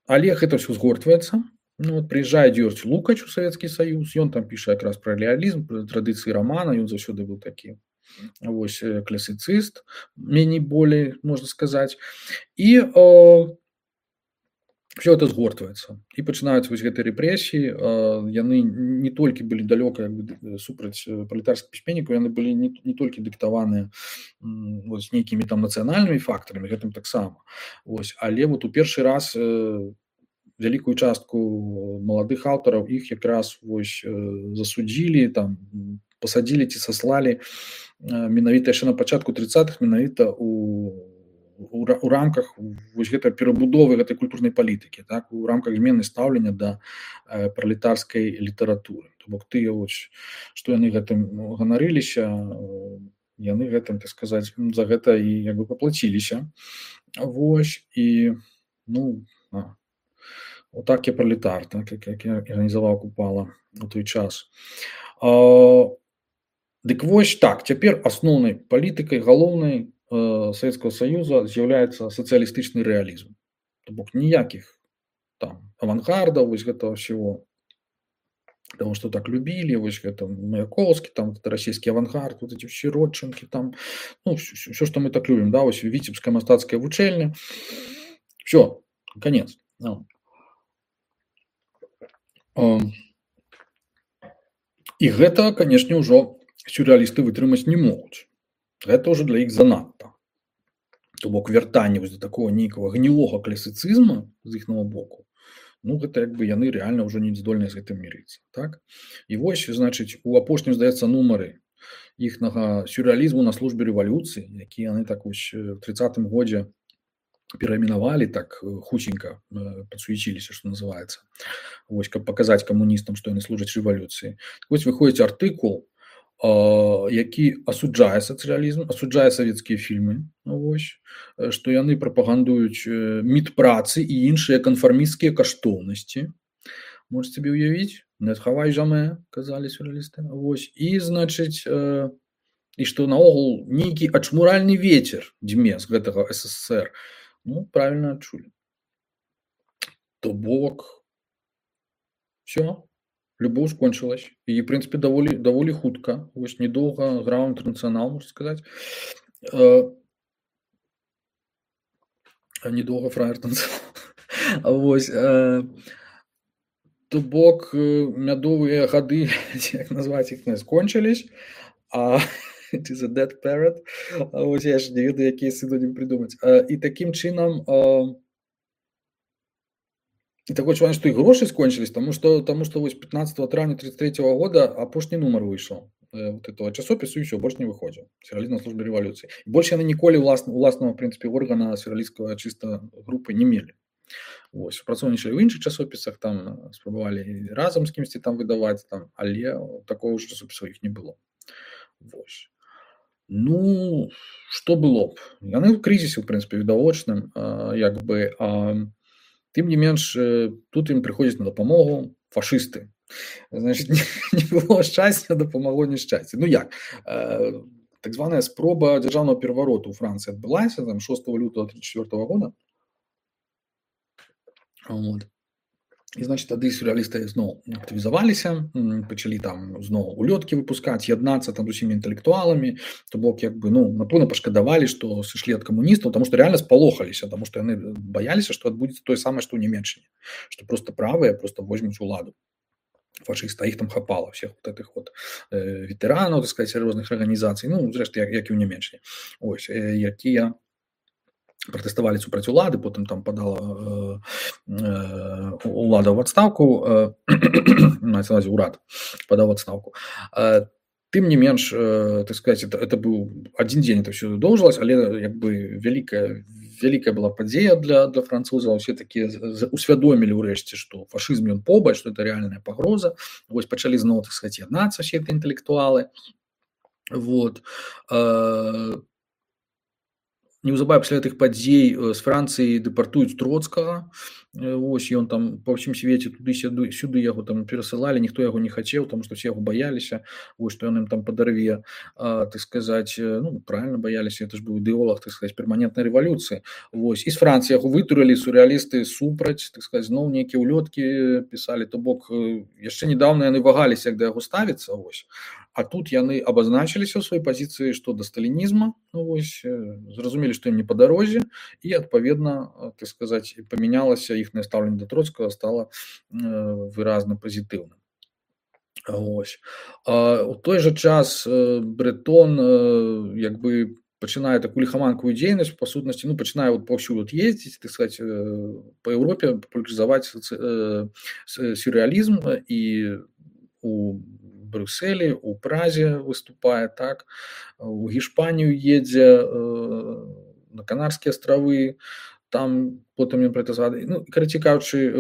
S1: але гэта ўсё згортваецца. Ну, вот прыязджае Дзёрдзь Лукач у Савецкі Саюз, ён там піша якраз пра рэалізм, пра традыцыі рамана, ён заўсёды быў такі. Вось, класіцыст, меней болей, можна сказаць. І э, все это згортваецца. І пачынаюць вось гэтыя рэпрэсіі, э, яны не толькі былі далёка як бы супраць пралетарскіх пісьменнікаў, яны былі не, не толькі дыктаваныя вось нейкімі там нацыянальнымі фактарамі, гэтым таксама. Вось, але вот у першы раз э, вялікую частку маладых аўтараў іх якраз вось э, засудзілі, там пасадзілі ці саслалі менавіта яшчэ на пачатку тридцатых, менавіта у, у, у рамках вось гэтай перабудовы гэтай культурнай палітыкі, так, у рамках змены стаўлення да э, пралетарскай літаратуры. То бок тыя вось, што яны гэтым ганарыліся, яны гэтым, так сказаць, за гэта і як бы паплаціліся. Вось, і ну, а, отак я пралетар, так, як, як я арганізаваў Купала у той час. А, Дык вось так, цяпер асноўнай палітыкай галоўнай э, Савецкага Саюза з'яўляецца сацыялістычны рэалізм. То бок ніякіх там авангардаў, вось гэтага всего, того, што так любілі, вось гэта Маяковскі, там расійскі авангард, вот эти все Родчынкі, там, ну, все, што мы так любім, да, вось Віцебская мастацкая вучэльня. Все, конец. No. Э, і гэта, канешне, ўжо сюррэалісты вытрымаць не могуць. Гэта ўжо для іх занадта. То бок вяртанне вось да такого нейкага гнілога класіцызму з іхнага боку, ну гэта як бы яны рэальна ўжо не здольныя з гэтым мірыцца, так? І вось, значыць, у апошнім, здаецца, нумары іхнага сюррэалізму на службе рэвалюцыі, які яны так вось в тридцатым годзе перайменавалі, так хутенька падсуеціліся, што называецца. Вось, каб паказаць камуністам, што яны служаць рэвалюцыі. Вось выходзіць артыкул які асуджае сацыялізм, асуджае савецкія фільмы, вось, што яны прапагандуюць міт працы і іншыя канфармісцкія каштоўнасці. Можете сабе ўявіць? Не хавай жаме, казалі сюррэалісты. Вось. І, значыць, э, і што наогул нейкі ачмуральны вецер дзьме з гэтага эс эс эс эр. Ну, правільна адчулі. То бок, всё. Любоў скончылась. І, в прынцыпе, даволі, даволі хутка. Вось недоўга граў інтэрнацыянал, можна сказаць. Э, недоўга фраер танцаваў. Вось. Э, то бок, мядовыя гады, як назваць іх, не скончылись. А it is a dead parrot. Вось я ж не ведаю, якія синонім придумаць. Э, і такім чынам... Э, І такое адчуванне, што і грошы скончылись, таму што, таму што вось пятнадцатого траўня тридцать третьего года апошні нумар выйшаў э, вот этого часопісу, і ўсё, больш не выходзіў. Сюррэалізм на службе рэвалюцыі. І больш яны ніколі ўласна, уласнага, в прынцыпе, органа сюррэалісцкага чыста групы не мелі. Вось, супрацоўнічалі ў іншых часопісах, там спрабавалі разам з кімсьці там выдаваць, там, але такого ж часопіса іх не было. Вось. Ну, што было б? Яны ў крызісе, в прынцыпе, відавочным, э, як бы... Э, Тым не менш, тут ім прыходзяць на дапамогу фашысты. Значыць, не, не было шчасця, дапамагло няшчасце. Ну як? Э, так званая спроба дзяржаўнага перавароту ў Францыі адбылася там шостого лютого тридцать четвёртого года. Вот. І, значыць, тады сюррэалісты зноў актывізаваліся, пачалі там зноў улёткі выпускаць, яднацца там з усімі інтэлектуаламі, то бок, як бы, ну, напэўна, пашкадавалі, што сышлі ад камуністаў, таму што рэальна спалохаліся, таму што яны баяліся, што адбудзецца тое самае, што ў Нямецчыне, што проста правыя проста возьмуць уладу. Фашыста, іх там хапала, всех вот этих вот э, ветэранаў, так сказать, розных арганізацый, ну, зрэшты, як, як і ў Нямецчыне, ось, э, якія пратэставалі супраць улады, потым там падала э, э, улада ў адстаўку, э, назваць урад падаў адстаўку. Э, тым не менш, э, так сказать, это, это быў адзін дзень, это ўсё доўжылася, але як бы вялікая, вялікая была падзея для, для французаў, усе такія усвядомілі ўрэшце, што фашызм ён побач, што это рэальная пагроза. Вось пачалі зноў, так сказать, яднацца ўсе гэтыя інтэлектуалы. Вот. Э, Неўзабаве пасля гэтых падзей з Францыі дэпартуюць Троцкага. Вось, ён там па ўсім свеце туды-сюды, сюды яго там перасылалі, ніхто яго не хацеў, таму што все яго баяліся, вось, што ён ім там падарве, а, так сказаць, ну, правильно баяліся, это ж быў ідэолог, так сказаць, перманентнай рэвалюцыі. Вось, і з Францыі яго вытурылі сюррэалісты супраць, так сказаць, зноў нейкія ўлёткі пісалі, то бок яшчэ недаўна яны вагаліся, як да яго ставіцца, вось. А тут яны абазначыліся ў сваёй пазіцыі, што да сталінізма, ну, вось, зразумелі, што ім не па дарозе, і, адпаведна, так сказаць, памянялася іхнае стаўленне да Троцкага, стала э, выразна пазітыўным. Вось. А, у той жа час э, Брэтон э, як бы пачынае такую ліхаманкавую дзейнасць, па сутнасці, ну, пачынае вот паўсюль ездзіць, так сказаць, э, па Еўропе папулярызаваць э, сюррэалізм, і у Брюсселі, у Празе выступае, так, у Гішпанію едзе, э, на Канарскія астравы, там потым ён пра гэта згадае. Ну, карацей кажучы,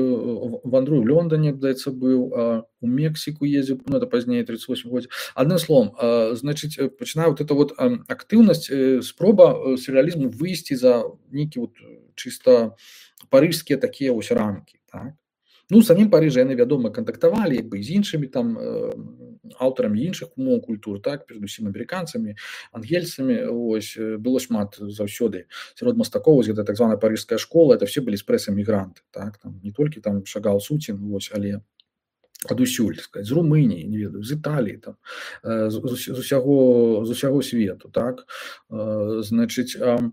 S1: вандруе ў Лондоне, здаецца, быў, у Мексіку ездзіў, ну, это пазней, тридцать восьмым годзе. Адным словом, значыць, пачынае вот эта вот актыўнасць, спроба сюррэалізму выйсці за нейкі вот чыста парыжскія такія вось рамкі, так. Ну, самім Парыжа яны, вядома, кантактавалі, як бы, з іншымі там э, аўтарамі іншых умоў культур, так, перадусім амерыканцамі, ангельцамі, ось, было шмат заўсёды сярод мастакоў, гэта так званая парыжская школа, это все былі спрэс-эмігранты, так, там, не толькі там Шагал, Суцін, ось, але адусюль, так сказать, з Румыніі, не ведаю, з Італіі, там, э, з, з, з, усяго, з усяго свету, так, э, значыць, э,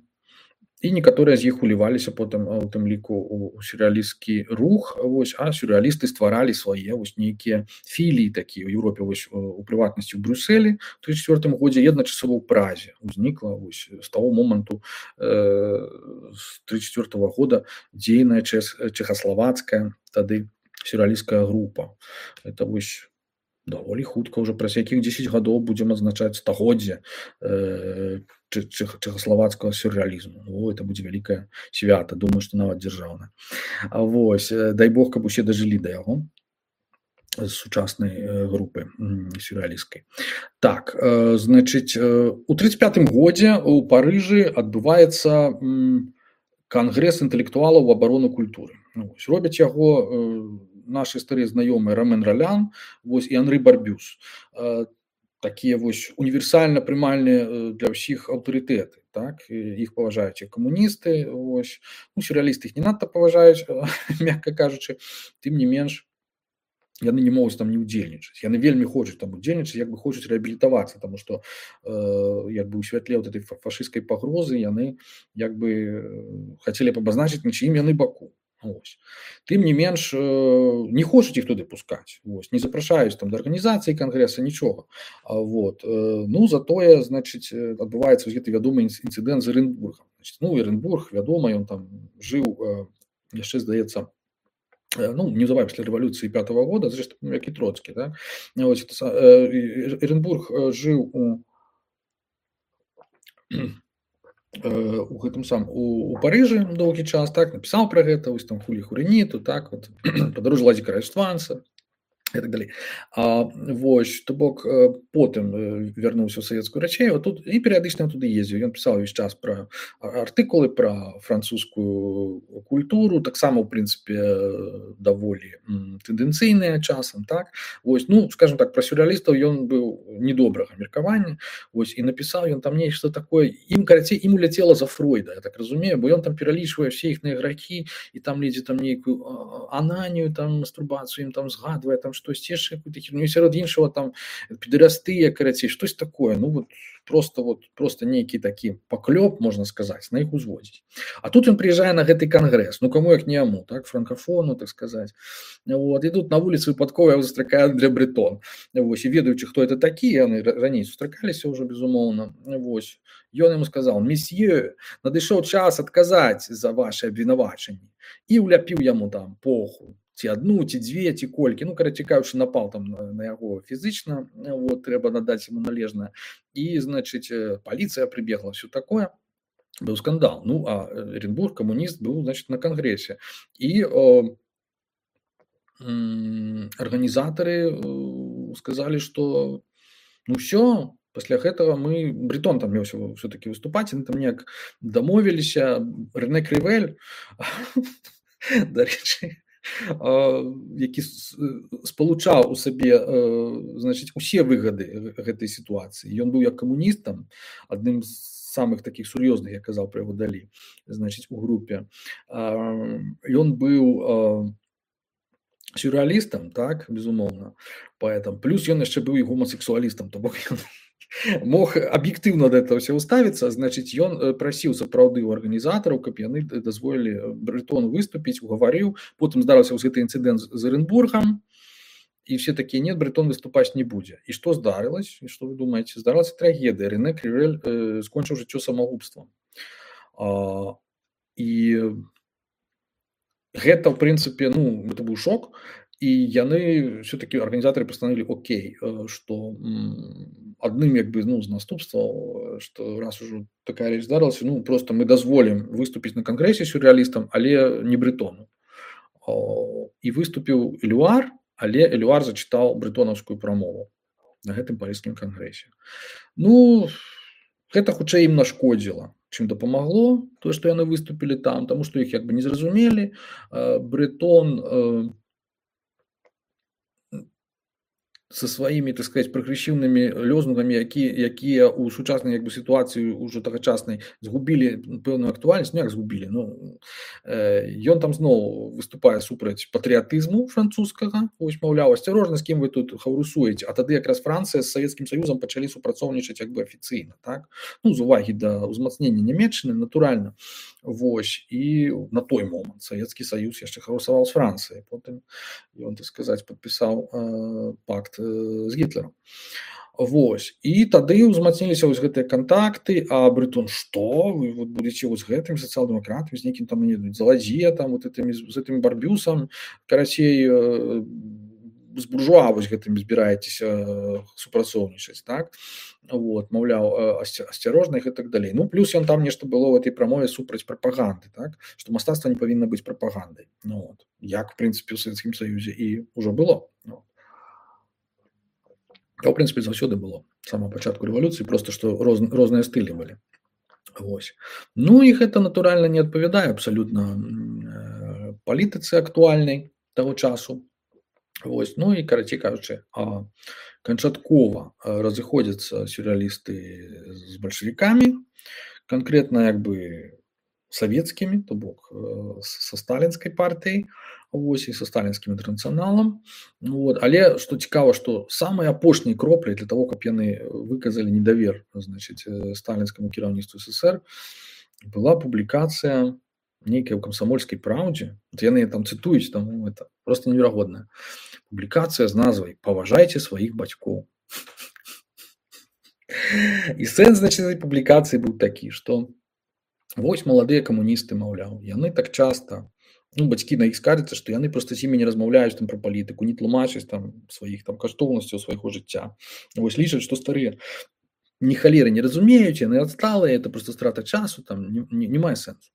S1: і некаторыя з іх уліваліся потым у тым ліку у сюррэалісцкі рух, вось, а сюррэалісты стваралі свае вось нейкія філіі такія ў Еўропе, вось, у прыватнасці ў Брюсселі ў тридцать четвёртым годзе, адначасова ў Празе узнікла вось з таго моманту э, з тридцать четвёртого года дзейная чэхаславацкая тады сюррэалісцкая група. Это вось даволі хутка, ўжо праз якіх дзесяць гадоў будзем адзначаць стагоддзе э, чэхаславацкага сюррэалізму. О, это будзе вялікае свята, думаю, што нават дзяржаўна. А вось, дай Бог, каб усе дажылі да яго. з сучаснай групы сюррэалісцкай. Так, значыць, у тридцать пятым годзе у Парыжы адбываецца кангрэс інтэлектуалаў у абарону культуры. Вось, робяць яго нашы старыя знаёмыя Рамэн Ралян, вось, і Анры Барбюс. Такія вось універсальна прымальныя для ўсіх аўтарытэты, так, іх паважаюць і камуністы, вось, ну, сюррэалісты іх не надта паважаюць, мякка кажучы, тым не менш, яны не могуць там не ўдзельнічаць. Яны вельмі хочуць там удзельнічаць, як бы хочуць рэабілітавацца, таму што э, як бы ў святле вот этой фашысцкай пагрозы яны як бы хацелі б абазначыць, на чыім яны баку. Ось. Тым не менш, не хочуць іх туды пускаць, ось, не запрашаюць там да арганізацыі кангрэса, нічога. Вот. Ну, затое, значыць, адбываецца гэты вядомы інцыдэнт з Эренбургам. Значыць, ну, Эренбург, вядома, ён там жыў, яшчэ, здаецца, ну, неўзабаве пасля рэвалюцыі пятого года, зрэшты, як і Троцкі, да? Ось, Эренбург жыў у у гэтым сам у, у Парыжы доўгі час, так, напісаў пра гэта, вось там хулі хурэніту, так, вот, падарожжа Ладзіка Раіштванца і так далей. А, вось, то бок, потым вярнуўся ў савецкую Рачею, тут і перыядычна туды ездзіў. Ён пісаў увесь час пра артыкулы, пра французскую культуру, таксама, ў прынцыпе, даволі тэндэнцыйныя часам, так. Вось, ну, скажем так, пра сюррэалістаў ён быў недобрага меркавання, вось, і напісаў ён там нешта такое, ім, карацей, ім уляцела за Фройда, я так разумею, бо ён там пералічвае ўсе іхныя грахі, і там ледзьве там нейкую ананію, там, мастурбацыю ім там згадвае, там, штосьці яшчэ какую-то херню, сярод іншага там педэрастыя, карацей, штось такое, ну вот просто вот просто нейкі такі паклёп, можна сказаць, на іх узводзіць. А тут ён прыязджае на гэты кангрэс, ну каму як не яму, так, франкафону, так сказаць. Вот, і тут на вуліцы выпадкова яго застракае Андре Бретон. Вось, і ведаючы, хто это такі, яны раней сустракаліся ўжо, безумоўна. Вось, ён яму сказаў: "Месье, надышоў час адказаць за ваши абвінавачанні", і уляпіў яму там поху. Ці адну, ці дзве, ці колькі, ну, карацей кажучы, напал там на, на яго фізычна, вот, трэба надаць яму належнае. І, значыць, паліцыя прыбегла, ўсё такое, быў скандал. Ну, а Эренбург, камуніст, быў, значыць, на кангрэсе. І о, м, арганізатары сказалі, што ну ўсё, пасля гэтага мы, Бретон там меўся ўсё-такі выступаць, яны там неяк дамовіліся, Рэне Крывэль, дарэчы, які спалучаў у сабе, значыць, усе выгады гэтай сітуацыі. Ён быў як камуністам, адным з самых такіх сур'ёзных, я казаў пра яго далі, значыць, у групе. Ён быў сюррэалістам, так, безумоўна, паэтам. Плюс ён яшчэ быў і гомасексуалістам, то бок ён мог аб'ектыўна да этого ўсё ўставіцца, значыць, ён прасіў сапраўды ў арганізатараў, каб яны дазволілі Бретону выступіць, угаварыў, потым здарыўся гэты інцыдэнт з Эренбургам, і все такія: "Нет, Бретон выступаць не будзе". І што здарылася? І што вы думаеце? Здарылася трагедыя. Рэне Крывэль э, скончыў жыццё самагубствам. А, і гэта, ў прынцыпе, ну, гэта быў шок, і яны все-таки арганізатары пастанавілі: окей, што адным як бы, ну, з наступстваў, што раз ужо такая рэч здарылася, ну, просто мы дазволім выступіць на кангрэсе сюррэалістам, але не Бретону. І выступіў Элюар, але Элюар зачытаў бретонаўскую прамову на гэтым парыжскім кангрэсе. Ну, гэта хутчэй ім нашкодзіла, чым дапамагло, тое, што яны выступілі там, таму што іх як бы не зразумелі. Бретон со сваімі, так сказать, прагрэсіўнымі лёзунгамі, якія, якія ў сучаснай як бы сітуацыі ўжо тагачаснай згубілі пэўную актуальнасць, ну як згубілі, ну, ён там зноў выступае супраць патрыятызму французскага, вось, маўляў, асцярожна, з кім вы тут хаўрусуеце, а тады якраз Францыя з Савецкім Саюзам пачалі супрацоўнічаць як бы афіцыйна, так, ну, з увагі да ўзмацнення Нямецчыны, натуральна, вось, і на той момант Савецкі Саюз яшчэ хаўрусаваў з Францыяй, потым ён, так сказаць, падпісаў э, пакт з Гітлером. Вось. І тады ўзмацніліся вось гэтыя кантакты, а Бретон: "Што? Вы вот будете вот з гэтым сацыял-дэмакратам, з нейкім там, не ведаю, Заладзье, там, вот этими, з гэтым Барбюсам, карацей, з буржуа вось гэтым збіраецеся супрацоўнічаць, так? Вот, маўляў, асцярожна і так далей. Ну, плюс ён там нешта было ў этой прамове супраць прапаганды, так? Што мастацтва не павінна быць прапагандай. Ну, вот. Як, в прынцыпе, ў Савецкім Саюзе і ўжо было. Ну. А ў прынцыпе заўсёды было з самага пачатку рэвалюцыі, проста што роз, розныя стылі былі. Вось. Ну і гэта натуральна не адпавядае абсалютна э, палітыцы актуальнай таго часу. Вось. Ну і карацей кажучы, а канчаткова разыходзяцца сюррэалісты з бальшавікамі, канкрэтна як бы савецкімі, то бок са сталінскай партыяй, вось, і са сталінскім інтэрнацыяналам. Вот. Але што цікава, што самай апошняй кропляй для таго, каб яны выказалі недавер, значыць, сталінскаму кіраўніцтву СССР, была публікацыя нейкай ў камсамольскай праўдзе. Вот яны там цытуюць, там это просто неверагодна. Публікацыя з назвай «Паважайце сваіх бацькоў». І сэнс, значыць, этой публікацыі быў такі, што вось маладыя камуністы, маўляў, яны так часта, ну, бацькі на іх скардзяцца, што яны проста з імі не размаўляюць там пра палітыку, не тлумачаць там сваіх там каштоўнасцяў свайго жыцця. Вось лічаць, што старыя ні халеры не разумеюць, яны адсталыя, это проста страта часу, там не, не, не мае сэнсу.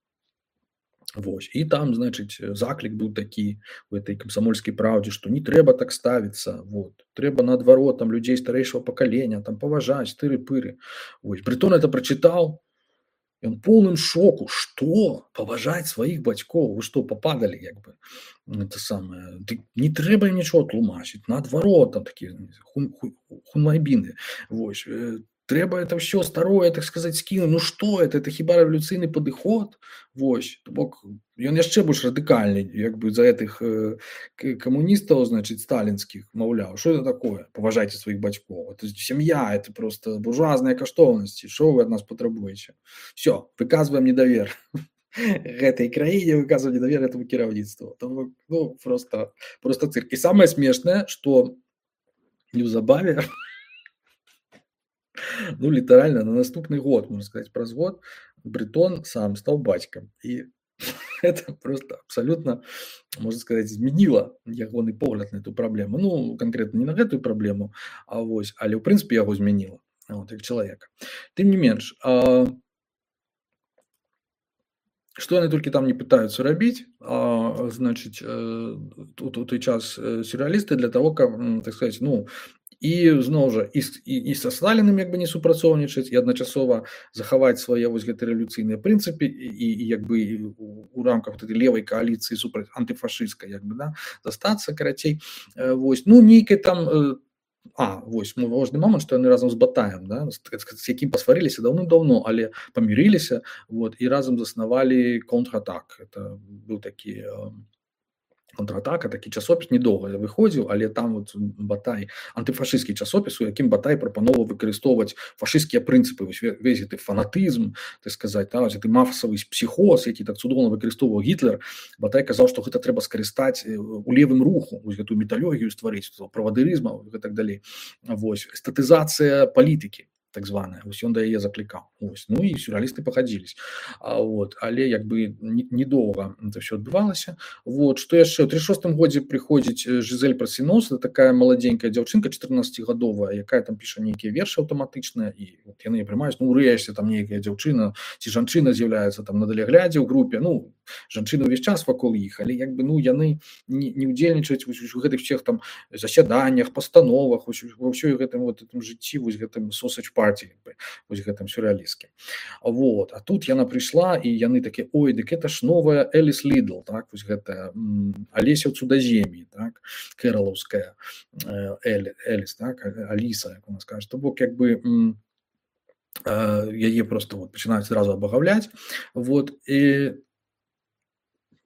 S1: Вось. І там, значыць, заклік быў такі у этой камсамольскай праўдзе, што не трэба так ставіцца, вот. Трэба наадварот там людзей старэйшага пакалення, там паважаць, тыры-пыры. Вось. Брытон это прачытаў, ён поўным шоку, што паважаць сваіх бацькоў, вы што пападалі як бы, это самае, не трэба ім нічого тлумачыць, наадварот там такія хун, хун, хунвайбіны, вось, трэба это ўсё старое, так сказаць, скінуць, ну што это, это хіба рэвалюцыйны падыход, вось, то бок ён яшчэ больш радыкальны, як бы за гэтых э, камуністаў, значыць, сталінскіх, маўляў, што это такое, паважайце сваіх бацькоў, это сям'я, это просто буржуазныя каштоўнасці, што вы ад нас патрабуеце, все, выказваем недавер гэтай краіне, выказваем недавер этому кіраўніцтву, ну, просто, просто цирк. І самае смешнае, што неўзабаве, ну, літаральна, на наступны год, можна сказаць, праз год, Брытон сам стаў бацькам. І это просто абсалютна, можна сказаць, змяніла ягоны погляд на эту праблему. Ну, канкрэтна не на гэтую праблему, а вось, але ў прынцыпе яго змяніла, вот, як чалавека. Тым не менш, а, што яны толькі там не пытаюцца рабіць, а, значыць, тут у той час сюррэалісты для таго, каб, так сказаць, ну, і зноў жа і, і, і са Сталінам як бы не супрацоўнічаць, і адначасова захаваць свае вось гэтыя рэвалюцыйныя прынцыпы і, і як бы у, у рамках гэтай левай кааліцыі супраць антыфашысцкай, як бы, да, застацца, карацей, вось, ну, нейкай там, а, вось, важны момант, што яны разам з Батаем, да, з, з якім пасварыліся даўным-даўно, але памірыліся, вот, і разам заснавалі контратак. Это быў такі контратака, такі часопіс, недоўга выходзіў, але там вот Батай, антыфашысцкі часопіс, у якім Батай прапановаў выкарыстоўваць фашысцкія прынцыпы, вось весь гэты фанатызм, так сказаць, да, гэты мафасавы псіхоз, які так цудоўна выкарыстоўваў Гітлер. Батай казаў, што гэта трэба скарыстаць у левым руху, вось гэтую металогію стварыць, правадырызма і так далей. Вось, эстатызацыя палітыкі, так званая, вось ён да яе заклікаў. Вось. Ну і сюррэалісты пагадзіліся. А, вот, але як бы недоўга это ўсё адбывалася. Вот, што яшчэ, у тридцать шостым годзе прыходзіць Жизель Прасінос, это такая маладзенькая дзяўчынка, чатырнаццацігадовая, якая там піша нейкія вершы аўтаматычныя, і вот яны прымаюць, ну, урэшце там нейкая дзяўчына ці жанчына з'яўляецца там на даляглядзе ў групе, ну, жанчыны ўвесь час вакол іх, але як бы, ну, яны не, не ўдзельнічаюць у гэтых всех там засяданнях, пастановах, ва ўсёй гэтым вот гэтым жыцці, вось гэтым sausage party, вось гэтым сюррэалісцкім. Вот. А тут яна прыйшла, і яны такія, ой, дык это ж новая Эліс Лідл, так, вось гэтая Алеся ў цудазем'і, так, кэралаўская Эліс, так, Аліса, як у нас кажа. То бок, як бы, яе просто вот пачынаюць зразу абагаўляць, вот, і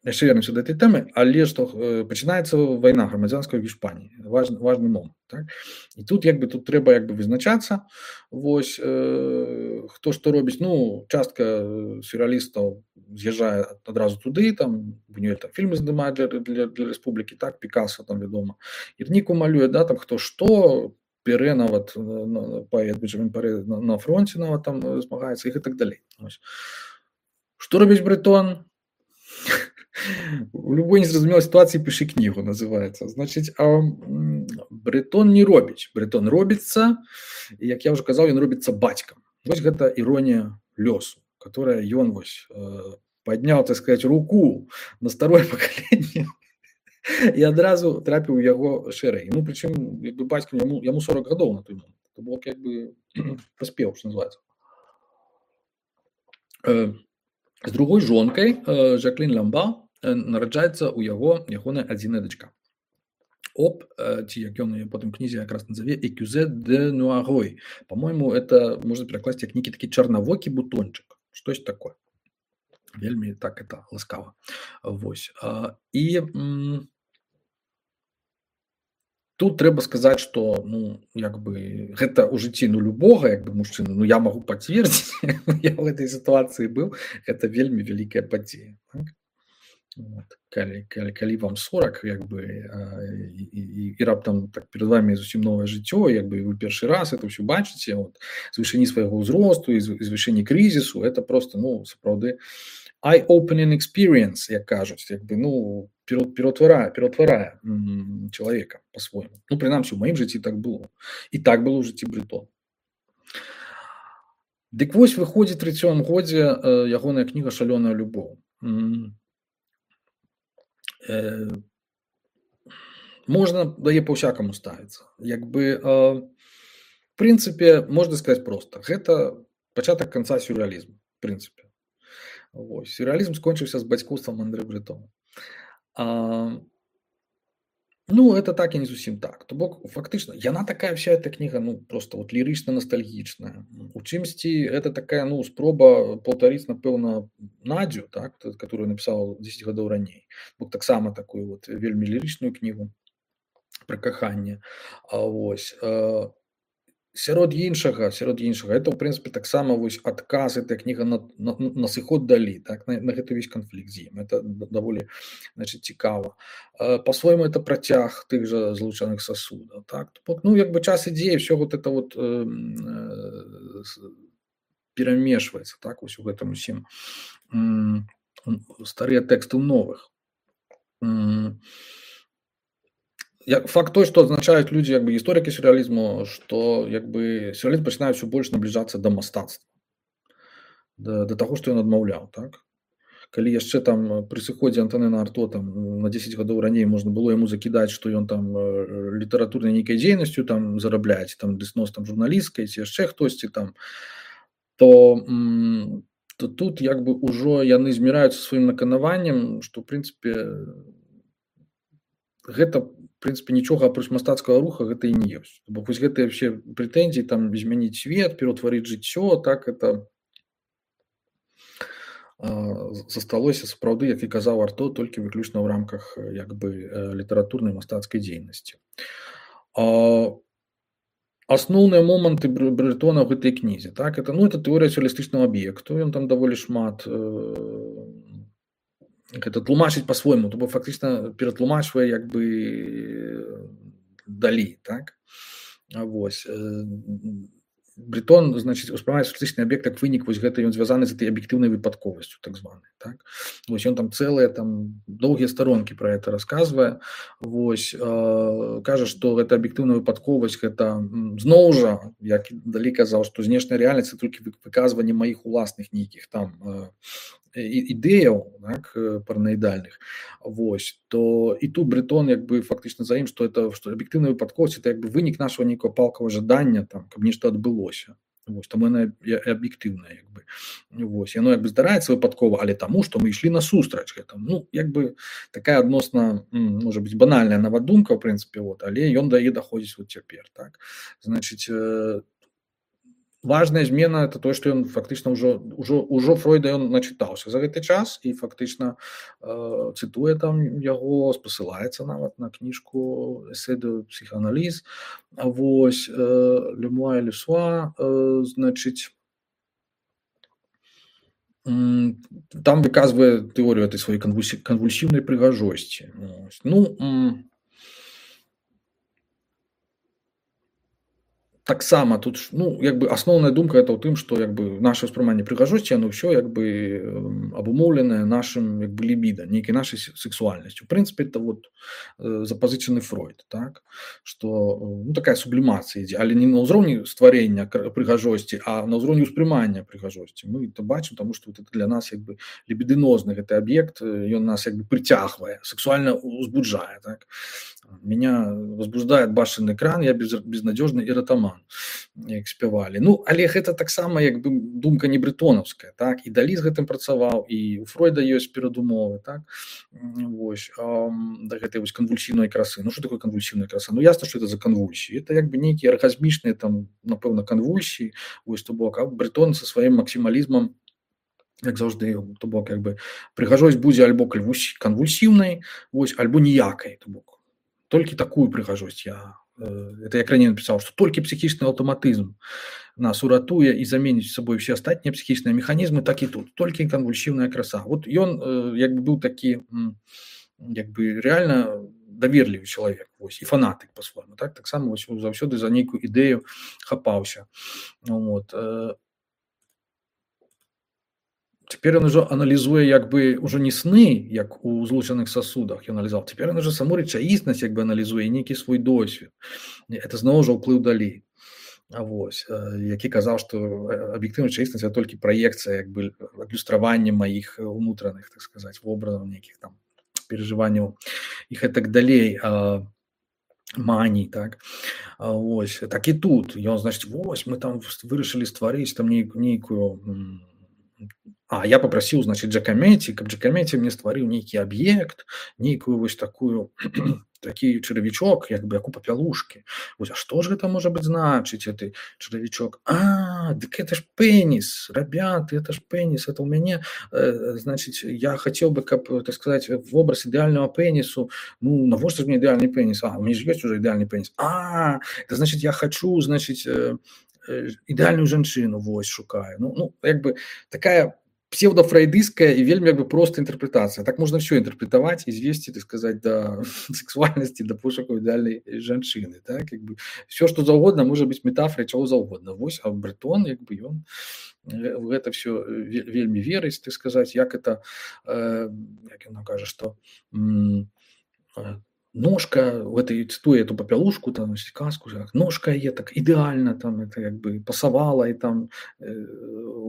S1: яшчэ вернемся да этой тэмы, але што э, пачынаецца вайна грамадзянская ў Іспаніі, важны, важны момант, так? І тут як бы тут трэба як бы вызначацца, вось, э, хто што робіць, ну, частка сюррэалістаў з'язджае адразу туды, там, Бунюэль там фільмы здымае для, для, для рэспублікі, так, Пікассо там, вядома, Ірніку малюе, да, там, хто што, Пере нават, паэт Бенджамін Пере на, на фронце нават там змагаецца, і так далей. Ось. Што робіць Брытон? У любой незразумелай сітуацыі пішы кнігу, называецца. Значыць, а Брытон не робіць. Брытон робіцца, і, як я ўжо казаў, ён робіцца бацькам. Вось гэта іронія лёсу, которая ён вось падняў, так сказаць, руку на старое пакаленне і адразу трапіў у яго шэрай. Ну прычым як бы бацька яму яму сорок гадоў на той момант. То бок як бы паспеў, што называецца. Э, з другой жонкай, э, Жаклін Ламба, э, нараджаецца ў яго ягоная адзіная дачка. Оп, э, ці як ён яе потым кнізе якраз назаве «Экюзе де Нуарой». По-мойму, это можна перакласці як нейкі такі чарнавокі бутончык. Штось такое. Вельмі так это ласкава. Вось. А, і м, тут трэба сказаць, што ну як бы гэта ў жыцці ну любога як бы мужчыны, ну я магу пацвердзіць, я ў гэтай сітуацыі быў, гэта вельмі вялікая падзея. Так? Вот. Калі, калі, калі вам сорок як бы і, і, і раптам так перед вами зусім новае жыццё, як бы вы першы раз это ўсё бачыце, вот, з вышыні свайго ўзросту і з вышыні крызісу, это просто ну сапраўды eye-opening experience, як кажуць, як бы ну пераўтварае пераўтварае чалавека по-свойму. Ну прынамсі у маім жыцці так было. І так было ў жыцці Брытона. Дык вось выходзіць у трыццатым годзе ягоная кніга «Шалёная любоў». Э, можна да яе па-ўсякаму ставіцца. Як бы э, в прынцыпе можна сказаць проста, гэта пачатак канца сюррэалізму, в прынцыпе. Вось. Сюррэалізм скончыўся з бацькоўствам Андрэ Брэтона. А, ну это так і не зусім так. То бок фактычна яна такая вся эта кніга ну просто вот лірычна-ностальгічная. У чымсьці это такая ну спроба паўтарыць напэўна Надзю, так, которую напісаў дзесяць гадоў раней. Бок таксама такую вот вельмі лірычную кнігу пра каханне. А вось э, сярод іншага, сярод іншага это ў прынцыпе таксама вось адказ эта кніга на, на, на сыход далі, так, на, на гэты весь канфлікт з ім. Это даволі значит цікава. По-свойму это працяг тых жа злучаных сасудаў, так. Ну як бы час ідзе, все вот это вот э, э, перамешваецца, так, вось у гэтым усім э, старыя тэксты ў новых. Э, Факт той, што адзначаюць людзі як бы гісторыкі сюррэалізму, што як бы сюррэалізм пачынае ўсё больш набліжацца да мастацтва, да, да таго, што ён адмаўляў, так. Калі яшчэ там пры сыходзе Антонена Арто там на дзесяць гадоў раней можна было яму закідаць, што ён там літаратурнай нейкай дзейнасцю там зарабляць, там дэснос там журналісткай ці яшчэ хтосьці там, то, то тут як бы ўжо яны зміраюцца сваім наканаваннем, што ў прынцыпе гэта в прынцыпе нічога апроч мастацкага руха гэта і не ёсць. Бо вось гэтыя ўсе прэтэнзіі там змяніць свет, пераўтварыць жыццё, так это засталося сапраўды, як і казаў Арто, толькі выключна ў рамках як бы літаратурнай мастацкай дзейнасці. Асноўныя моманты Брэтона ў гэтай кнізе, так, это ну это тэорыя сюррэалістычнага аб'екту, ён там даволі шмат гэта тлумачыць па-свойму, то бок фактычна ператлумачвае як бы далі, так. Вось. Брэтон, значыць, успрымае сюррэалістычны аб'ект як вынік вось гэта, ён звязаны з этой аб'ектыўнай выпадковасцю, так званай, так. Вось ён там цэлыя там доўгія старонкі пра гэта расказвае. Вось э, кажа, што гэта аб'ектыўная выпадковасць, гэта зноў жа, як далі казаў, што знешняя рэальнасць толькі выказванне маіх уласных нейкіх там э, ідэяў, так, параноідальных. Вось, то і тут Брэтон як бы фактычна за ім, што это што аб'ектыўная выпадковасць, это як бы вынік нашага нейкага палкавага жадання там, каб нешта адбылося. Вось, таму яна аб'ектыўная як бы. Вось, яно як бы здараецца выпадкова, але таму, што мы ішлі насустрач гэтаму. Ну, як бы такая адносна, можа быць, банальная нават-думка, ў прынцыпе, вот, але ён да яе даходзіць вот цяпер, так. Значыць, э, важная змена это тое, што ён фактычна ўжо ўжо ўжо Фройда ён начытаўся за гэты час і фактычна э, цытуе там яго, спасылаецца нават на кніжку «Эссе де психоанализ». А вось э, «Le moi et le soi», э, значыць, э, там выказвае тэорыю этой сваёй канвульсіўнай прыгажосці. Ну, э, таксама тут ж, ну як бы асноўная думка это ў тым, што як бы наша ўспрыманне прыгажосці яно ўсё як бы эм, абумоўленае нашым як бы лібіда, нейкай нашай се- сексуальнасцю. У прынцыпе это вот э, запазычаны Фройд, так што э, ну, такая сублімацыя ідзе, але не на ўзроўні стварэння кр- прыгажосці, а на ўзроўні ўспрымання прыгажосці. Мы это бачым, таму што вот это для нас як бы лібідынозны гэты аб'ект, э, ён нас як бы прыцягвае, сексуальна узбуджае, так. Меня возбуждает башенный экран, я без, безнадежный эротоман, як спявалі. Ну, але гэта таксама як бы думка не брэтонаўская, так, і Далі з гэтым працаваў, і у Фройда ёсць перадумовы, так, М, вось, ам, да гэтай вось канвульсійнай красы. Ну, што такое канвульсійная краса? Ну, ясна, што это за канвульсіі. Это як бы нейкія аргазмічныя там, напэўна, канвульсіі, вось, то бок, а Брэтон са сваім максімалізмам, як заўжды, то бок, як бы прыгажосць будзе альбо кальвусь- канвульсіўнай, вось, альбо ніякай, то бок. Толькі такую прыгажосць я э, это як раней напісаў, што толькі псіхічны аўтаматызм нас уратуе і заменіць сабой усе астатнія псіхічныя механізмы, так і тут толькі канвульсіўная краса. Вот ён э, як бы быў такі м, як бы рэальна даверлівы чалавек, вось, і фанатык па-свойму, так, таксама вось заўсёды за нейкую ідэю хапаўся. Вот. Э, Цяпер ён ужо аналізуе як бы ўжо не сны, як у злучаных сасудах ён аналізаваў. Цяпер ён ужо саму рэчаіснасць як бы аналізуе, нейкі свой досвед. Это зноў жа ўплыў Далі. А вось, э, які казаў, што э, аб'ектыўная рэчаіснасць это толькі праекцыя як бы адлюстраванне маіх э, унутраных, так сказаць, вобразаў, нейкіх там перажыванняў і гэтак далей. А, маній, так. А, вось, так і тут. Ён, значыць, вось, мы там вырашылі стварыць там нейкую, нейкую м, а я попросіў, значыць, Джакаметі, каб Джакаметі мне стварыў нейкі аб'ект, нейкую вось такую такі чаравічок, як бы як у папялушкі. Вось, а што ж гэта можа быць значыць, гэты чаравічок? А, дык это ж пеніс, рабяты, это ж пеніс, это ў мяне, э, значыць, я хацеў бы, каб, так сказаць, вобраз ідэальнага пенісу, ну, навошта ж мне ідэальны пеніс? А, у мяне ж ёсць уже ідэальны пеніс. А, это значыць, я хачу, значыць, э, э, ідэальную жанчыну, вось, шукаю. Ну, ну, як бы такая псевдофрейдистская и вельмі як бы просто интерпретация. Так можно все интерпретовать и звести, так сказать, до сексуальности, до пошуку идеальной жанчыны. Так? Как бы все, что заўгодна, может быть метафорой чего заўгодна. Вось, а Брэтон, як бы, ён в это все вельмі верыць, так сказать, як это, э, як ён кажа, что м, ножка, в этой цитуе эту попелушку, там, сказку, ножка е так идеально, там, это как бы пасавала и там э,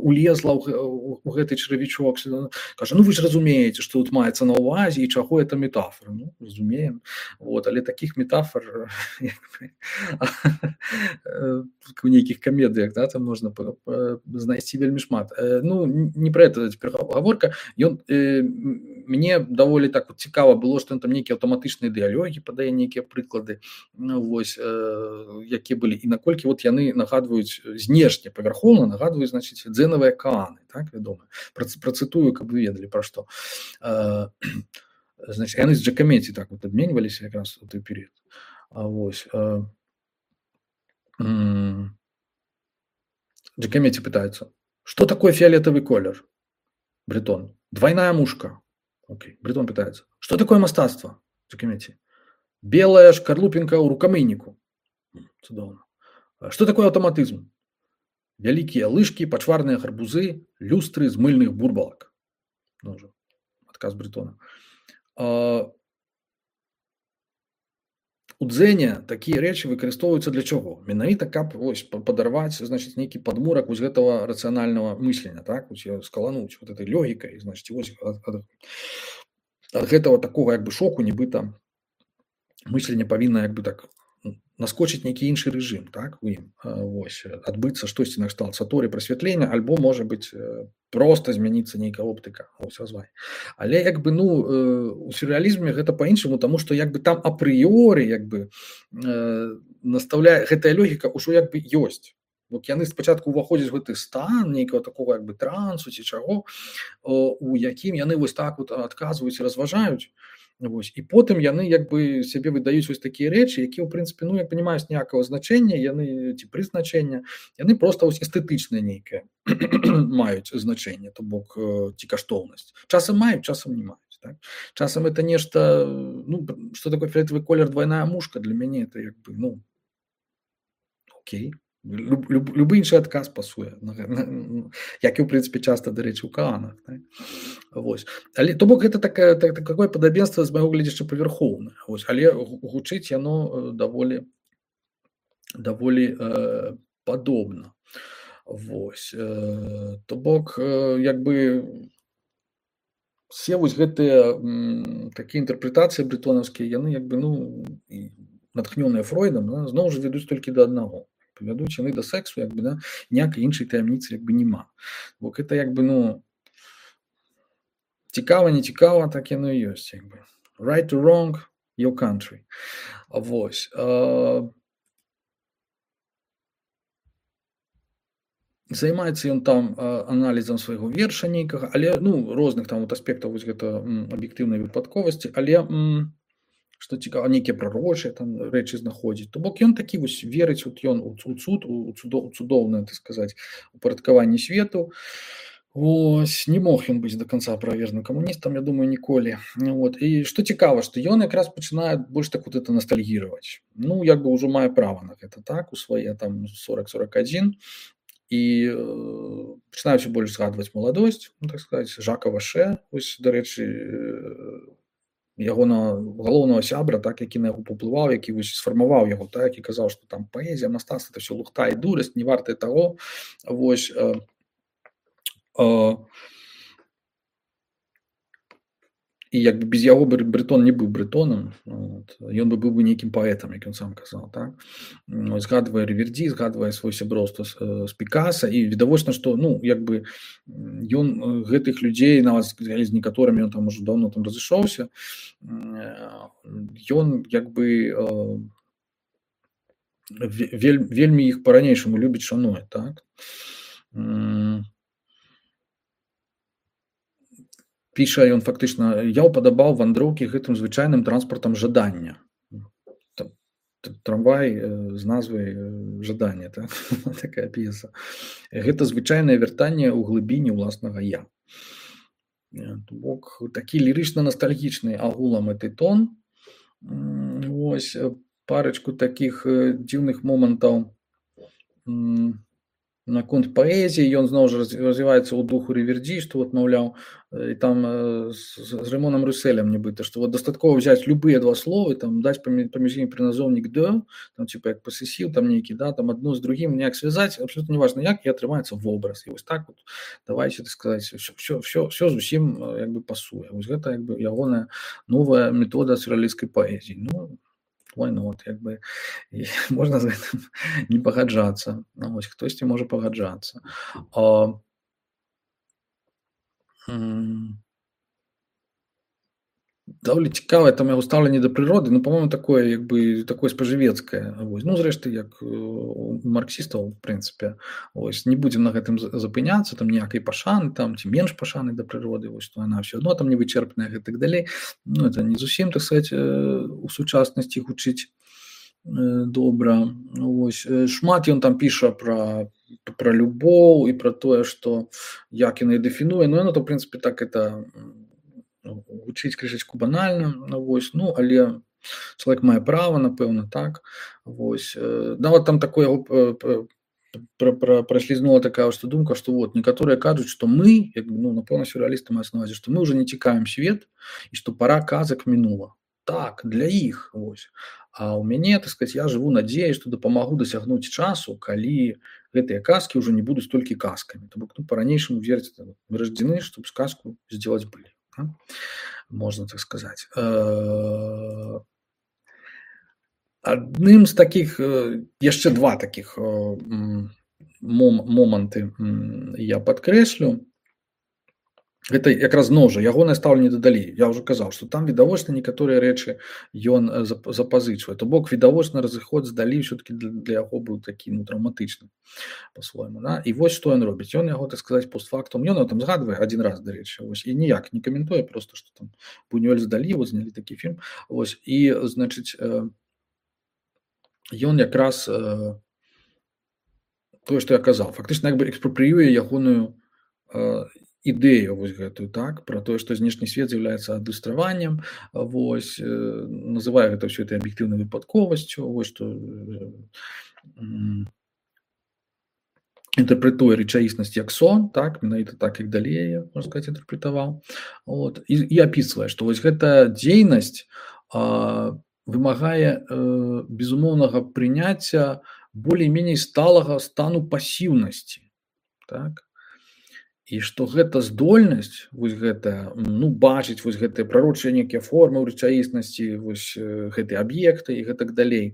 S1: улезла у, у гэты чаравічок. Кажа, ну вы ж разумееце, што тут маецца на ўвазе і чаго это метафора. Ну, разумеем. Вот, але таких метафор у нейкіх камедыях, да, там можна знайсці вельмі шмат. Ну, не про это цяпер гаворка. Ён э, мне даволі так вот цікава было, што ён там нейкія аўтаматычныя дыялогі падае, нейкія прыклады, ну, вось, э, якія былі, і наколькі вот яны нагадваюць знешне павярхоўна, нагадваюць, значыць, дзенавыя кааны, так, вядома. Працытую, каб вы ведалі пра што. Э, значыць, яны з Джакаметі так вот абменьваліся якраз у той перыяд. А вось, э, м, Джакаметі пытаецца, што такое фіолетавы колер? Брэтон. Двойная мушка. Окей. Брэтон пытается. Что такое мастацтва? Джакаметі. Белая шкарлупінка ў рукамыйніку. Цудоўна. Что такое аўтаматызм? Вялікія лыжкі, пачварныя гарбузы, люстры з мыльных бурбалак. Ну, ўжо адказ Брэтона. А, у дзеня такія рэчы выкарыстоўваюцца для чаго? Менавіта каб вось падарваць, значыць, нейкі падмурак вось гэтага рацыянальнага мыслення, так, вось скалануць вот этой логікай, значыць, вось ад, ад, ад гэтага такога як бы шоку, нібыта мысленне павінна як бы так наскочыць нейкі іншы рэжым, так, у ім, вось, адбыцца штосьці накшталт саторы прасвятлення, альбо можа быць проста змяніцца нейкая оптыка, ось азвай. Але як бы, ну, у сюррэалізме гэта па-іншаму, таму што як бы там апрыёры як бы настаўляе гэтая логіка ўжо як бы ёсць. Вот яны спачатку ўваходзяць у гэты стан нейкага такога як бы трансу ці чаго, у якім яны вось так вот адказваюць і разважаюць. Вось. І потым яны як бы сябе выдаюць вось такія рэчы, якія ў прынцыпе, ну, як не маюць ніякага значэння, яны ці прызначэння, яны проста вось эстэтычнае нейкае маюць значэнне, то бок ці каштоўнасць. Часам маюць, часам не маюць, так? Часам это нешта, ну, што такое фіолетавы колер, двойная мушка, для мяне это як бы, ну, окей. Люб, люб, любы іншы адказ пасуе, як і ў прынцыпе часта, дарэчы, у каанах, так? Вось. Але то бок гэта такая так, такое падабенства з майго гледзяча павярхоўнае, вось, але гучыць яно даволі даволі э, падобна. Вось. Э, то бок э, як бы все вось гэтыя такія інтэрпрэтацыі брэтонаўскія, яны як бы ну натхнёныя Фройдам, да, зноў жа вядуць толькі да аднаго. Павядуць яны да сексу, як бы, да, ніякай іншай таямніцы як бы няма. Бо гэта як бы ну цікава, не цікава, так яно і ёсць, як бы. Right or wrong, your country. Вось. А... Займаецца ён там аналізам свайго верша нейкага, але ну розных там вот аспектаў вось гэта аб'ектыўнай выпадковасці, але м, што цікава, нейкія прарочыя там рэчы знаходзіць. То бок ён такі вось верыць, вот ён у цуд, у цудоўнае, так сказаць, упарадкаванне свету. Ось, не мог ён быць до конца правержным камуністам, я думаю, ніколі. Вот. І што цікава, што ён якраз пачынае больш так вот это ностальгіраваць. Ну, як бы ўжо мае права на гэта, так, у свае там сорок сорок адзін. І э, пачынаюць больш згадваць маладосць, ну, так сказаць, Жака Ваше, ось, дарэчы, ягонага галоўнага сябра, так, які на яго паўплываў, які вось сфармаваў яго, так, і казаў, што там паэзія, мастацтва, это все лухта і дурасць, не вартае таго. Вось, э, э, і як бы без яго Брэтон не быў брэтонам, вот. Ён бы быў бы нейкім паэтам, як ён сам казаў, так? Згадвае Рэверді, згадвае свой сяброўства з, з Пікаса, і відавочна, што ну як бы ён гэтых людзей, нават з некаторымі ён там ужо даўно там разышоўся, ён як бы вель, вельмі іх па-ранейшаму любіць, шануе, так? Піша ён фактычна, я ўпадабаў вандроўкі гэтым звычайным транспартам жадання. Трамвай з назвай жадання, так? Такая п'еса. Гэта звычайнае вяртанне ў глыбіні ўласнага я. То бок такі лірычна-ностальгічны агулам гэты тон. Вось парочку такіх дзіўных момантаў наконт паэзіі, ён зноў жа развіваецца ў духу Рэверді, што вот, маўляў, і там з, з Рэмонам Русселем нібыта, што вот дастаткова взяць любыя два словы, там даць паміж імі прыназоўнік «de», там типа як пасесіў, там нейкі, да, там адно з другім неяк звязаць, абсолютно неважна як, і атрымаецца вобраз. І вось так вот, давайте, так сказаць, все, все, все зусім як бы пасуе. Вось гэта як бы ягоная новая метода сюррэалісцкай паэзіі. Ну, why not, як бы, і можна з гэтым не пагаджацца. Ну, ось, хтосьці можа пагаджацца. А, м, даволі цікавае там яго стаўленне да прыроды, ну, па-моему, такое, як бы, такое спажывецкае. Вось. Ну, зрэшты, як у марксістаў, в прынцыпе. Ось, не будзем на гэтым запыняцца, там ніякай пашаны, там, ці менш пашаны да прыроды, вось, то яна ўсё адно там не вычэрпная, гэтак далей. Ну, это не зусім, так сказаць, у сучаснасці гучыць добра. Ось. Шмат ён там піша пра, пра любоў і пра тое, што як яна і дэфінуе. Ну, яно, то, в прынцыпе, так это гучыць крышачку банальна, ну, вось, ну, але чалавек мае права, напэўна, так. Вось. Нават там такое праслізнула такая што думка, што вот некаторыя кажуць, што мы, як, ну, напэўна, сюррэалісты маюць на ўвазе, што мы ўжо не цікавім свет і што пара казак мінула. Так, для іх, вось. А ў мяне, так сказаць, я жыву надзеяй, што дапамагу дасягнуць часу, калі гэтыя казкі ўжо не будуць толькі казкамі. То бок, ну, па-ранейшаму верыць, мы раждзены, чтобы сказку сделать былі. Можна так сказаць. Адным з такіх, яшчэ два такіх моманты я падкрэслю. Гэта якраз зноў жа ягонае стаўленне да далей. Я ўжо казаў, што там відавочна некаторыя рэчы ён запазычвае. То бок відавочна разыход з далей ўсё-такі для яго быў такі, ну, траўматычны па-свойму, да? І вось што ён робіць. Ён яго, так сказаць, постфактум, ён там згадвае адзін раз, дарэчы, вось, і ніяк не каментуе, просто што там Бунюэль з Далі, вот знялі такі фільм. Вось, і, значыць, ён якраз тое, што я казаў, фактычна як бы экспрапрыюе ягоную ідэю вось гэтую, так, пра тое, што знешні свет з'яўляецца адлюстраваннем, вось, называе гэта ўсё этой аб'ектыўнай выпадковасцю, вось што інтэрпрэтуе рэчаіснасць як сон, так, менавіта так, як далей яе, можна сказаць, інтэрпрэтаваў. Вот. І, і апісвае, што вось гэта дзейнасць а, вымагае э, безумоўнага прыняцця болей-меней сталага стану пасіўнасці. Так? І што гэта здольнасць, вось гэта, ну, бачыць вось гэтыя прарочыя нейкія формы ў рэчаіснасці, вось э, гэтыя аб'екты і гэтак далей.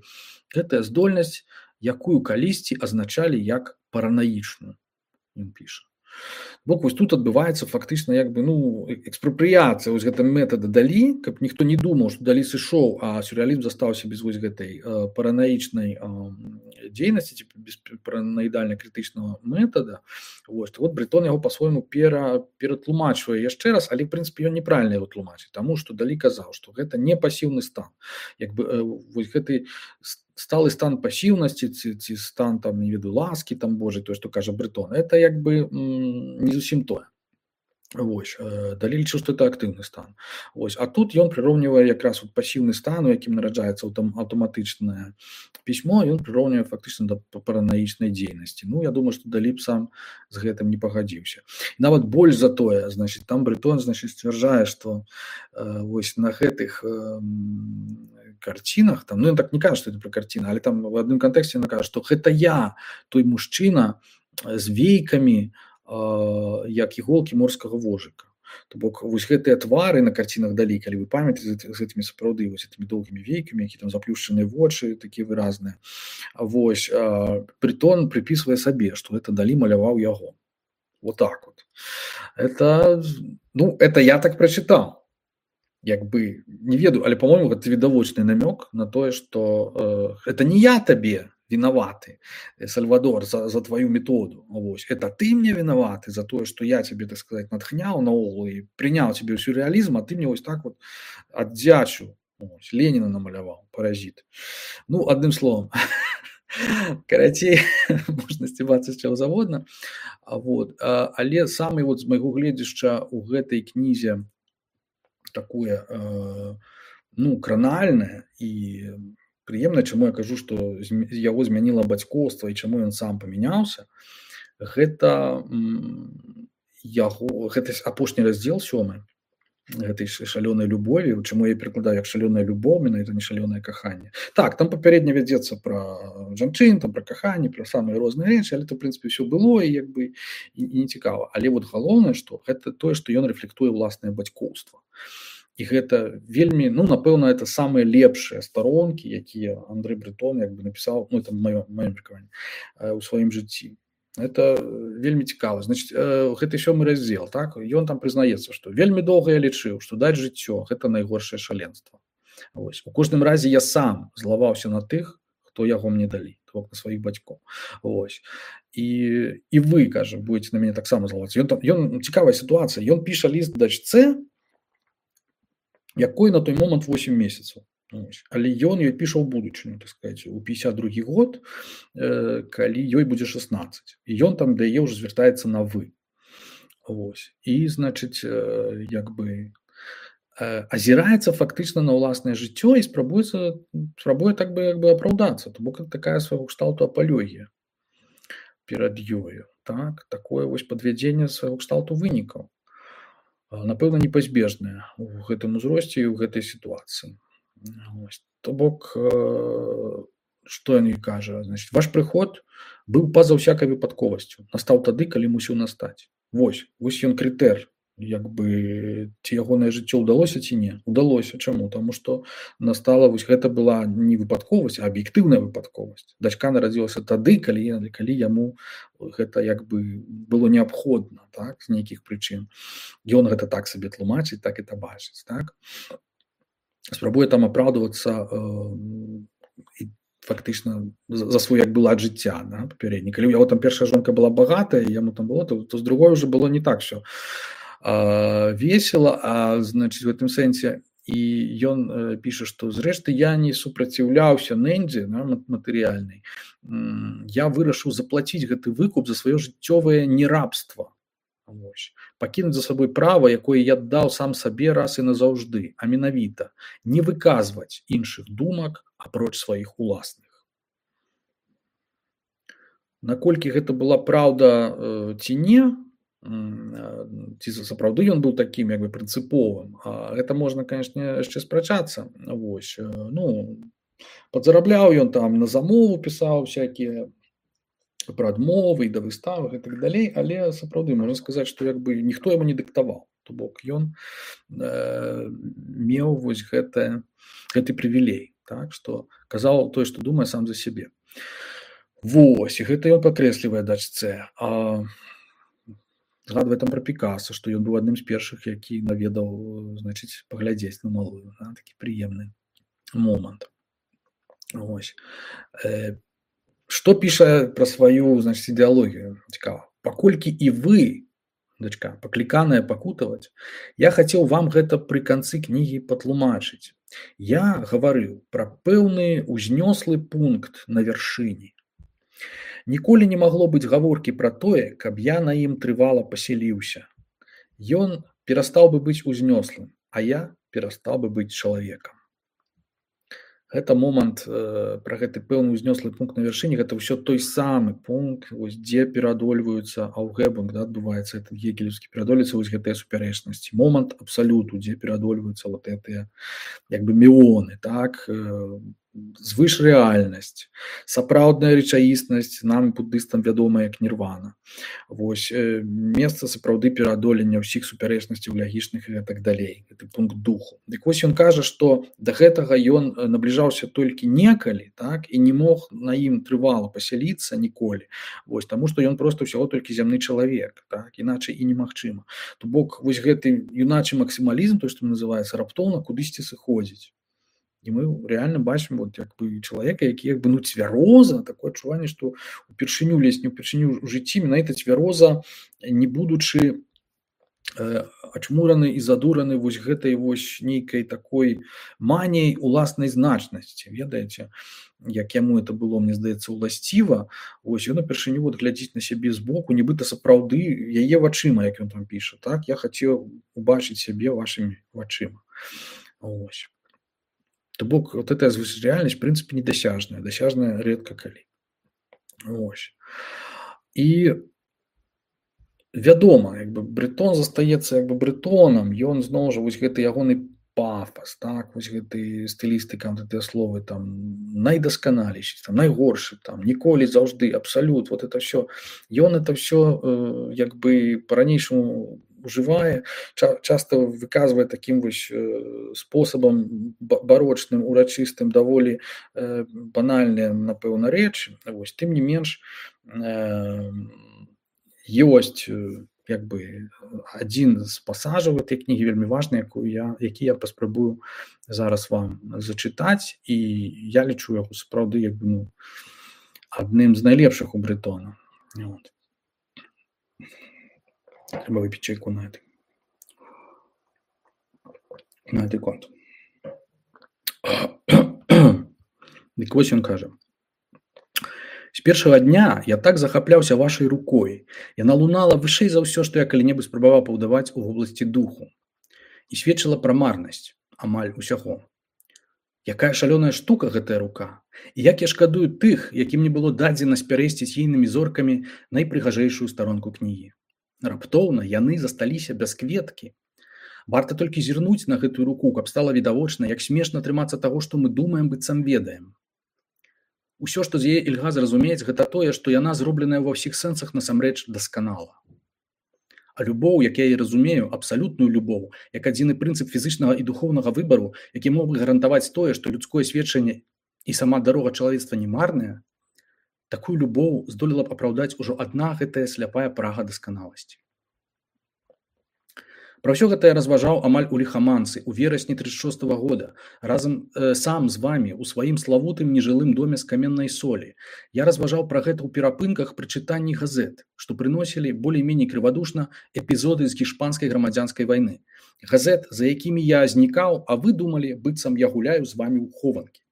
S1: Гэтая здольнасць, якую калісьці азначалі як паранаічную, ён піша. Бок вось тут адбываецца фактычна як бы, ну, экспрапрыяцыя вось гэта метада Далі, каб ніхто не думаў, што Далі сышоў, а сюррэалізм застаўся без вось гэтай э, паранаічнай э, дзейнасці, ці без паранаідальна крытычнага метада. Вось, вот Брэтон яго па-свойму пера, ператлумачвае яшчэ раз, але, в прынцыпе, ён неправільна яго тлумачыць, таму што Далі казаў, што гэта не пасіўны стан. Як бы э, вось гэты сталы стан пасіўнасці ці, ці стан там, не ведаю, ласкі там Божай, тое, што кажа Брэтон, это як бы м, не зусім тое. Вось, Далі лічыў, што это актыўны стан. Вось, а тут ён прыроўнівае якраз вот пасіўны стан, у якім нараджаецца аўтаматычнае пісьмо, ён прыроўнівае фактычна да паранаічнай дзейнасці. Ну, я думаю, што Далі б сам з гэтым не пагадзіўся. І нават больш за тое, значит, там Брэтон, значит, сцвярджае, што э, вось на гэтых э, карцінах, там, ну, ён так не кажа, што это пра карціны, але там в адным кантэксце ён кажа, што гэта я, той мужчына з вейкамі, як іголкі морскага вожыка. То бок вось гэтыя твары на карцінах Далі, калі вы памятаеце, з гэтымі сапраўды вось гэтымі доўгімі вейкамі, які там заплюшчаныя вочы, такія выразныя. Вось Брэтон прыпісвае сабе, што гэта Далі маляваў яго. Вот так вот. Это, ну, это я так прачытаў. Як бы не ведаю, але по-моему гэта відавочны намёк на тое, што э, это не я табе виноваты, Сальвадор, за, за твою методу. Вось. Это ты мне виноваты за то, что я тебе, так сказать, натхнял на олу и принял тебе сюрреализм, а ты мне вот так вот отдячу. Вось. Ленина намалявал, паразит. Ну, одним словом, карацей, можна сцебацца з чаго заводна. Вот. Але самый вот з майго гледзяшча у гэтай кнізе такое, ну, кранальнае і прыемна, чаму я кажу, што яго змяніла бацькоўства і чаму ён сам памяняўся, гэта яго, гэта апошні раздзел сёмы гэтай шалёнай любові, чаму я перакладаю як шалёная любоў, менавіта не шалёнае каханне. Так, там папярэдне вядзецца пра жанчын, там пра каханне, пра самыя розныя рэчы, але то, в прынцыпе, ўсё было і як бы і, і не цікава. Але вот галоўнае, што гэта тое, што ён рэфлектуе ўласнае бацькоўства. І гэта вельмі, ну, напэўна, это самыя лепшыя старонкі, якія Андрэй Брэтон як бы напісаў, ну, это маё, маё меркаванне, у сваім жыцці. Это вельмі цікава. Значит, гэты сёмы раздзел, так, ён там прызнаецца, што вельмі доўга я лічыў, што даць жыццё – гэта найгоршае шаленства. Вось. У кожным разе я сам злаваўся на тых, хто яго мне далі, то бок на сваіх бацькоў. Вось. І, і вы, кажа, будете на мяне таксама злавацца. Ён, ён, цікавая сітуацыя. Ён піша ліст дачцэ, якой на той момант восем месяцаў. Але ён ёй піша ў будучыню, так сказаць, у пятьдесят другі год, э, калі ёй будзе шестнадцать. І ён там да яе ўжо звяртаецца на вы. Вось. І, значыць, э, як бы э, азіраецца фактычна на ўласнае жыццё і спрабуецца, спрабуе так бы, як бы апраўдацца. То бок это такая свайго кшталту апалогія перад ёю. Так? Такое вось падвядзенне свайго кшталту вынікаў. Напэўна, непазбежнае у гэтым узросце і ў гэтай сітуацыі. Ось. То бок, што ён і кажа, значит, ваш прыход быў па-за ўсякай выпадковасцю, настаў тады, калі мусіў настаць. Вось, вось ён крытэр, як бы, ці ягонае жыццё ўдалося ці не. Удалося. Чаму? Таму што настала, вось гэта была не выпадковасць, а аб'ектыўная выпадковасць. Дачка нарадзілася тады, калі, калі яму гэта як бы было неабходна, так, з нейкіх прычын. Ён гэта так сабе тлумачыць, так і табачыць, так. Спрабуе там апраўдвацца э, фактычна за, за свой як бы лад жыцця, да, папярэдні. Калі у яго там першая жонка была багатая, яму там было, то, то з другой уже было не так всё э, весело, а значыць в гэтым сэнсе і ён э, піша, што зрэшты я не супраціўляўся нэндзе, да, матэрыяльнай. Я вырашыў заплаціць гэты выкуп за сваё жыццёвае нерабства. Вось. Пакінуць за сабой права, якое я даў сам сабе раз і назаўжды, а менавіта не выказваць іншых думак апроч сваіх уласных. Наколькі гэта была праўда э, ці не, ці сапраўды ён быў такім як бы прынцыповым, гэта можна, канешне, яшчэ спрачацца. Вось, ну, падзарабляў ён там на замову, пісаў всякія пра адмовы і да выставы і так далей, але сапраўды можна сказаць, што як бы ніхто яму не дыктаваў. То бок ён э, меў вось гэта, гэты прывілей, так, што казаў тое, што думае сам за сябе. Вось, і гэта ён падкрэслівае дачцэ. А згадвае там пра Пікаса, што ён быў адным з першых, які наведаў, значыць, паглядзець на малую. Да? Такі прыемны момант. Вось. Э, што піша пра сваю, значыць, ідэалогію? Цікава. Паколькі і вы, дачка, пакліканая пакутаваць, я хацеў вам гэта пры канцы кнігі патлумачыць. Я гаварыў пра пэўны узнёслы пункт на вяршыні. Ніколі не магло быць гаворкі пра тое, каб я на ім трывала пасяліўся. Ён перастаў бы быць узнёслым, а я перастаў бы быць чалавекам. Гэта момант э, пра гэты пэўны узнёслы пункт на вяршыні, гэта ўсё той самы пункт, вось, дзе пераадольваюцца аўгэбунг, да, адбываецца этот гегелевскі, пераадольваюцца вось гэтыя супярэчнасці. Момант абсалюту, дзе пераадольваюцца вот гэтыя як бы меоны, так, э, звышрэальнасць, сапраўдная рэчаіснасць, нам буддыстам вядомая як нірвана. Вось, э, месца сапраўды пераадолення ўсіх супярэчнасцяў лягічных і так далей. Гэты пункт духу. Дык вось ён кажа, што да гэтага ён набліжаўся толькі некалі, так, і не мог на ім трывала пасяліцца ніколі. Вось, таму што ён проста ўсяго толькі зямны чалавек, так, іначай і немагчыма. То бок вось гэты юначы максімалізм, той, што называецца, раптоўна кудысьці сыходзіць. І мы реально бачым вот, як бы, чалавека, які як бы, ну, цвяроза, такое адчуванне, што упершыню лезь, не ўпершыню ў жыцці, менавіта цвяроза, не будучы э, ачмураны і задураны вось гэтай вось нейкай такой маніяй уласнай значнасці. Ведаеце, як яму это было, мне здаецца, уласціва, ось ён упершыню вот глядзіць на сябе збоку, нібыта сапраўды яе вачыма, як ён там піша, так, я хацеў убачыць сябе вашымі вачыма. Ось. То бок, вот эта реальность, в принципе, недосяжная, досяжная редко калі. Ось. І вядома, як бы Брэтон застаецца як бы Брэтонам, ён зноў жа вось гэты ягоны пафас, так, вось гэты стылістыка, гэтыя словы там найдасканалейшы, там найгоршы, там ніколі, заўжды, абсалют, вот это все. Ён это все э, як бы по-ранейшаму ужывае, ча часта выказвае такім вось э, спосабам барочным, урачыстым, даволі э, банальныя, напэўна, рэчы. Вось, тым не менш, э, ёсць э, як бы адзін з пасажаў гэтай кнігі вельмі важны, якую я, які я паспрабую зараз вам зачытаць, і я лічу яго сапраўды як бы, ну, адным з найлепшых у Брэтона. Вот. Треба выпіць чайку на этой на этой конт. Дык вось ён кажа: з першага дня я так захапляўся вашай рукой. Яна лунала вышэй за ўсё, што я калі-небудзь спрабаваў паўдаваць у вобласці духу, і сведчыла пра марнасць амаль усяго. Якая шалёная штука гэтая рука, і як я шкадую тых, якім не было дадзена спярэсціць ейнымі зоркамі найпрыгажэйшую старонку кнігі. Раптоўна яны засталіся без кветкі. Варта толькі зірнуць на гэтую руку, каб стала відавочна, як смешна трымацца таго, што мы думаем, быццам ведаем. Усё, што з яе ільга зразумець, гэта тое, што яна зробленая ва ўсіх сэнсах насамрэч дасканала. А любоў, як я і разумею, абсалютную любоў, як адзіны прынцып фізычнага і духоўнага выбару, які мог бы гарантаваць тое, што людское сведчанне і сама дарога чалавецтва не марная, такую любоў здолела б апраўдаць ужо адна гэтая сляпая прага дасканаласці. Пра ўсё гэта я разважаў амаль у ліхаманцы у верасні трыццаць шостага года, разам э, сам з вамі у сваім славутым нежылым доме з каменнай солі. Я разважаў пра гэта ў перапынках пры чытанні газет, што прыносілі болей-меней крывадушна эпізоды з гішпанскай грамадзянскай вайны. Газет, за якімі я знікаў, а вы думалі, быццам я гуляю з вамі ў хованкі.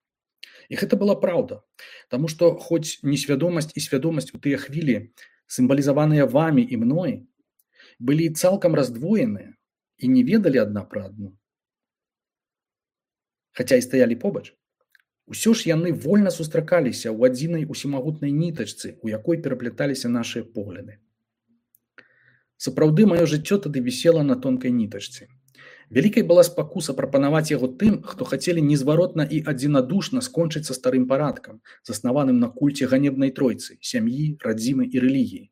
S1: І гэта была праўда, таму што хоць несвядомасць і свядомасць у тыя хвілі, сімвалізаваныя вамі і мной, былі цалкам раздвоеныя і не ведалі адна пра адну, хаця і стаялі побач, Усё ж яны вольна сустракаліся ў адзінай усімагутнай нітачцы, у якой перапляталіся нашыя погляды. Сапраўды, маё жыццё тады вісела на тонкай нітачцы. Вялікай была спакуса прапанаваць яго тым, хто хацелі незваротна і адзінадушна скончыць са старым парадкам, заснаваным на кульце ганебнай тройцы, сям'і, радзімы і рэлігіі.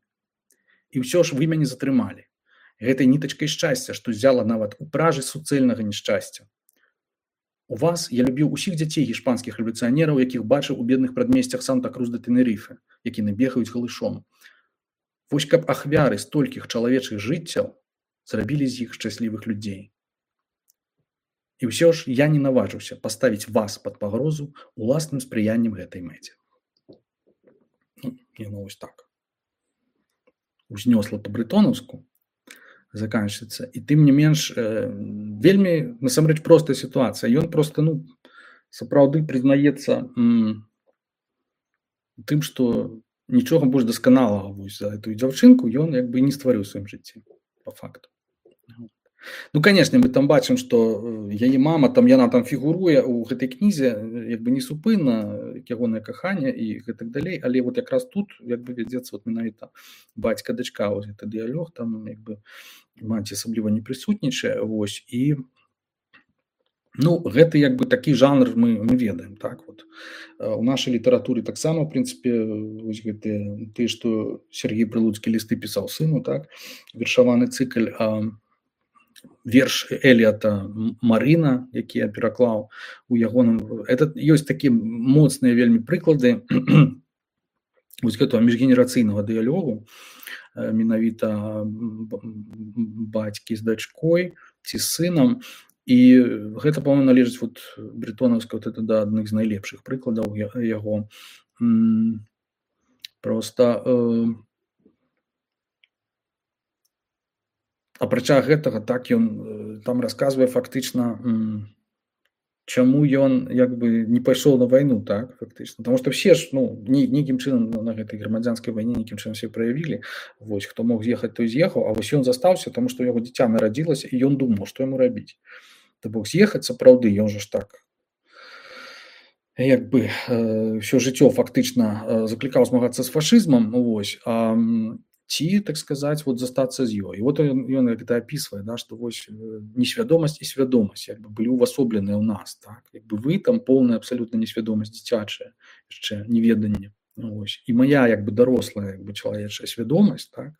S1: І ўсё ж вы мяне затрымалі. Гэтай нітачкай шчасця, што взяла нават у пражы суцэльнага няшчасця. У вас я любіў усіх дзяцей гішпанскіх рэвалюцыянераў, якіх бачыў у бедных прадмесцях Санта-Крус-де-Тэнерыфе, якія бегаюць галышом. Вось каб ахвяры столькіх чалавечых жыццяў зрабілі з іх шчаслівых людзей. І ўсё ж я не наважыўся паставіць вас пад пагрозу уласным спрыяннем гэтай мэце. Ну, яно вось так. Узнёсла па-брытонаўску, заканчваецца. І тым не менш, э, вельмі, насамрэч, простая сітуацыя. Ён проста, ну, сапраўды прызнаецца м, тым, што нічога больш дасканалага вось за эту дзяўчынку ён як бы не стварыў у сваім жыцці, па факту. Ну, конечно, мы там бачым, што яе мама, там яна там фігуруе ў гэтай кнізе, як бы несупынна, ягонае каханне і гэтак далей, але вот якраз тут як бы вядзецца вот менавіта бацька-дачка, вось гэты дыялог, там як бы маці асабліва не прысутнічае, вось, і ну, гэта як бы такі жанр мы, мы ведаем, так вот. У нашай літаратуры таксама, в прынцыпе, вось гэтыя, тыя, што Сергей Прылуцкі лісты пісаў сыну, так, вершаваны цыкль, а верш Эліята «Марына», які я пераклаў у ягоным... Это ёсць такія моцныя вельмі прыклады вось гэтага міжгенерацыйнага дыялогу, менавіта бацькі з дачкой ці з сынам. І гэта, па-моему, належыць вот брытонаўска, вот это да адных з найлепшых прыкладаў яго. Проста э, апрача гэтага, так ён там расказвае фактычна, чаму ён як бы не пайшоў на вайну, так, фактычна. Таму што все ж, ну, нейкім чынам на гэтай грамадзянскай вайне нейкім чынам все праявілі. Вось, хто мог з'ехаць, той з'ехаў, а вось ён застаўся, таму што яго дзіця нарадзілася, і ён думаў, што яму рабіць. То бок з'ехаць сапраўды, ён жа ж так як бы э, ўсё жыццё фактычна э, заклікаў змагацца з фашызмам, вось, а ці, так сказаць, вот застацца з ёй. І вот ён, ён гэта апісвае, да, што вось несвядомасць і свядомасць як бы былі ўвасобленыя ў нас, так, як бы вы там поўная абсалютна несвядомасць дзіцячая, яшчэ неведанне. Ось. І моя як бы дарослая як бы чалавечая свядомасць, так,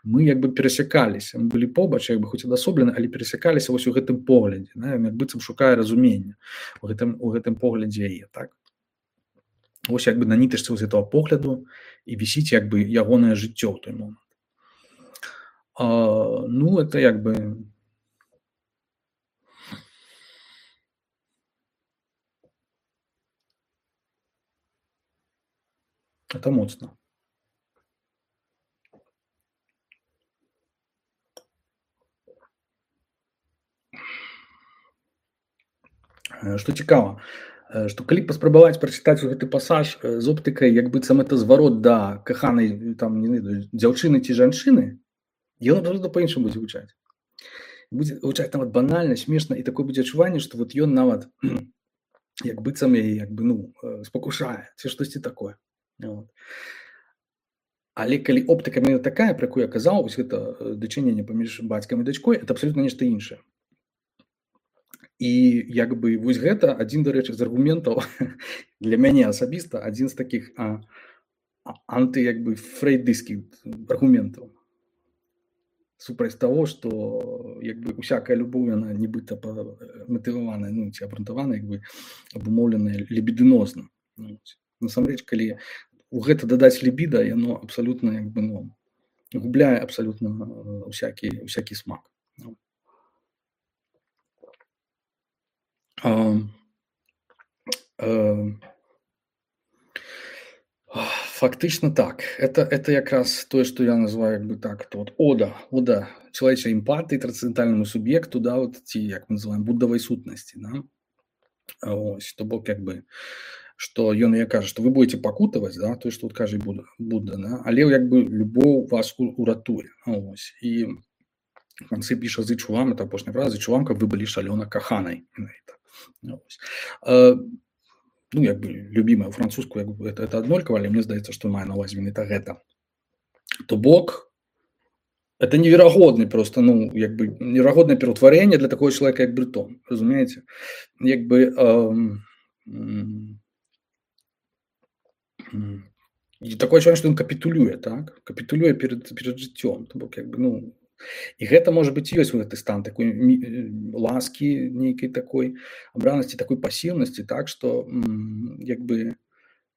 S1: мы як бы перасякаліся, мы былі побач, як бы хоць адасоблены, але перасякаліся вось у гэтым поглядзе, да, як быццам шукае разумення у гэтым, у гэтым поглядзе яе, так. Вось як бы на нітачцы з гэтага погляду і вісіць як бы ягонае жыццё ў той момант. А, ну, это як бы это моцна. Што цікава, што калі паспрабаваць прачытаць гэты пасаж з оптыкай, як быццам это зварот да каханай там, не ведаю, дзяўчыны ці жанчыны, ён абсолютно па-іншаму будзе гучаць. Будзе гучаць нават банальна, смешна, і такое будзе адчуванне, што вот ён нават як быццам яе як бы, ну, спакушае, ці штосьці такое. Вот. Але калі оптыка менавіта такая, пра якую я казаў, вось гэта дачыненне паміж бацькам і дачкой, это абсолютно нешта іншае. І як бы вось гэта адзін, дарэчы, з аргументаў для мяне асабіста, адзін з такіх а, анты як бы фрейдыйскіх аргументаў супраць таго, што як бы усякая любоў, яна нібыта матываваная, ну, ці абрунтаваная, як бы абумоўленая лібідынозна. Ну, насамрэч, калі у гэта дадаць лібіда, яно абсалютна як бы, ну, губляе абсалютна усякі, усякі смак. Ну. А, а, фактычна так. Это, это якраз тое, што я называю як бы так, то вот ода, ода чалавечай эмпатыі, трансцэндэнтальнаму суб'екту, да, вот, ці, як мы называем, буддавай сутнасці, да. Ось, то бок як бы, што ён я кажа, што вы будете пакутаваць, да, тое, што вот кажа Будда, Будда, да, але як бы любоў вас уратуе. Ось. І в канцы піша зычу вам, это апошняя фраза, зычу вам, каб вы былі шалёна каханай. Ось. ну, як бы любімая французскую, як бы это, это аднолькава, але мне здаецца, што мае на ўвазе менавіта гэта. То бок это неверагодны просто, ну, як бы неверагоднае пераўтварэнне для такого чалавека, як Брытон, разумееце? Як бы эм, м, м, і такое адчуванне, што ён капітулюе, так? Капітулюе перад, перад жыццём. То бок, як бы, ну, і гэта, можа быць, ёсць гэты стан такой мі- э, ласкі, нейкай такой абранасці, такой пасіўнасці, так, што м, як бы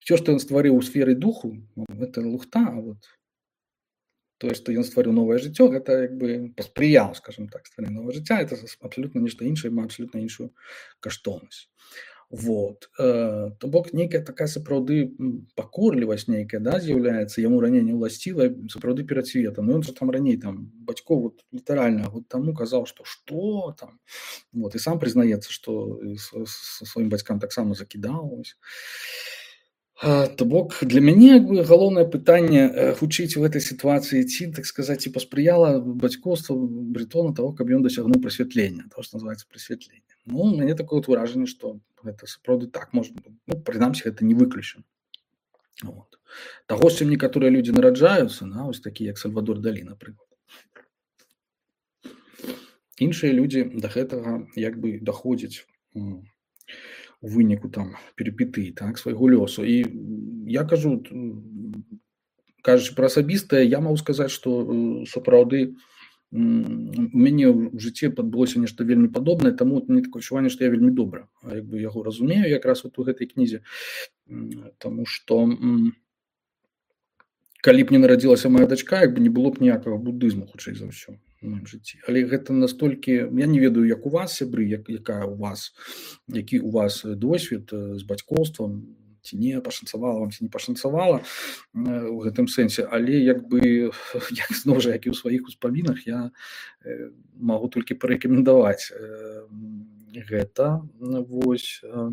S1: все, што ён стварыў у сферы духу, ну, гэта лухта, а вот тое, што ён стварыў новае жыццё, гэта як бы паспрыяў, скажем так, стварэнню новага жыцця, это абсалютна нешта іншае, мае абсалютна іншую каштоўнасць. Вот. Э, то бок нейкая такая сапраўды м, пакорлівасць нейкая, да, з'яўляецца яму раней не ўласцівая, сапраўды перад светам. Ну, ён жа там раней там бацькоў вот літаральна год таму казаў, што што там. Вот, і сам прызнаецца, што і са са сваім бацькам таксама закідаў. Вось. А, То бок для мяне як бы галоўнае пытанне э, хутчэй у гэтай сітуацыі ці, так сказаць, ці паспрыяла бацькоўства Брытона того, каб ён дасягнуў прасвятлення, то, што называецца прасвятленне. Ну, у мяне такое вот выражанне, што гэта сапраўды так можа быць. Ну, прынамсі, гэта не выключана. Вот. Таго, з чым некаторыя людзі нараджаюцца, на, ось такі, як Сальвадор Далі, напрыклад. Іншыя людзі да гэтага як бы даходзяць м, у выніку там перипетый, так, свайго лёсу. І м, я кажу, т- м, кажучы пра асабістае, я магу сказаць, што э, сапраўды м, у мяне ў жыцці адбылося нешта вельмі падобнае, таму мне такое адчуванне, што я вельмі добра а, як бы яго разумею якраз вот у гэтай кнізе, М, таму што м, калі б не нарадзілася моя дачка, як бы не было б ніякага будызму, хутчэй за ўсё у маім жыцці. Але гэта настолькі, я не ведаю, як у вас, сябры, як, якая у вас, які у вас э, досвед э, з бацькоўствам, ці не пашанцавала вам, ці не пашанцавала э, у гэтым сэнсе, але як бы як зноў жа, як і ў сваіх успамінах, я э, магу толькі парэкамендаваць э, гэта, ну, вось э,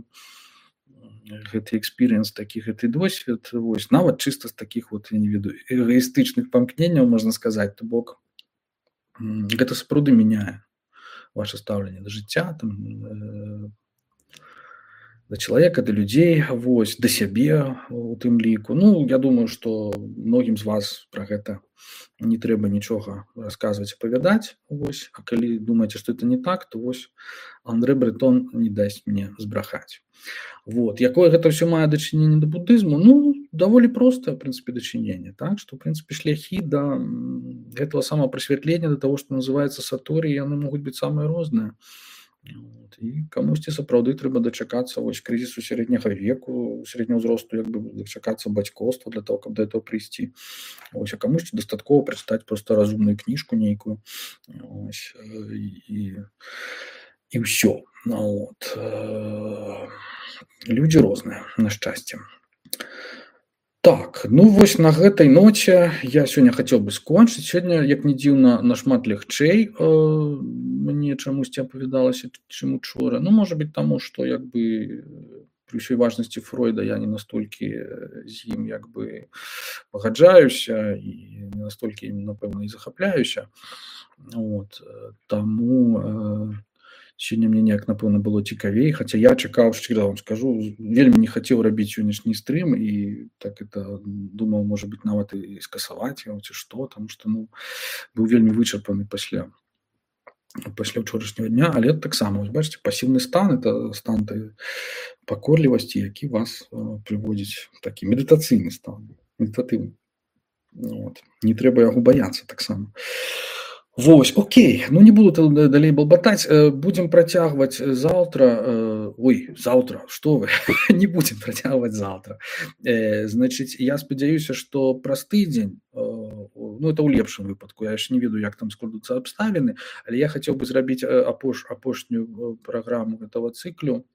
S1: гэты экспірыенс, такі гэты досвед, вось, нават чыста з такіх вот, я не ведаю, эгоістычных памкненняў, можна сказаць, то бок м, гэта сапраўды мяняе ваше стаўленне да жыцця, там, э, да чалавека, да людзей, вось, да сябе у тым ліку. Ну, я думаю, што многім з вас пра гэта не трэба нічога расказваць, апавядаць, вось. А калі думаеце, што это не так, то вось Андрэ Брэтон не дасць мне збрахаць. Вот. Якое гэта ўсё мае дачыненне да будызму? Ну, даволі простае, в прынцыпе, дачыненне, так? Што, в прынцыпе, шляхі да м, гэтага самапрасвятлення, да таго, што называецца саторій, яны могуць быць самыя розныя. Вот. І камусьці сапраўды трэба дачакацца вось крызісу сярэдняга веку, сярэдняга ўзросту, як бы дачакацца бацькоўства для того, каб да этого прыйсці. Ось, а камусьці дастаткова прачытаць проста разумную кніжку нейкую. Ось, э, і, і ўсё. Ну, вот. Э, Людзі розныя, на шчасце. Так, ну вось на гэтай ноце я сёння хацеў бы скончыць. Сёння, як не дзіўна, нашмат лягчэй э, мне чамусьці апавядалася, чым учора. Ну, можа быць, таму, што як бы пры ўсёй важнасці Фройда я не настолькі э, з ім як бы пагаджаюся і не настолькі ім, напэўна, і захапляюся. Вот. э, Таму э, сёння мне неяк, напэўна, было цікавей, хаця я чакаў, шчыра вам скажу, вельмі не хацеў рабіць сённяшні стрым і так это думаў, можа быць, нават і скасаваць яго ці што, таму што, ну, быў вельмі вычарпаны пасля пасля ўчорашняга дня, але таксама, вось бачыце, пасіўны стан, это стан той пакорлівасці, які вас э, прыводзіць у такі медытацыйны стан, медытатыўны. Вот. Не трэба яго баяцца таксама. Вось, окей, ну не буду тады далей балбатаць, э, будзем працягваць заўтра, э, ой, заўтра, што вы, не будзем працягваць заўтра. Э, Значыць, я спадзяюся, што праз тыдзень, э, ну это ў лепшым выпадку, я яшчэ не ведаю, як там складуцца абставіны, але я хацеў бы зрабіць э, апош, апошнюю э, праграму гэтага цыклю,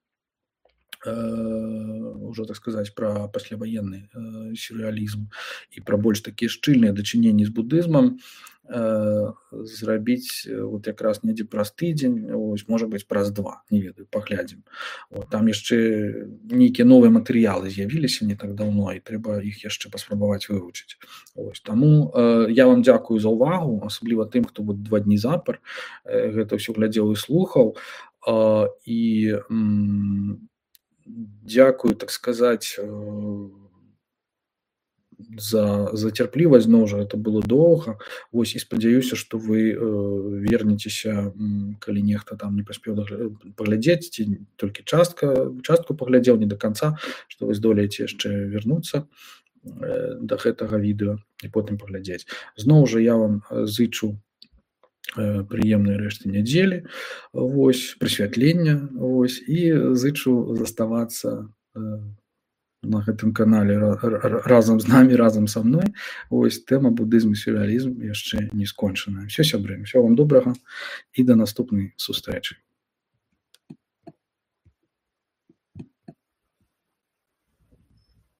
S1: э, ўжо, так сказаць, пра пасляваенны э, сюррэалізм і пра больш такія шчыльныя дачыненні з будызмам, э, зрабіць э, вот якраз недзе праз тыдзень, ось, можа быць, праз два, не ведаю, паглядзім. Вот, там яшчэ нейкія новыя матэрыялы з'явіліся не так даўно, і трэба іх яшчэ паспрабаваць вывучыць. Ось, таму э, я вам дзякую за ўвагу, асабліва тым, хто вот два дні запар э, гэта ўсё глядзеў і слухаў. Э, і м, Дзякую, так сказаць, за, за цярплівасць, зноў жа, это было доўга. Вось, і спадзяюся, што вы э, вернецеся, калі нехта там не паспеў паглядзець, ці толькі частка, частку паглядзеў, не до канца, што вы здолееце яшчэ вярнуцца э, да гэтага відэа і потым паглядзець. Зноў жа, я вам зычу э, прыемнай рэшты нядзелі, вось, прысвятлення, вось, і зычу заставацца э, на гэтым канале разам з намі, разам са мной. Вось, тэма будызм і сюррэалізм яшчэ не скончаная. Всё, сябры, усё вам добрага і да наступнай сустрэчы.